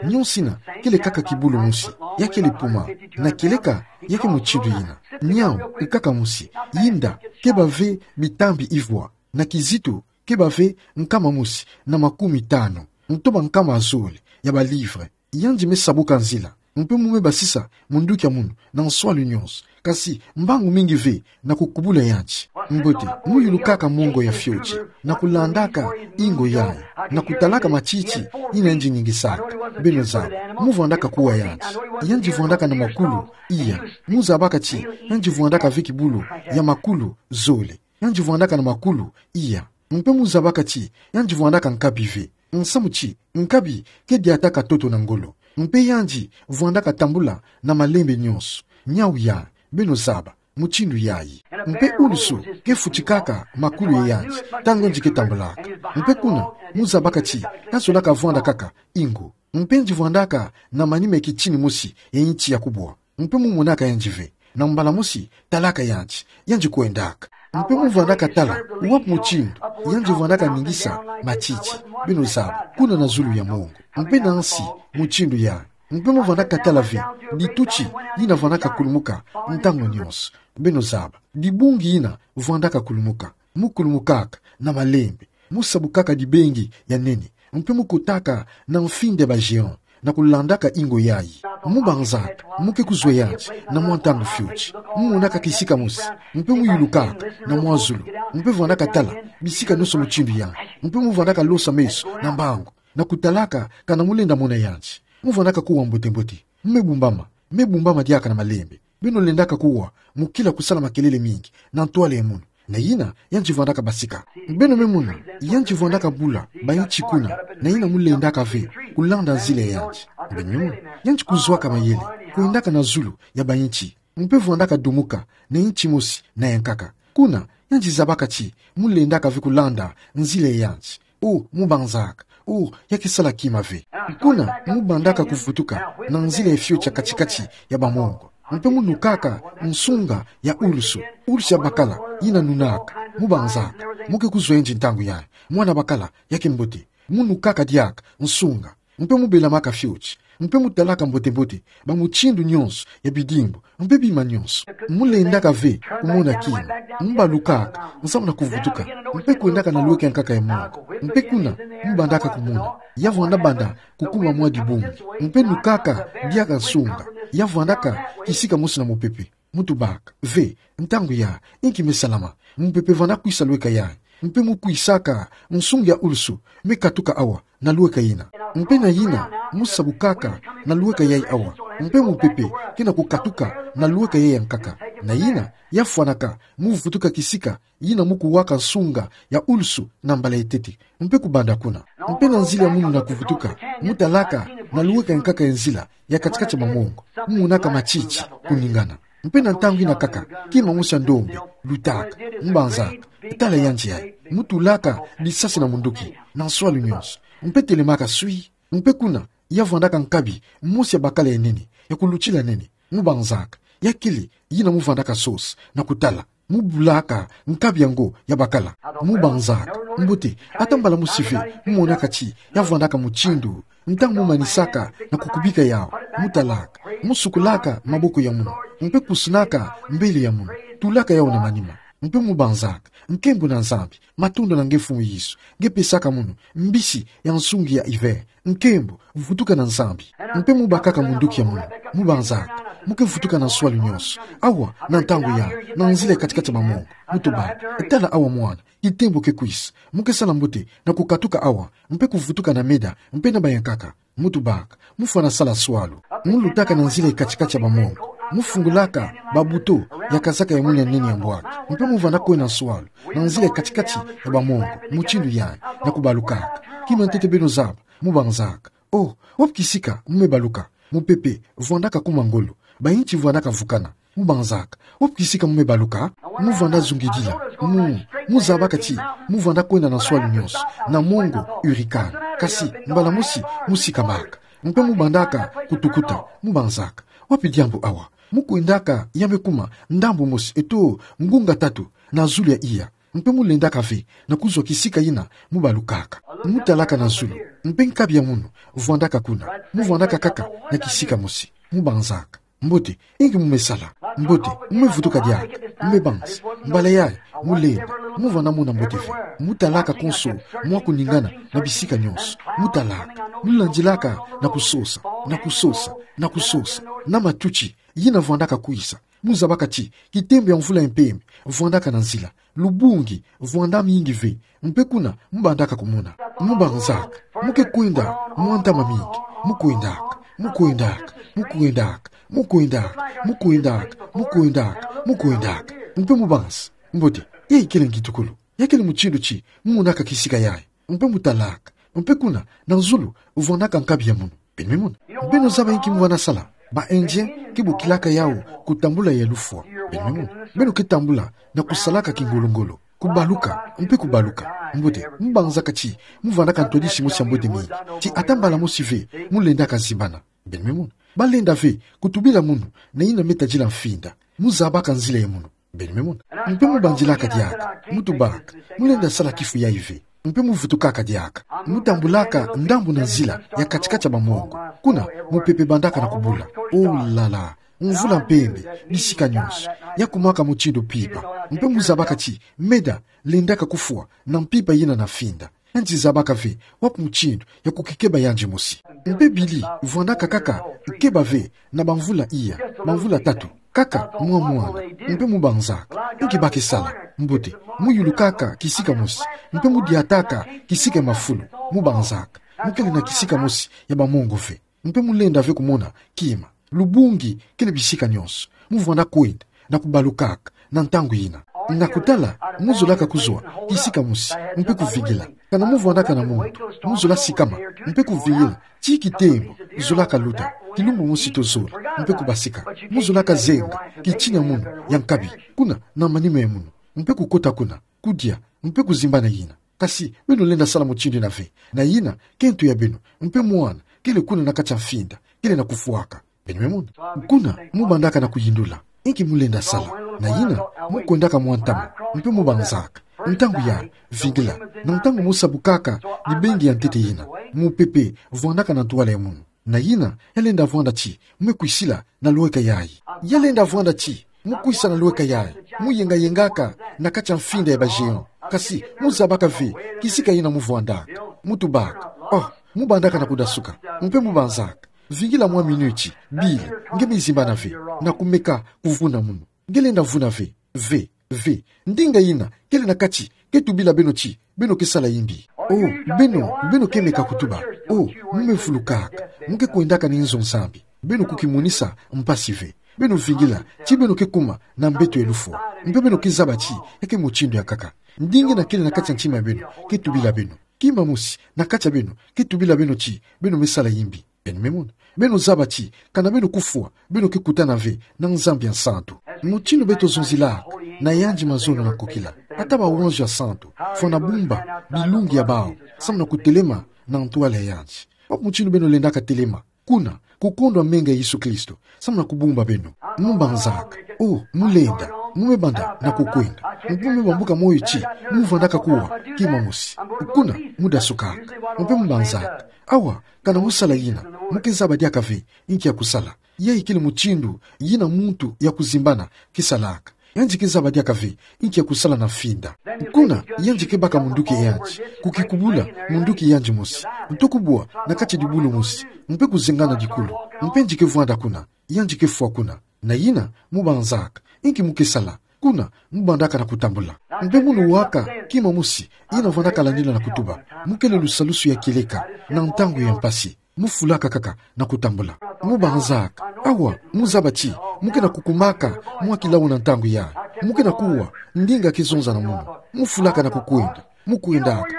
Nionso yina kele kaka kibulu mosi, ya kele puma, na kieleka ya ke mutindu yina. Niau, nkaka mosi, yinda, keba ve bitambi ivwa, na kizito, keba ve nkama mosi na makumi tanu, nto ba nkama zole ya ba livre. Yandi me sabuka nzila, mpe mu me basisa munduki ya munu na nswalu nionso, kasi mbangu mingi ve na kukubula yandi. Mbote, mu yulukaka mongo ya fioti, na kulandaka ingo yayi, na kutalaka matiti yina yandi ningisaka. Beno zaba, mu vwandaka kuwa yandi. Yandi vwandaka na makulu, iya. Mu zabaka ti yandi vwandaka ve kibulu ya makulu zole. Yandi vwandaka na makulu, iya. Mpe mu zabaka ti yandi vwandaka nkabi ve. Nsamu ti nkabi ke diataka ntoto na ngolo. Mpe yandi vwandaka tambula na malembe nionso. Niau ya, beno zaba mutindu yayi. Mpe ulusu ke futikaka makulu ya yandi ntangu yandi ke tambulaka. Mpe kuna, mu zabaka ti ya zolaka vwanda kaka ingo. Mpe yandi vwandaka na manima ya kitini mosi ya inti ya kubwa. Mpe mu monaka yandi ve. Na mbala mosi, talaka yandi, yandi kwendaka. Mpe mu vwandaka tala wapi mutindu yandi vwandaka ningisa matiti, beno zaba, kuna na zulu ya mongo, mpe na nsi, mutindu yayi. Mpe mu vwandaka tala ve dituti yina vwandaka kulumuka ntangu nionso, beno zaba, dibungi yina vwandaka kulumuka. Mu kulumukaka na malembe, mu sabukaka dibengi ya nene, mpe mu kotaka na mfinda ya ba géant, na kulandaka ingo yayi. Mu banzaka mu ke kuzwa yandi na mwa ntangu fioti. Mu monaka kisika mosi, mpe mu yulukaka na mwa zulu, mpe vwandaka tala bisika nionso mutindu yayi. Mpe mu vwandaka losa meso na mbangu, na kutalaka kana mu lenda mona yandi. Mu vwandaka kuwa mbote-mbote. Mu me bumbama, me bumbama diaka na malembe. Beno lendaka kuwa, mu kila kusala makelele mingi na ntwala ya munu. Na yina yandi vwandaka basika. Beno me mona, yandi vwandaka bula ba inti kuna, na yina mu lendaka ve kulanda nzila ya yandi. Beno, yandi kuzwaka mayele, kwendaka na zulu ya ba inti, mpe vwandaka dumuka na inti mosi na ya nkaka. Kuna, yandi zabaka ti mu lendaka ve kulanda nzila ya yandi. O, mu banzaka. O, ya ke sala kima ve. Kuna, mu bandaka kuvutuka na nzila ya fioti ya kati-kati ya ba mongo. Mpe mu nukaka nsunga ya ulusu, ulusu ya bakala, yina nunaka. Mu banzaka. Mu ke kuzwa yandi ntangu yayi. Mwana bakala ya ke mbote. Mu nukaka diaka nsunga. Mpe mu belamaka fioti. Mpe mu talaka mbote-mbote ba mutindu nionso ya bidimbu, mpe bima nionso. Mu lendaka ve kumona kima. Mu balukaka, nsamu na kuvutuka, mpe kwendaka na lweka ya nkaka ya mongo. Mpe kuna, mu bandaka kumona ya vwanda banda kukuma mwa dibungi. Mpe nukaka diaka nsunga ya vwandaka kisika mosi na mupepe. Mu tubaka ve, ntangu ya, inki me salama, mupepe vanda kwisa lweka yayi. Mpe mu kwisaka nsungi ya ulusu, me katuka awa, na lweka yina. Mpe na yina, mu sabukaka na lweka yayi awa. Mpe mupepe kena kukatuka na lweka yayi yankaka. Na yina, ya fwanaka, mu vutuka kisika yina mu kuwaka nsunga ya ulusu na mbala ya tete, mpe kubanda kuna. Mpe na nzila ya munu na kuvutuka, mu talaka na lweka yankaka ya nzila ya kati-kati ya bamongo, mu monaka matiti kuningana. Mpe na ntangu yina kaka, kima mosi ya ndombe lutaka. Mu banzaka: Tala yandi yayi. Mu tulaka lisasi na munduki, na nswalu nyonso. Mpe telemaka swi. Mpe kuna, ya vwandaka nkabi mosi ya bakala ya nene, ya kulutila nene. Mu banzaka: Ya kele yina mu vandaka sosa na kutala? Mu bulaka nkabi yango ya bakala. Mu banzaka: Mbote, ata mbala mosi ve mu monaka ti ya vwandaka mutindu. Ntangu mu manisaka na kukubika yawu, mu talaka, mu sukulaka maboko ya munu, mpe kusunaka mbele ya munu, tulaka yawu na manima, mpe mu banzaka: Nkembo na Nzambi, matondo na nge Mfumu Yesu, nge pesaka munu mbisi ya nsungi ya hiver. Nkembo, vutuka na Nzambi. Mpe mu bakaka munduki ya munu, mu banzaka: Mu ke vutuka na nswalu nyonso, awa, na ntangu yayi, na nzila ya kati-kati ya bamongo. Mu tubaka: Tala awa mwana, kitembo ke kwisa. Mu ke sala mbote na kukatuka awa, mpe kuvutuka na meda, mpe na bayankaka. Mu tubaka: Mu fwana sala nswalu. Mu lutaka na nzila ya kati-kati ya bamongo, mu fungulaka babuto ya kazaka ya munu ya nene ya mbwaki, mpe mu vanda kwenda nswalu na nzila ya kati-kati ya bamongo, mutindu yayi, na kubalukaka. Kima ntete beno zaba. Mu banzaka: Oh, wapi kisika mu me baluka? Mupepe vwandaka kuma ngolo, bayinti vwandaka vukana. Mu banzaka: Wapi kisika mu me baluka? Mu vanda zungidila. Mu, mu zabaka ti mu vanda kwenda na nswalu nyonso na mongo hurricane. Kasi mbala mosi mu sikamaka, mpe mu bandaka kutukuta. Mu banzaka: Wapi diambu awa? Mu kwendaka ya me kuma ndambu mosi eto ngunga tatu na zulu ya iya. Mpe mu lendaka ve na kuzwa kisika yina mu balukaka. Mu talaka na zulu, mpe nkabi ya munu vwandaka kuna. Mu vwandaka kaka na kisika mosi. Mu banzaka: Mbote, inki mu me sala? Mbote, mu me vutuka diaka? Mu me banza. Mbala yayi, mu lenda, mu vanda mona mbote ve. Mu talaka konso mwa kuningana na bisika nyonso. Mu talaka, mu landilaka na kusosa, na kusosa, na kusosa, na matuti yina vwandaka kwisa. Mu zabaka ti kitembo ya mvula ya mpembe vwandaka na nzila. Lubungi vwanda mingi ve, mpe kuna mu bandaka kumona. Mu banzaka: Mu ke kwenda mwa ntama mingi. Mu kwendaka, mu kwendaka, mu kwendaka, mu kwendaka, mu kwendaka, mu kwendaka, mu kwendaka. Mpe mu banza: Mbote, yayi kele ngitukulu. Ya kele mutindu ti mu monaka kisika yayi. Mpe mu talaka, mpe kuna na zulu vwandaka nkabi ya munu. Beno me mona. Beno zaba inki mu vanda sala? Ba Indien ke bokilaka yawu kutambula ya lufwa. Beno me mona. Beno ke tambula na kusalaka kingolo-ngolo, kubaluka, mpe kubaluka. Mbote, mu banzaka ti mu vandaka ntwadisi mosi ya mbote mingi, ti ata mbala mosi ve mu lendaka zimbana. Beno me mona. Ba lenda ve kutubila munu na yina me tadila mfinda. Mu zabaka nzila ya munu. Beno me mona. Mpe mu bandilaka diaka, mu tubaka: Mu lenda sala kifu yayi ve? Mpe mu vutukaka diaka, mu tambulaka ndambu na nzila ya kati-kati ya bamongo. Kuna, mupepe bandaka na kubula. Oh là là, mvula mpembe bisika nyonso. Ya kumaka mutindu mpimpa. Mpe mu zabaka ti meda lendaka kufwa na mpimpa yina na mfinda. Yandi zabaka ve wapi mutindu ya kukikeba yandi mosi. Mpe bili vwandaka kaka keba ve na bamvula iya, bamvula tatu, kaka mwa mwana. Mpe mu banzaka: Inki ba ke sala? Mbote, mu yulukaka kisika mosi, mpe mu diataka kisika ya mafulu. Mu banzaka: Mu kele na kisika mosi ya bamongo ve? Mpe mu lenda ve kumona kima. Lubungi kele bisika nyonso. Mu vwanda kwenda na kubalukaka na ntangu yina. Na kutala, mu zolaka kuzwa kisika mosi, mpe kuvingila. Kana mu vwandaka na muntu, mu zola sikama, mpe kuvingila ti kitembo zolaka luta, kilumbu mosi to zole, mpe kubasika. Mu zolaka zenga kitini ya munu ya nkabi, kuna na manima ya munu, mpe kukota kuna, kudia, mpe kuzimba na yina. Kasi beno lenda sala mutindu yina ve. Na yina, kento ya beno, mpe mwana kele kuna na kati ya mfinda, kele na kufwaka. Beno me mona. Kuna, mu bandaka na kuyindula. Inki mu lenda sala? Na yina, mu kwendaka mwa ntama, mpe mu banzaka: Ntangu yayi, vingila. Na ntangu mu sabukaka libengi ya ntete yina, mupepe vwandaka na ntwala ya munu. Na yina, ya lenda vwanda ti mu me kwisila na lweka yayi. Ya lenda vwanda ti mu kwisa na lweka yayi, mu yenga-yengaka na kati ya mfinda ya ba géant. Kasi mu zabaka ve kisika yina mu vwandaka. Mu tubaka: Oh, mu bandaka na kudasuka. Mpe mu banzaka: Vingila mwa minuti, bile, nge me zimbana ve, na kumeka kuvuna munu. Nge lenda vuna ve, ve, ve. Ndinga ina kele na kati, ke tubila beno ti beno ke sala imbi. Oh, beno, beno ke meka kutuba. Oh, mu me vulukaka, mu ke kwendaka na nzo Nzambi. Beno kukimunisa mpasi ve. Beno vingila ti beno ke kuma na mbeto ya lufwa. Mpe beno ke zaba ti ya ke mutindu ya nkaka. Ndinga ina kele na kati ya ntima ya beno ke tubila beno. Kima mosi na kati ya beno ke tubila beno ti beno me sala imbi. Beno me mona. Beno zaba ti kana beno kufwa, beno ke kutana ve na Nzambi ya nsantu. Mutindu beto zonzilaka na yandi mazono na nkokila, ata bawanzo ya santu, fwana bumba bilungi ya bawu, samu na kutelema na ntwala ya yandi. Wapi mutindu beno lendaka telema? Kuna, kukondwa menga ya Yesu Kristo, samu na kubumba beno. Mu banzaka. Oh, mu lenda, mu me banda na kukwenda. Mpe mu me bambuka moyo ti mu vandaka kuwa kima mosi. Kuna, mu dasukaka. Mpe mu banzaka. Awa, kana mu sala ina, mu ke zaba diaka ve inki ya kusala. Yayi kele mutindu ina muntu ya kuzimbana ke salaka. Yandi ke zaba diaka ve inki ya kusala na mfinda. Kuna, yandi ke baka munduki ya yandi, kukikubula munduki ya yandi mosi, nto kubwa na kati ya dibulu mosi, mpe kuzengana dikulu. Mpe yandi ke vwanda kuna, yandi ke fwa kuna. Na ina, mu banzaka inki mu ke sala. Kuna, mu bandaka na kutambula. Mpe munu waka kima mosi ina vandaka landila na kutuba. Mu kele lusalusu ya kieleka na ntangu ya mpasi. Mu fulaka kaka na kutambula. Mu banzaka. Awa, mu zaba ti mu ke na kukumaka mwa kilau na ntangu yayi. Mu ke na kuwa ndinga ke zonza na munu. Mu fulaka na kukwenda. Mu kwendaka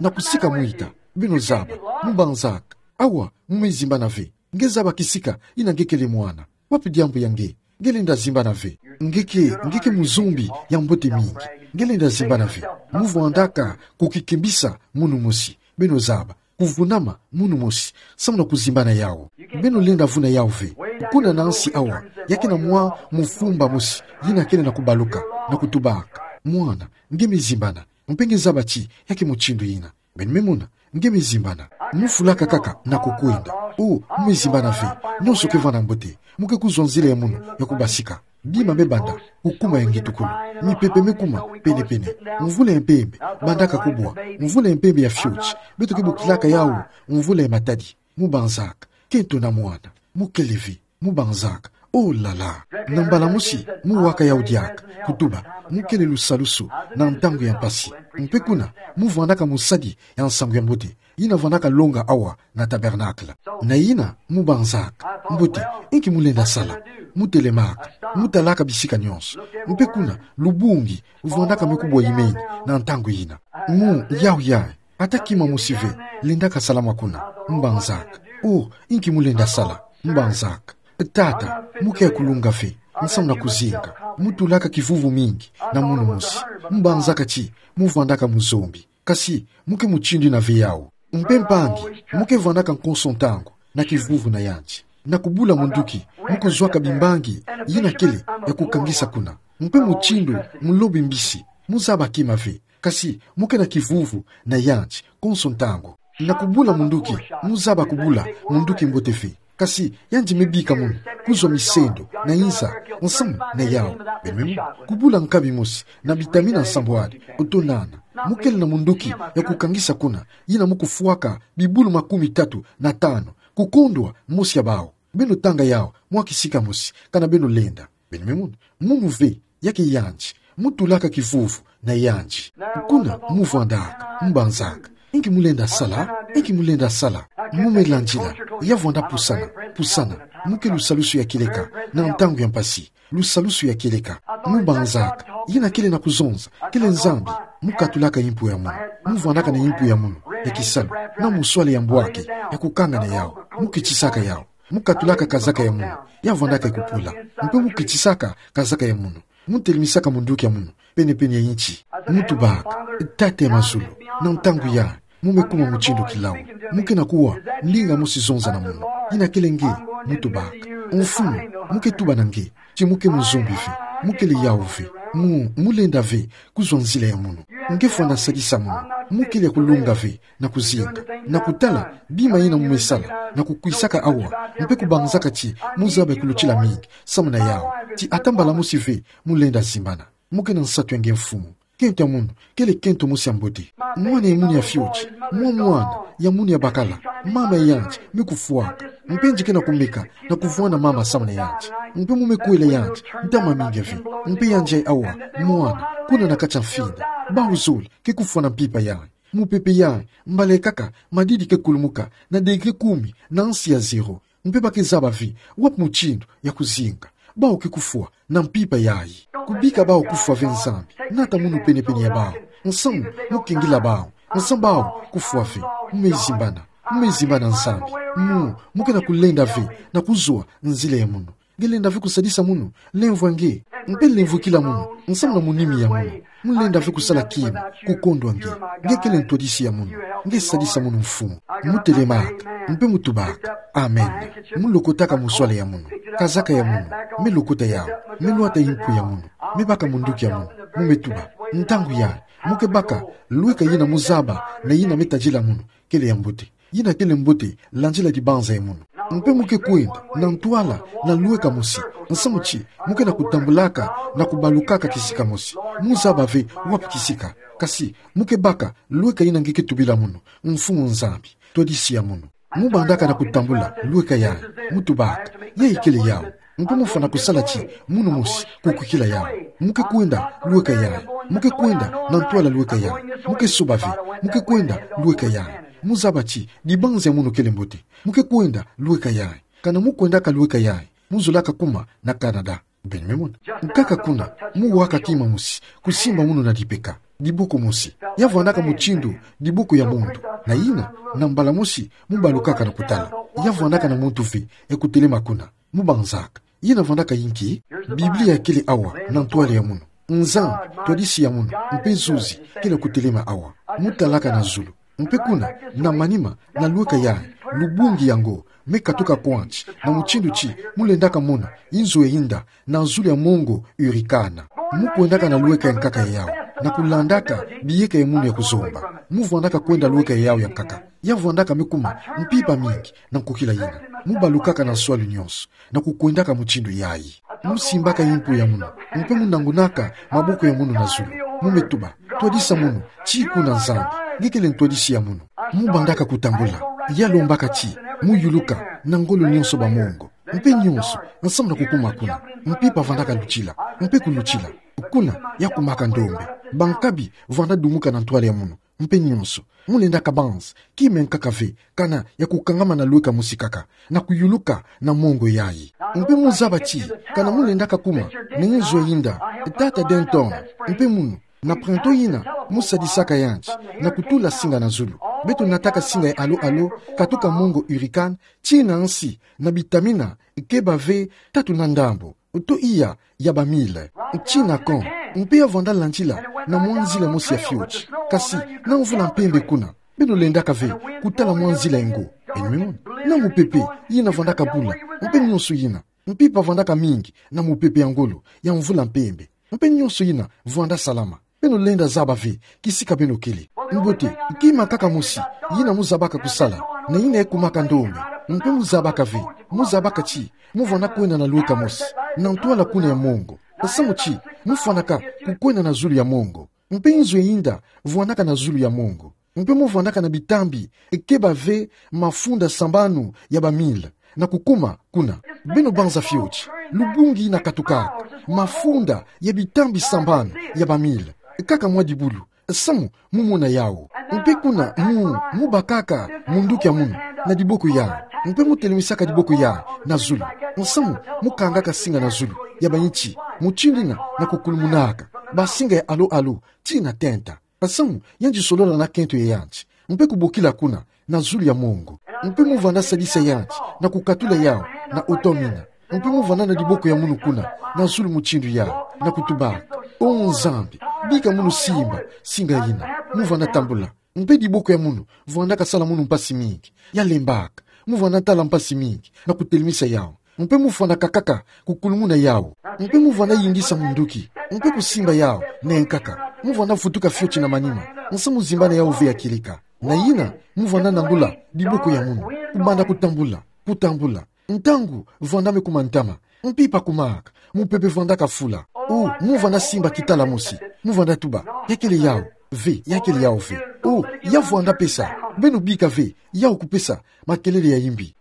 na kusika mwita. Beno zaba. Mu banzaka. Awa, mu me zimbana ve. Nge zaba kisika ina nge kele mwana. Wapi diambu ya nge? Nge lenda zimbana ve. Nge ke, nge ke muzombi ya mbote mingi. Nge lenda zimbana ve. Mu vwandaka kukikimbisa munu mosi. Beno zaba. Kuvunama munu mosi, samu na kuzimbana yawu. Beno lenda vuna yawu ve. Kuna na nsi awa, ya ke na mwa mufumba mosi ina kele na kubaluka, na kutubaka. Mwana, nge me zimbana. Mpe nge zaba ti ya ke mutindu ina. Beno me mona, nge me zimbana. Mu fulaka kaka na kukwenda. Oh, mu me zimbana ve. Nyonso ke vanda mbote. Mu ke kuzwa nzila ya munu ya kubasika. Bima me banda kukuma ya ngitukulu. Mipepe me kuma pene-pene. Mvula ya mpembe bandaka kubwa. Mvula ya mpembe ya fioti. Beto ke bokilaka yawu mvula ya matadi. Mu banzaka. Kento na mwana. Mu kele ve. Mu banzaka. Oh là là. Na mbala mosi, mu waka yawu diaka. Kutuba. Mu kele lusalusu na ntangu ya mpasi. Mpe kuna, mu vwandaka mosadi ya nsangu ya mbote ina vandaka longa awa na tabernacle. Na ina, mu banzaka. Mbote, inki mu lenda sala? Mu telemaka. Mu talaka bisika nyonso. Mpe kuna, lubungi vwandaka me kubwa imeni na ntangu ina. Mu, yawu yayi, ata kima mosi ve lendaka salama kuna. Mu banzaka. Oh, inki mu lenda sala? Mu banzaka. Tata, mu ke kulunga ve, nsamu na kuzinga. Mu tulaka kivuvu mingi na munu mosi. Mu banzaka ti mu vwandaka muzombi. Kasi, mu ke mutindu ina ve yawu. Mpe mpangi, mu ke vwandaka konso ntangu na kivuvu na yandi. Na kubula munduki, mu kuzwaka bimbangi ina kele ya kukangisa kuna. Mpe mutindu mulobi mbisi, mu zaba kima ve. Kasi, mu ke na kivuvu na yandi konso ntangu. Na kubula munduki, mu zaba kubula munduki mbote ve. Kasi, yandi me bika munu kuzwa misendo na inza nsamu na yawu. Beno me mona, kubula nkabi mosi na bitamina nsambwadi, oto nana. Mu kele na munduki ya kukangisa kuna, ina mu kufwaka bibulu makumi tatu na tanu, kukondwa mosi ya bawu. Beno tanga yawu mwa kisika mosi, kana beno lenda. Beno me mona, munu ve, ya ke yandi. Mu tulaka kivuvu na yandi. Kuna, mu vwandaka. Mu banzaka. Inki mu lenda sala? Inki mu lenda sala? Mu me landila. Ya vwanda pusana, pusana. Mu ke lusalusu ya kieleka na ntangu ya mpasi. Lusalusu ya kieleka. Mu banzaka. Ina kele na kuzonza kele Nzambi. Mu katulaka impu ya munu. Mu vwandaka na impu ya munu ya kisalu, na muswale ya mbwaki ya kukanga na yawu. Mu kitisaka yawu. Mu katulaka kazaka ya munu. Ya vwandaka kupula. Mpe mu kitisaka kazaka ya munu. Mu telimisaka munduki ya munu pene-pene ya inti. Mu tubaka: Tata ya mazulu, na ntangu yayi, mu me kuma mutindu kilau. Mu ke na kuwa ndinga mosi zonza na munu. Ina kele nge. Mu tubaka: Mfumu, mu ke tuba na nge ti mu ke muzombi ve. Mu kele yawu ve. Mu, mu lenda ve kuzwa nzila ya munu. Nge fwana sadisa munu. Mu kele ya kulunga ve na kuzinga, na kutala bima ina mu me sala, na kukwisaka awa, mpe kubanzaka ti mu zaba ya kulutila mingi samu na yawu, ti ata mbala mosi ve mu lenda zimbana. Mu ke na nsatu ya nge, Mfumu. Kento ya munu kele kento mosi ya mbote. Mwana ya munu ya fioti, mwa mwana Ya munu ya bakala, mama yanti, me kufwaka. Mpe nge ke na kumeka, na kuvwanga mama samana yanti. Mpe mu me kwela yanti, ntama mingi ve. Mpe yanti awa, mwana, kuna na kati a mfinda. Bau zole, ke kufwa na mpimpa yayi. Mupepe yayi, mbala ekaka, madidi ke kulumuka, na degré kumi, na nsi ya zéro. Mpe ba ke zaba ve, wapi mutindu ya kuzinga. Bau ke kufwa, na mpimpa yayi. Kubika bau kufwa ve Nzambi, nata munu penepene ya bau. Nsamu, mu kengila bau. Nsamu bau, kufwa ve, mu me zimbana. Mu me zimbana Nzambi. Mu, mu ke na kulenda ve, na kuzwa, nzila ya munu. Nge lenda ve kusadisa munu, lemvwa nge. Mpe lemvwikila munu, nsamu na munimi ya munu. Mu lenda ve kusala kima, kukondwa nge. Nge kele ntwadisi ya munu. Nge sadisa munu Mfumu. Mu telemaka, mpe mu tubaka. Amen. Mu lokotaka mu swala ya munu. Kazaka ya munu. Me lokota yawu. Me lwata mpu ya munu. Me baka munduki ya munu. Mu me tuba. Ntangu yayi. Mu ke baka, lweka yina mu zaba, na yina me tadila munu. Kele ya mbote. Yina kele mbote, landila dibanza ya munu. Mpe mu ke kwenda, na ntwala, na lweka mosi. Nsamu ti, mu ke na kutambulaka, na kubalukaka kisika mosi. Mu zaba ve, wapi kisika. Kasi, mu ke baka, lweka yina nge ke tubila munu. Mfumu Nzambi, twadisi ya munu. Mu bandaka na kutambula, lweka yayi. Mu tubaka. Yayi kele yawu. Mpe mu fwana kusala ti, munu mosi, kukwikila yawu. Mu ke kwenda, lweka yayi. Mu ke kwenda, na ntwala lweka yayi. Mu ke soba ve, mu ke kwenda, lweka yayi. Mu zaba ti, dibanza ya munu kele mbote. Mu ke kwenda, lweka yayi. Kana mu kwendaka lweka yayi. Mu zolaka kuma, na Canada. Beno me mona. Nkaka kuna, mu waka kima mosi, kusimba munu na dipeka. Diboko mosi. Ya vwandaka mutindu, diboko ya muntu. Na yina, na mbala mosi, mu balukaka na kutala. Ya vwandaka na muntu ve, e kutelema kuna. Mu banzaka. Yina vwandaka inki, Biblia kele awa, na ntwala ya munu. Nzambi, twadisi ya munu, mpe zuzi, kele kutelema awa. Mu talaka na zulu. Mpe kuna, na manima, na lweka yayi, lubungi yango, me katuka kwandi, na mutindu ti, mu lendaka mona, inzo ya yinda, na zulu ya mongo, hurricane. Mu kwendaka na lweka ya nkaka yawu, na kulandaka, biyeka ya munu ya kuzomba. Mu vwandaka kwenda lweka yawu ya nkaka. Ya vwandaka me kuma, mpimpa mingi, na nkokila yina. Mu balukaka na nswalu nyonso, na kukwendaka mutindu yayi. Mu simbaka mpu ya munu, mpe mu nangunaka, maboko ya munu na zulu. Mu me tuba, twadisa munu, ti kuna Nzambi, nge kele ntwadisi ya munu. Mu bandaka kutambula, ya lombaka ti, mu yuluka, na ngolo nyonso ba mongo. Mpe nyonso, nsamu na kukuma kuna, mpimpa vwandaka lutila, mpe kulutila. Kuna, ya kumaka ndombe, bankabi, vwanda dumuka na ntwala ya munu. Mpe nyonso, mu lendaka banza, kima ya nkaka ve, kana ya kukangama na lweka mosi kaka, na kuyuluka na mongo yayi. Mpe mu zaba ti, kana mu lendaka kuma, na inzo ya yinda, tata Denton, mpe munu, na printemps yina, mu sadisaka yanti, na kutula singa na zulu. Beto nataka singa ya alo-alo, katuka mongo hurricane, tii na nsi, na bitamina, keba ve, tatu na ndambo. Oto iya, ya ba mille. Tii na camp, mpe ya vwanda landila, na mwa nzila mosi ya fioti. Kasi, na mvula mpembe kuna. Beno lendaka ve, kutala mwa nzila yango. Beno me mona. Na mupepe, yina vwandaka bula. Mpe nyonso yina. Mpimpa vwandaka mingi, na mupepe ya ngolo, ya mvula mpembe. Mpe nyonso yina, vwanda salama. Beno lenda zaba ve, kisika beno kele. Mbote, kima kaka mosi, yina mu zabaka kusala, na yina ekumaka ndombe, mpe mu zabaka ve, mu zabaka ti, mu vwanda kwenda na lweka mosi, na ntwala kuna ya mongo. Nsamu ti, mu fwanaka, kukwenda na zulu ya mongo. Mpe inzo ya yinda, vwandaka na zulu ya mongo. Mpe mu vwandaka na bitambi, keba ve, mafunda sambanu ya ba mille. Na kukuma, kuna. Beno banza fioti. Lubungi yina katukaka. Mafunda ya bitambi sambanu ya ba mille. Kaka mwa dibulu. Nsamu, mu mona yawu. Mpe kuna, mu, mu bakaka, munduki ya munu, na diboko yayi. Mpe mu telemisaka diboko yayi, na zulu. Nsamu, mu kangaka singa na zulu. Ya ba inti, mutindu yina, na kukulumunaka. Ba singa ya alo-alo, tii na tenta. Nsamu, yanti solola na kento ya yanti. Mpe kubokila kuna, na zulu ya mongo. Mpe mu vwanda sadisa yanti, na kukatula yawu, na oto mina. Mpe mu vwanda na diboko ya munu kuna, na zulu mutindu yawu, na kutubaka. O Nzambi, bika munu simba, singa yina. Mu vwanda tambula. Mpe diboko ya munu, vwandaka sala munu mpasi mingi. Ya lembaka. Mu vwanda tala mpasi mingi, na kutelemisa yawu. Mpe mu vwanda kakaka, kukulumuna yawu. Mpe mu vwanda yingisa munduki. Mpe kusimba yawu, na nkaka. Mu vwanda vutuka fioti na manima. Nsamu zimbana yawu ve ya kieleka. Na yina, mu vwanda nangula, diboko ya munu. Kubanda kutambula, kutambula. Ntangu, vwanda me kuma ntama. Mpimpa kumaka. Mupepe vwandaka fula. O, mu vwanda simba kitala mosi. Mu vwanda tuba. Ya kele yawu. Ve, ya kele yawu ve. O, ya vwanda pesa. Beno bika ve, yawu kupesa makelele ya imbi.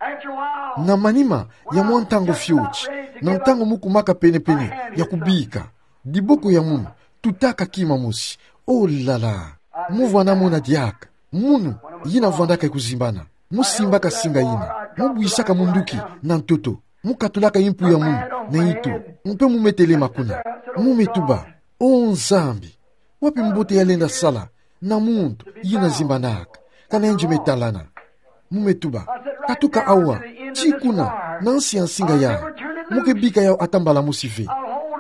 Na manima ya mwa ntango fioti, na ntango mu kumaka penepene ya kubika, diboko ya munu tutaka kima mosi. O la la. Mu vwanda mona diaka munu yina vwandaka kuzimbana. Mu simbaka singa yina, mu bwisaka munduki na ntoto, mu katulaka impu ya munu na itu, mpe mu me telema kuna. Mu me tuba: O Nzambi, wapi mbote ya lenda sala na muntu yina zimbanaka, kana yandi me talana? Mu me tuba: Katuka awa, ti kuna, na nsi ya nsinga yayi. Mu ke bika yawu ata mbala mosi ve.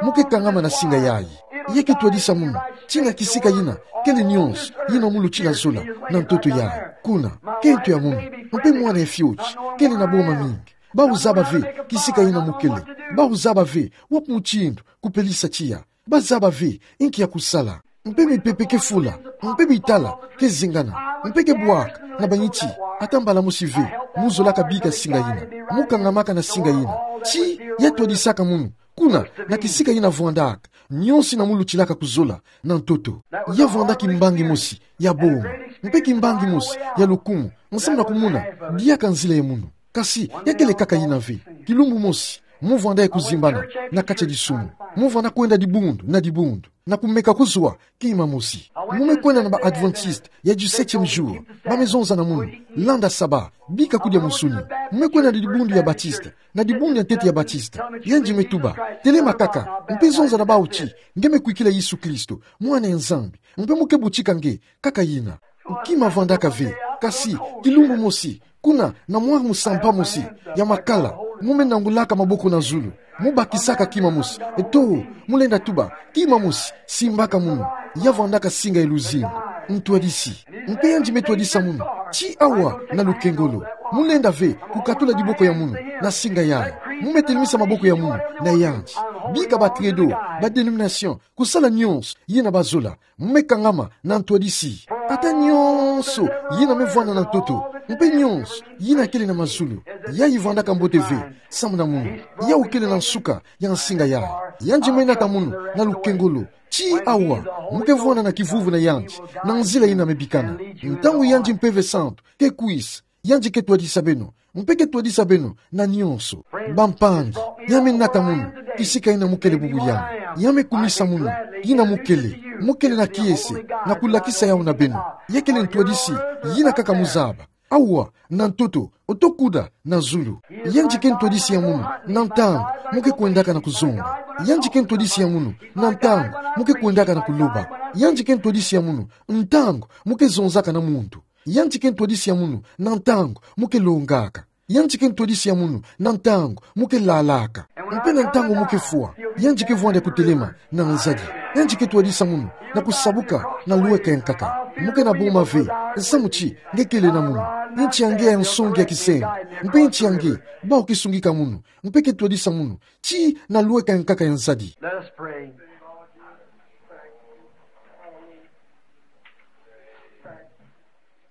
Mu ke kangama na singa yayi. Ya ke twadisa munu ti na kisika yina kele nyonso yina mu luti na zola na ntoto yayi. Kuna, kento ya munu, mpe mwana ya fioti, kele na boma mingi. Bawu zaba ve kisika yina mu kele. Bawu zaba ve wapi mutindu kupelisa tiya. Bazaba ve inki ya kusala. Mpe mipepe ke fula, mpe bitala ke zengana, mpe ke bwaka na banyiti. Ata mbala mosi ve mu zolaka bika singa yina, mu kangamaka na singa yina. Ti ya twadisaka munu kuna, na kisika yina vwandaka nyonso yina mu lutilaka kuzola na ntoto. Ya vwanda kimbangi mosi ya boma, mpe kimbangi mosi ya lukumu, nsamu na kumona diaka nzila ya munu. Kasi ya kele kaka yina ve. Kilumbu mosi mu vwanda ya kuzimbana na kati ya disumu. Mu vwanda kwenda dibundu na dibundu na kumeka kuzwa kima mosi. Mu me kwenda na ba Adventiste ya du septième jour, ba me zonza na munu: Landa saba, bika kudia musuni. Mu me kwenda na dibundu ya Batiste, na dibundu ya ntete ya Batiste. Yandi me tuba: Telema kaka, mpe zonza na bawu ti nge me kwikila Yesu Kristo, Mwana ya Nzambi, mpe mu ke butika nge. Kaka yina. Kima vwandaka ve. Kasi kilumbu mosi, kuna na mwa musampa mosi ya makala, mu me nangulaka maboko na zulu, mu bakisaka kima mosi. Eto, mu lenda tuba: Kima mosi, simbaka munu. Ya vwandaka singa ya luzingu: Ntwadisi. Mpe yandi me twadisa munu ti awa na lukengolo. Mu lenda ve kukatula diboko ya munu na singa yayi. Mu me telemisa maboko ya munu na yandi. Bika ba credo, ba dénomination, kusala nyonso yina bazola. Mu me kangama na ntwadisi. Ata nyonso yina me vwanda na ntoto, mpe nyonso yina kele na mazulu, yayi vwandaka mbote ve samu na munu. Yawu kele na nsuka ya nsinga yayi. Yandi me nata munu na lukengolo ti awa, mu ke vwanda na kivuvu na yandi, na nzila yina me bikana. Ntangu yandi Mpeve Santu ke kwisa, yandi ke twadisa beno, mpe ke twadisa beno na nyonso. Bampangi, ya me nata munu kisika yina mu kele bubu yandi. Ya me kumisa munu yina mu kele. Mu kele na kiese na kulakisa yawu na beno. Ya kele ntwadisi yina kaka mu zaba. Awa, na ntoto, oto kuda na zulu. Yandi ke ntwadisi ya munu na ntangu mu ke kwendaka na kuzomba. Yandi ke ntwadisi ya munu na ntangu mu ke kwendaka na kuloba. Yandi ke ntwadisi ya munu ntangu mu ke zonzaka na muntu. Yandi ke ntwadisi ya munu na ntangu mu ke longaka. Yandi ke ntwadisi ya munu na ntangu mu ke lalaka. Mpe na ntangu mu ke fwa, yandi ke vwanda kutelema na nzadi. Yandi ke twadisa munu na kusabuka na lweka ya nkaka. Mu ke na boma ve, nsamu ti nge kele na munu. Nti ya nge ya nsongi ya kisengo, mpe nti ya nge bawu ke sungika munu, mpe ke twadisa munu ti na lweka ya nkaka ya nzadi. Let us pray.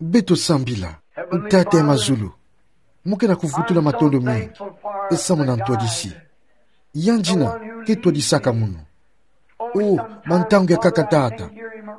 Beto sambila. Tata ya mazulu, mu ke na kuvutula matondo mingi samu na ntwadisi. Yandi yina ke twadisaka munu. O, ba ntangu ya nkaka, Tata,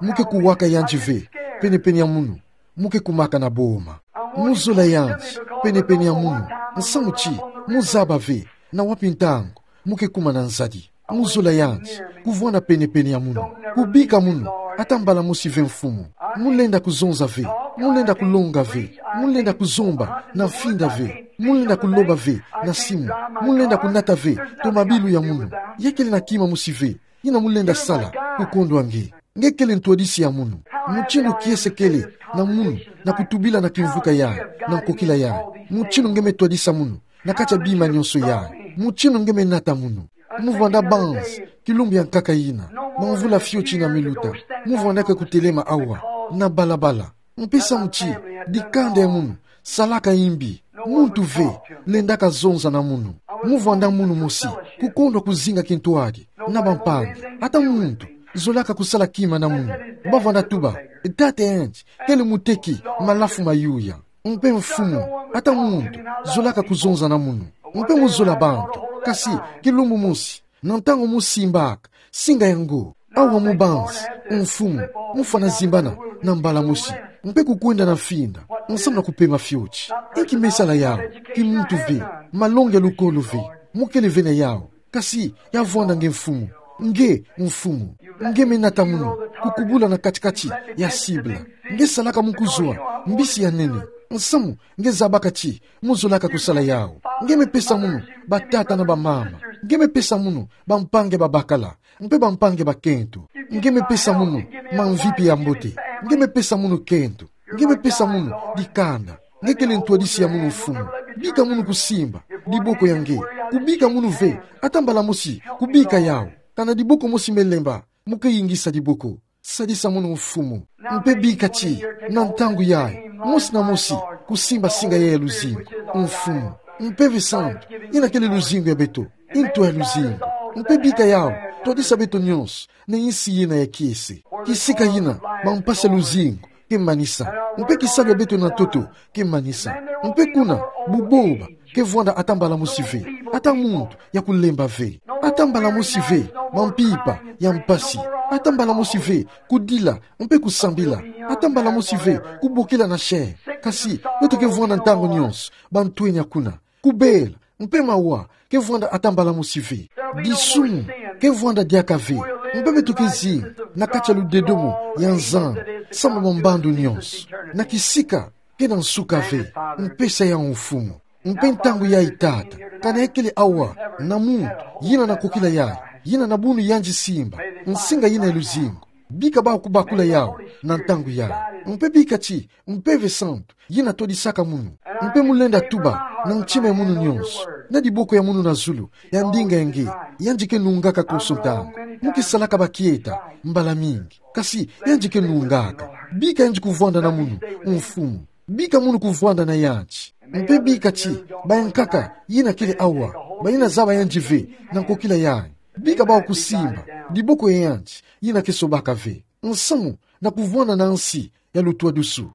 mu ke kuwaka yandi ve penepene ya munu, mu ke kumaka na boma. Mu zola yandi penepene ya munu, nsamu ti mu zaba ve na wapi ntangu mu ke kuma na nzadi. Mu zola yandi kuvwanda penepene ya munu, kubika munu ata mbala mosi ve, Mfumu. Mu lenda kuzonza ve, mu lenda kulonga ve, mu lenda kuzomba na mfinda ve, mu lenda kuloba ve na simu, mu lenda kunata ve tomabilu ya munu. Ya kele na kima mosi ve yina mu lenda sala kukondwa nge. Nge kele ntwadisi ya munu. Mutindu kiese kele na munu na kutubila na kimvuka yayi, na nkokila yayi. Mutindu nge me twadisa munu na kati ya bima nyonso yayi. Mutindu nge me nata munu. Mu vwanda banzi kilumbu ya nkaka yina, bamvula fioti yina me luta. Mu vwandaka kutelema awa na balabala. Mpe samu ti dikanda ya munu salaka imbi, muntu ve lendaka zonza na munu. Mu vwanda munu mosi kukondwa kuzinga kintwadi na bampangi. Ata muntu zolaka kusala kima na munu. Bavanda tuba: Tata yandi kele muteki malafu mayuya. Mpe Mfumu, ata muntu zolaka kuzonza na munu. Mpe mu zola bantu. Kasi kilumbu mosi, na ntangu mu simbaka singa yango, Awa mubanzi, mfumu, mufwana zimbana na mbala mosi, mpe kukwenda na mfinda, nsamu na kupema fioti. Inki mesala yau? Kimuntu ve, malongi ya lukolo ve, mukele ve na yau. Kasi ya vwanda nge mfumu. Nge mfumu. Nge menata munu, kukubula na kati-kati ya cible. Nge salaka mu kuzwa mbisi ya nene. Nsamu nge zabaka ti muzolaka kusala yau. Nge mepesa munu batata na bamama. Nge mepesa munu bampangi ya babakala mpe bampangi ya bakento. Nge mepesa munu mamvipi ya mbote. Nge mepesa munu kento. Nge mepesa munu dikanda. Nge kele ntwadisi ya munu mfumu. Bika munu kusimba diboko ya nge. Kubika munu ve ata mbala mosi kubika yau. Kana diboko mosi melemba, muke yingisa diboko. Sadisa munu mfumu. Mpe bika ti, na ntangu yayi, mosi na mosi kusimba singa yayi ya luzingu, mfumu. Mpeve santu, yina kele luzingu ya beto, nto ya luzingu. Mpe bika yau twadisa beto nyonso na insi yina ya kiese. Kisika yina mampasi ya luzingu ke manisa. Mpe kisalu ya beto na ntoto ke manisa. Mpe kuna, buboba ke vwanda ata mbala mosi ve ata muntu ya kulemba ve. Ata mbala mosi ve mampimpa ya mpasi. Ata mbala mosi ve kudila mpe kusambila. Ata mbala mosi ve kubokila na chaîne. Kasi beto ke vwanda ntangu nyonso bantwenya kuna. Kubela mpe mawa ke vwanda ata mbala mosi ve. Disumu ke vwanda diaka ve. Mpe beto ke zinga na kati ya ludedomo ya Nzambi samu na mambandu nyonso. Na kisika ke na nsuka ve. Mpesa yau mfumu. Mpe ntangu yayi, Tata, kana ya kele awa na muntu yina na nkokila yayi, yina na bunu yandi simba nsinga yina ya luzingu. Bika bawu kubakula yau na ntangu yayi. Mpe bika ti, Mpeve santu yina twadisaka munu. Mpe mulenda tuba na ntima ya munu nyonso, na diboko ya munu na zulu, ya ndinga ya nge, yandi ke nungaka konso ntangu. Muke salaka bakieta mbala mingi, kasi yandi ke nungaka. Bika yandi kuvwanda na munu, mfumu. Bika munu kuvwanda na yandi. Mpe bika ti, bayankaka yina kele awa, bayina zaba yandi ve na nkokila yayi, bika bawu kusimba diboko ya yandi yina ke sobaka ve, nsamu na kuvwanda na nsi ya lutwadusu.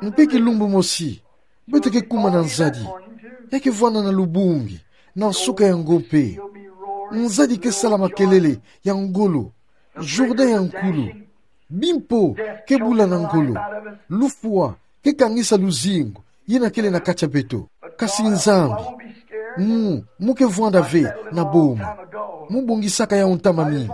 Mpe kilumbu mosi, beto ke kuma na nzadi. Ya ke vwanda na lubungi, na nsuka ya ngo mpe. Nzadi ke sala makelele ya ngolo, Jourdain ya nkulu. Bimpo ke bula na ngolo. Lufwa ke kangisa luzingu yina kele na kati ya beto. Kasi Nzambi, mu, muke vwanda ve na boma. Mubongisaka yau ntama mingi.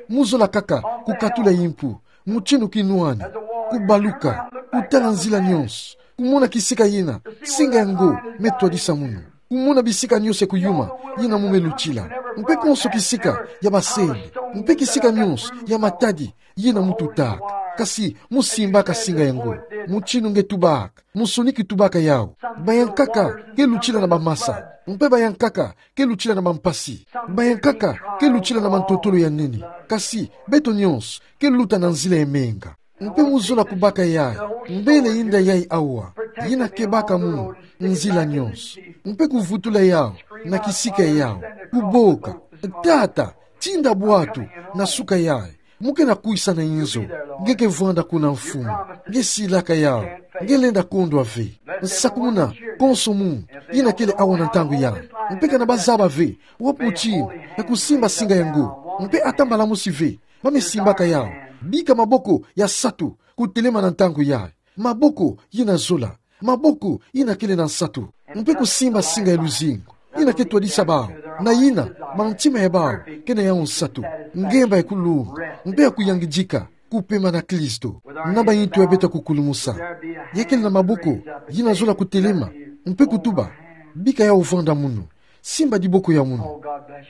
Muzola kaka kukatula yimpu, mutinu kinwani, kubaluka, kutala nzila nyonso, kumona kisika yina singa ya ngo metwadisa munu. Kumona bisika nyonso ya kuyuma yina mu melutila. Mpe konso kisika ya basende, mpe kisika nyonso ya matadi yina mututaka. Kasi musimbaka singa ya ngo. Mutinu nge tubaka, musoni ki tubaka yau. Bayankaka ke lutila na bamasa. Mpe bayankaka ke lutila na bampasi. Bayankaka ke lutila na mantotolo ya nene. Kasi beto nyonso ke luta na nzila ya menga. Mpe muzola kubaka yayi, mbele yinda yayi awa, yina kebaka munu nzila nyonso. Mpe kuvutula yau na kisika yau, kuboka: Tata, tinda bwatu na suka yayi. Muke na kwisa na inzo. Nge ke vwanda kuna, Mfumu. Nge silaka yau. Nge lenda kondwa ve. Nsakumuna konso muntu yina kele awa na ntangu yayi. Mpe kana bazaba ve wapi mutinu ya kusimba singa ya ngo, mpe ata mbala mosi ve ba mesimbaka yau, bika maboko ya satu kutelema na ntangu yayi. Maboko yina zola. Maboko yina kele na nsatu. Mpe kusimba singa ya luzingu yina ke twadisa bawu na yina mantima ya bawu ke na yau nsatu. Ngemba ya kulunga mpe ya kuyangidika kupema na Kristo. Na bayintu ya beto ya kukulumusa, ya kele na maboko yina zola kutelema mpe kutuba: Bika yau vwanda munu. Simba diboko ya munu.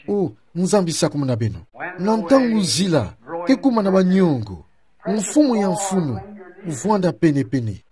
O Nzambi, sakumuna beno. Na ntangu nzila ke kuma na baniongo, Mfumu ya mfunu, vwanda pene-pene.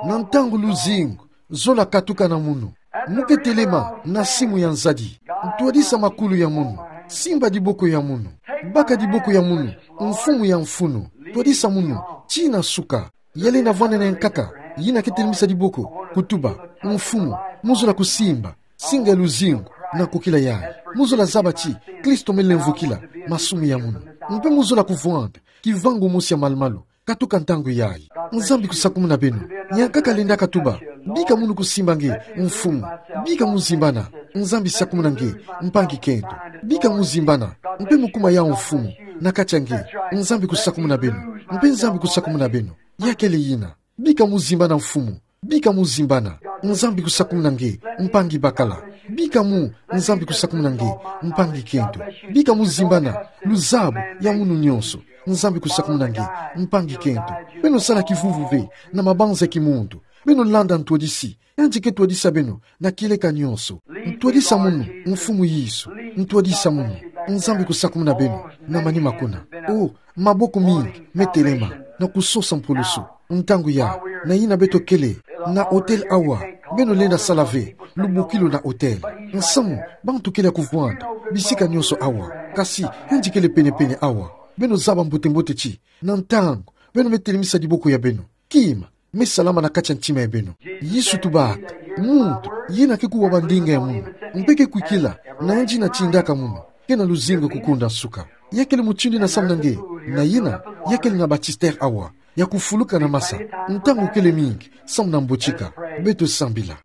Na ntangu luzingu zola katuka na munu, muke telema na simu ya nzadi. Ntwadisa makulu ya munu. Simba diboko ya munu. Baka diboko ya munu, Mfumu ya mfunu. Twadisa munu tii na suka. Ya lenda vwanda na yankaka yina ke telemisa diboko, kutuba: Mfumu, muzola kusimba singa ya luzingu na nkokila yayi. Muzola zaba ti Kristo melemvokila masumu ya munu. Mpe muzola kuvwanda kivangu mosi ya malu-malu katuka ntangu yayi. Nzambi kusakumuna beno. Yankaka lendaka tuba: Bika munu kusimba nge, Mfumu. Bika muzimbana. Nzambi sakumuna nge, mpangi kento. Bika muzimbana, mpe mukuma yawu mfumu, na kati a nge, Nzambi kusakumuna beno, mpe Nzambi kusakumuna beno. Ya kele yina. Bika muzimbana mfumu. Bika muzimbana, Nzambi kusakumuna nge, mpangi bakala. Bika mu, Nzambi kusakumuna nge, mpangi kento. Bika muzimbana, luzabu ya munu nyonso, Nzambi kusakumuna nge, mpangi kento. Beno sala kivuvu ve, na mabanza ya kimuntu. Beno landa ntwadisi, yandi ke twadisa beno, na kieleka nyonso. Ntwadisa munu, mfumu Yesu. Ntwadisa munu, Nzambi kusakumuna beno, na manima kuna. O, maboko mingi, me telema, na kusosa mpulusu. Ntangu ya, na yina beto kele, na hotel awa, beno lenda sala ve, lubukilu na hotel. Nsamu, bantu kele ya kuvwanda, bisika nyonso awa. Kasi, yandi kele penepene awa. Beno zaba mbote-mbote ti, na ntangu, beno me telemisa diboko ya beno. Kima, me salama na kati a ntima ya beno. Yesu tubaka, muntu, yina ke kuwa ba ndinga ya munu. Mpe ke kwikila, na yandi na tindaka munu. Kena luzingu ya kukunda nsuka. Ya kele mutindu yina samu na nge, na yina, ya kele na baptistère awa. Ya kufuluka na masa, ntangu kele mingi, samu na mbotika. Beto sambila.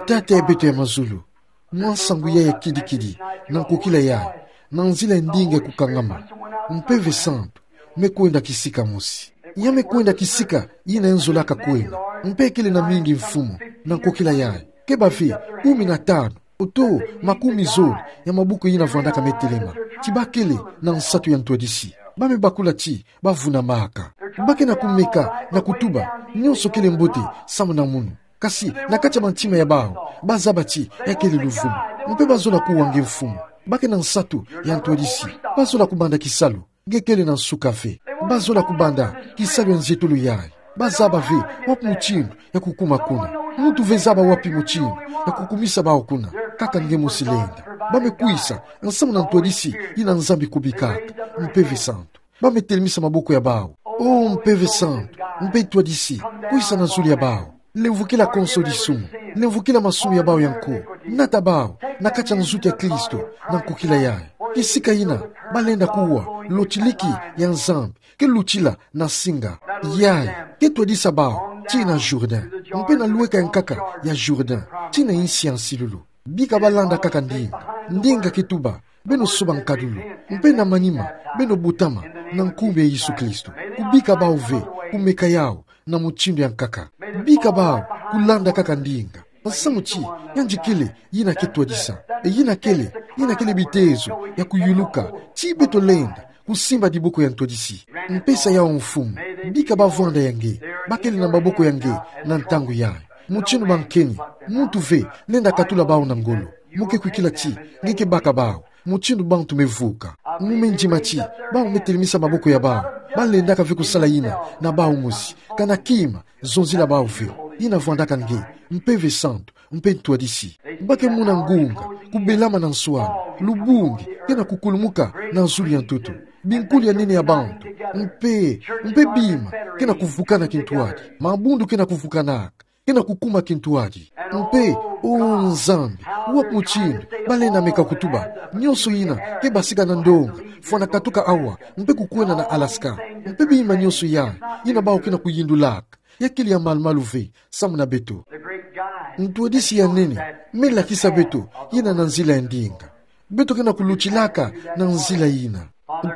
Tata ya beto ya mazulu. Mwa nsangu yayi ya kidi-kidi, na nkokila yayi, na nzila ya ndinga ya kukangama. Mpeve Santu, me kwenda kisika mosi. Ya me kwenda kisika, yina ya nzolaka kwenda. Mpe kele na mingi mfumu, na nkokila yayi. Ke bave, kumi na tanu, oto, makumi zole, ya mabuku yina vwandaka me telema. Ti ba kele, na nsatu ya ntwadisi. Ba me bakula ti, ba vunamaka. Ba ke na kumeka, na kutuba, nyonso kele mbote, samu na munu. Kasi, na kati ya bantima ya bawu, ba zaba ti, ya kele luvunu. Mpe ba zola kuwa nge mfumu. Ba ke na nsatu, ya ntwadisi. Ba zola kubanda kisalu, nge kele na nsuka ve. Ba zola kubanda, kisalu ya nzietolo yayi. Ba zaba ve, wapi mutindu, ya kukuma kuna. Muntu ve zaba wapi mutindu, ya kukumisa bawu kuna. Kaka nge mosi lenda. Ba me kwisa, nsamu na ntwadisi, yina Nzambi kubikaka. Mpeve Santu. Ba me telemisa maboko ya bawu. O Mpeve Santu, mpe twadisi, kwisa na zulu ya bawu. Lemvukila konso disumu, lemvukila masumu ya bawu ya nko. Nata bawu, na kati ya nzutu ya Kristo, na nkokila yayi. Kisika yina, ba lenda kuwa, lotiliki, ya Nzambi, ke lutila, na singa. Yayi, ke twadisa bawu, tii na Jourdain. Mpe na lweka ya nkaka, ya Jourdain, tii na insi ya nsilulu. Bika ba landa kaka ndinga, ndinga ke tuba, beno soba nkadulu, mpe na manima, beno butama, na nkumbu ya Yesu Kristo. Kubika bawu ve, kumeka yawu, na mutindu ya nkaka. Bika bawu, kulanda kaka ndinga. Nsamu ti, yandi kele, yina ke twadisa. E yina kele, yina kele bitezo, ya kuyuluka, ti beto lenda, kusimba diboko ya ntwadisi. Mpesa yawu mfumu, bika ba vwanda ya nge, ba kele na maboko ya nge, na ntangu yayi. Mutindu ba nkeni, muntu ve, lenda katula bawu na ngolo. Mu ke kwikila ti, nge ke baka bawu, mutindu bantu me vuka. Mu me ndima ti, bawu me telemisa maboko ya bawu, ba lendaka ve kusala yina, na bawu mosi, kana kima, zonzila bawu ve, yina vwandaka nge, Mpeve Santu, mpe ntwadisi. Ba ke muna ngunga, kubelama na nswala, lubungi, ke na kukulumuka, na zulu ya ntoto. Binkulu ya nene ya bantu, mpe, mpe bima, ke na kuvukana kintwadi, mabundu ke na kuvukanaka, ke na kukuma kintwadi. Mpe, o Nzambi, wapi mutindu, ba lenda meka kutuba, nyonso yina, ke basika na ndonga, fwana katuka awa, mpe kukwenda na Alaska. Mpe bima nyonso yayi, yina bawu ke na kuyindulaka. Ya kele ya malu-malu ve, samu na beto. Ntwadisi ya nene, me lakisa beto, yina na nzila ya ndinga. Beto ke na kulutilaka, na nzila yina.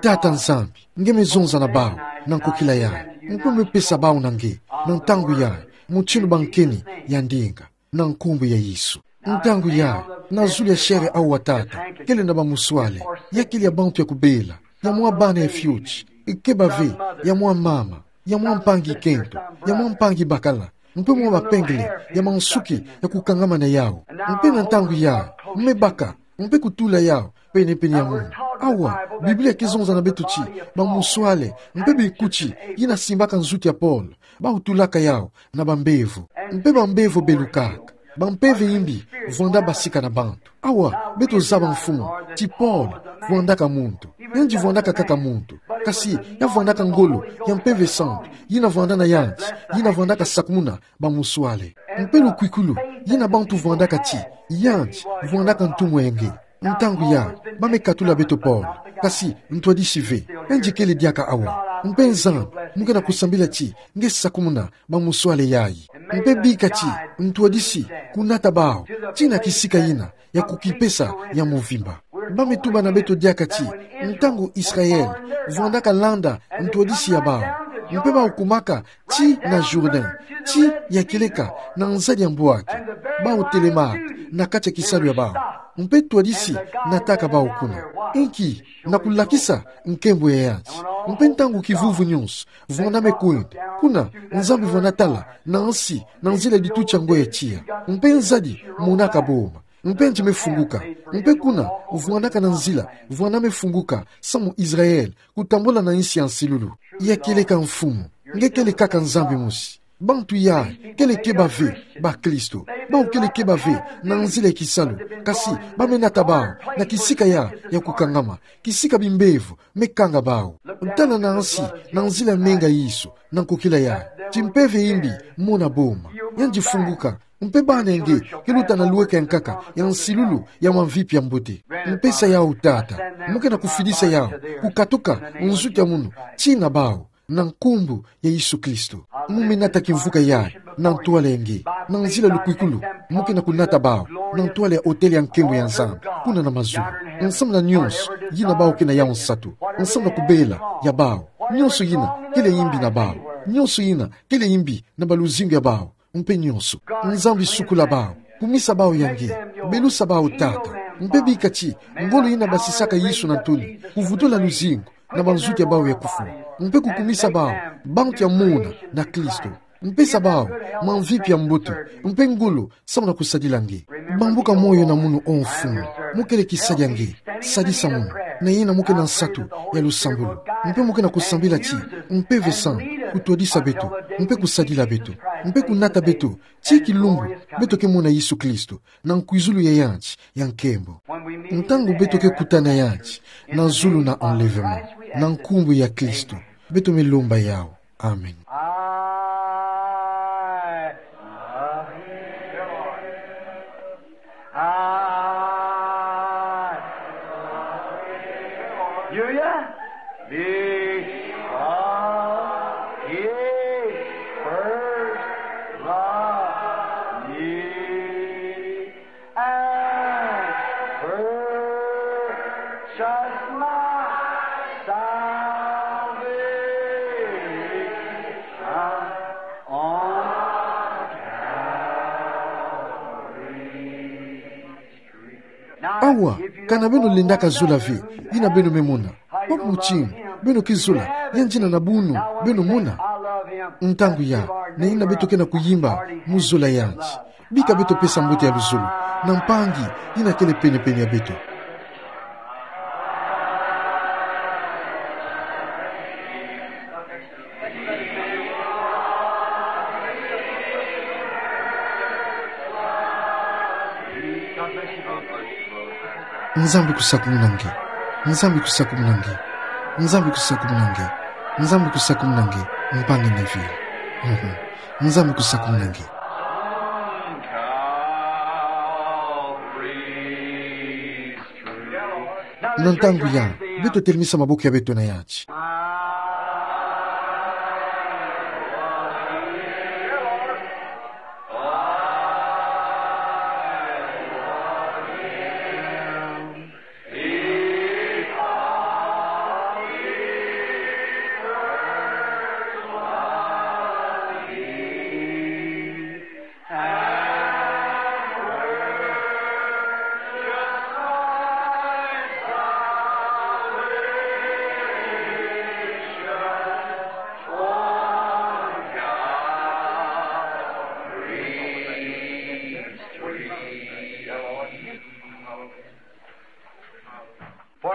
Tata Nzambi, nge me zonza na bawu, na nkokila yayi. Mpe me pesa bawu na nge, na ntangu yayi, mutindu ba nkeni, ya ndinga. Na nkumbu ya Yesu. Ntangu yayi, na zulu ya sheri awu wa tata, kele na bamuswale, ya kele ya bantu ya kubela, ya mwa bana ya fioti, ke bave, ya mwa mama, ya mwa mpangi kento, ya mwa mpangi bakala, mpe mwa bapengele, ya mansuki, ya kukangama na yawu. Mpe na ntangu yayi, me baka, mpe kutula yawu, penepene ya munu. Awa, Biblia ke zonza na beto ti, bamuswale, mpe bikuti, yina simbaka nzutu ya Paul, bawu tulaka yawu, na bambevo. Mpe bambevo belukaka. Bampeve imbi, vwanda basika na bantu. Awa, beto zaba mfumu, ti Paul, vwandaka muntu. Yandi vwandaka kaka muntu. Kasi, ya vwandaka ngolo, ya Mpeve Santu, yina vwanda na yandi, yina vwandaka sakumuna, bamuswale. Mpe lukwikulu, yina bantu vwandaka ti, yandi, vwandaka ntumwa ya nge. Ntangu yayi, ba me katula beto Paul. Kasi, ntwadisi ve, yandi kele diaka awa. Mpe Nzambi, mu ke na kusambila ti, nge sakumuna, bamuswale yayi. Mpe bika ti ntwadisi kunata bawu tii na kisika yina ya kukipesa ya mvimba. Bame tuba na beto diaka ti, ntangu Israel vwandaka landa ntwadisi ya bawu, mpe bawu kumaka tii na Jourdain, tii ya kieleka na nzadi ya mbwaki, bawu telemaka na kati ya kisalu ya bawu, mpe ntwadisi nataka bawu kuna. Inki? Na kulakisa nkembo ya yanti. Mpe ntangu kivuvu nyonso vwandame kwenda, kuna Nzambi vwana tala na nsi na nzila dituti ya ngwe ya tiya, mpe nzadi monaka boma, mpe nti me funguka. Mpe kuna vwandaka na nzila vwandame funguka samu Israel kutambula na nsi ya nsilulu. Ya kieleka mfumu, nge kele kaka Nzambi mosi. Bantu ya kele keba ve bakristo. Bawu kele keba ve na nzila ya kisalu, kasi bame nata bawu na kisika ya, ya kukangama, kisika bimbevo me kanga bawu. Tala na nsi na nzila menga Yesu na nkokila ya ti mpeve imbi mona boma. Yandi funguka, mpe bana nge ke luta na lweka ya nkaka ya nsilulu ya mamvipi ya mbote. Mpesa yawu, Tata, mu ke na kufidisa yawu kukatuka nzuki ya munu tii na bawu, na nkumbu ya Yesu Kristo. Mu me nata kimvuka yayi na ntwala ya nge, na nzila lukwikulu mu ke na kunata bawu na ntwala ya otele ya nkembo ya Nzambi kuna na mazulu. Nsamu na nyonso yina bawu ke na yawu nsatu, nsamu na kubela ya bawu, nyonso yina kele imbi na bawu, nyonso yina kele imbi na baluzingu ya bawu, mpe nyonso. Nzambi, sukula bawu, kumisa bawu ya nge, belusa bawu, Tata, mpe bika ti ngolo yina basisaka Yesu na ntoni kuvutula luzingu na banzuki ya bawu ya kufwa, mpe kukumisa bawu bantu ya mona na Kristo. Mpesa bawu mamvipi ya mbote mpe ngolo samu na kusadila nge. Bambuka moyo na munu, O Mfumu, mu kele kisadi ya nge. Sadisa munu, na yina mu ke na nsatu ya lusambulu, mpe mu ke na kusambila ti Mpeve Santu kutwadisa beto, mpe kusadila beto, mpe kunata beto tii kilumbu beto ke mona Yesu Kristo na nkwizulu ya yanti ya nkembo. Ntangu beto ke kuta na yanti na zulu na enlèvement, na nkumbu ya Kristo beto me lomba yawu. Amen. I love you, Lord. I love you, Lord. Do you? Because he first loved me and purchased my salvation on Calvary. Awa, kana beno lendaka zola ve yina beno me mona, papa mutinu beno ke zola yandi na buna beno mona? Ntangu ya, na yina beto ke na kuyimba mu zola yandi. Bika beto pesa mbote ya luzolo na mpangi yina kele pene-pene ya beto. Nzambi kusakumuna nge. Nzambi kusakumuna nge. Nzambi kusakumuna nge. Nzambi kusakumuna nge. Mpangi Neville. Mhm. Nzambi kusakumuna nge. Na ntangu ya, beto telemisa maboko ya beto na yanti.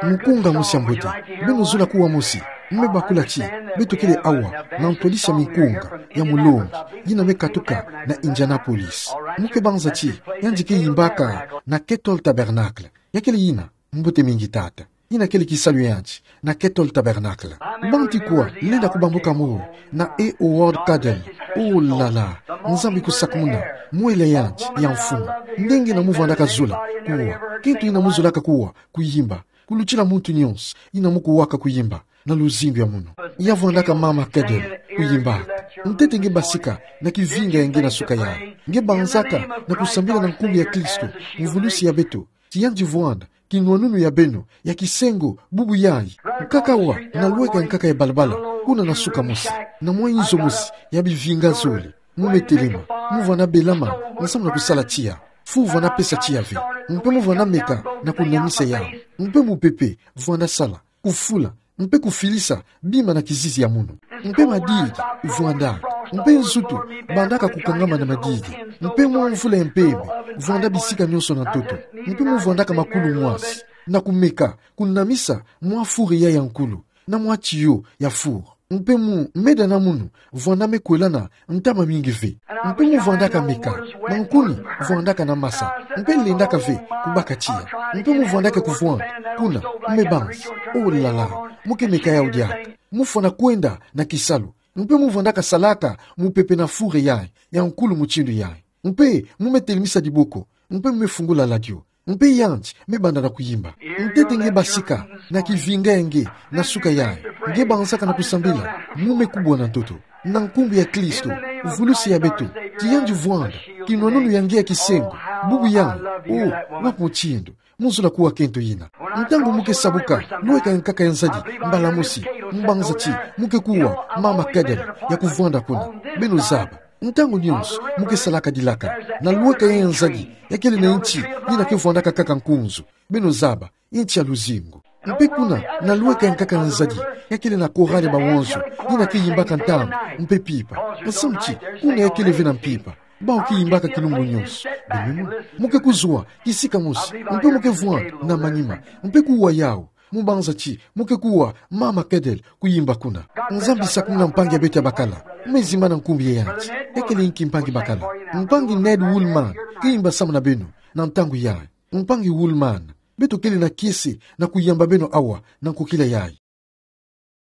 Mukunga mosi ya mbote, beno zola kuwa mosi. Mu me bakula ti beto kele awa na ntwadisi ya mikunga ya mulongi yina me katuka na Indianapolis. Mu ke banza ti yandi ke yimbaka na Kettle Tabernacle. Ya kele yina mbote mingi tata. Yina kele kisalu ya yandi na Kettle Tabernacle. Banti kuwa lenda kubambuka mo na e Howard Cadell. Oh là là, Nzambi kusakumuna mwela ya yandi ya mfumu. Nge na mu vandaka zola kuwa, kento yina mu zolaka kuwa kuyimba, kulutila muntu nyonso yina mu kuwaka kuyimba. na luzingu ya munu. Ya vwandaka mama Cadel kuyimbaka. Ntete nge basika na kivinga ya nge na suka yayi. Nge banzaka na kusambila na nkumbu ya Kristo, mvulusi ya beto, ti yandi vwanda kinwanunu ya beno ya kisengo bubu yayi. Nkaka wa na lweka nkaka ya balabala, kuna na suka mosi, na mwa inzo mosi ya bivinga zole. Mu me telema, mu vwanda belama, nsamu na kusala tiya. Fu vwanda pesa tiya ve. Mpe mu vwanda meka na kunamisa yawu. Mpe mupepe vwanda sala, kufula, mpe kufilisa bima na kizizi ya munu. Mpe madigi vwanda, mpe nzutu bandaka kukangama na madigi. Mpe mwa mvula ya mpembe vwanda bisika nionso na ntoto. Mpe mu vwandaka makulu mwasi, na kumeka kunamisa mwa four yayi ya nkulu, na mwa tiyo ya four. Mpe mu meda na munu vwanda me kwelana ntama mingi ve. Mpe mu vwandaka meka, mankuni vwandaka na masa, mpe lendaka ve kubaka tiya. Mpe mu vwandaka kuvwanda kuna, me banzi, oh là là, mu ke meka yawu diaka. Mu fwana kwenda na kisalu. Mpe mu vwandaka salaka mupepe na four yayi ya nkulu mutindu yayi. Mpe mu me telemisa diboko, mpe mu me fungula ladio. Mpe yandi me banda na kuyimba. Ntete nge basika na kivinga ya nge na suka yayi. Nge banzaka na kusambila, mu me kubwa na ntoto, na nkumbu ya Kristo, mvulusi ya beto, ti yandi vwanda kinwanunu ya nge ya kisengo bubu yayi. Oh, wapi mutindu mu zola kuwa kento yina? Ntangu mu ke sabuka, lweka nkaka ya nzadi mbala mosi, mbanza ti mu ke kuwa mama Cadel ya kuvwanda kuna. Beno zaba, ntangu nionso mu ke salaka dilaka, na lweka ya nzadi ya kele na inti yina ke vwandaka kaka nkunzu. Beno zaba, inti ya luzingu. Mpe kuna na lweka nkaka ya nzadi ya kele na korale bawonso, yina ke yimbaka ntama mpe pipa. Nsamu ti kuna ya kele ve na mpipa. Bawu ke yimbaka kilumbu nionso. Beno mu ke kuzwa kisika mosi, mpe mu ke vwanda na manima, mpe kuwa yawu. Mu banza ti mu ke kuwa mama Cadel kuyimba kuna. Nzambi sakumuna mpangi ya beto ya bakala. Me zimbana nkumbu ya yandi. Ya kele inki mpangi bakala? Mpangi Ned Woolman ke yimba samu na beno na ntangu yayi. Mpangi Woolman, beto kele na kiese na kuyamba beno awa na nkokila yayi.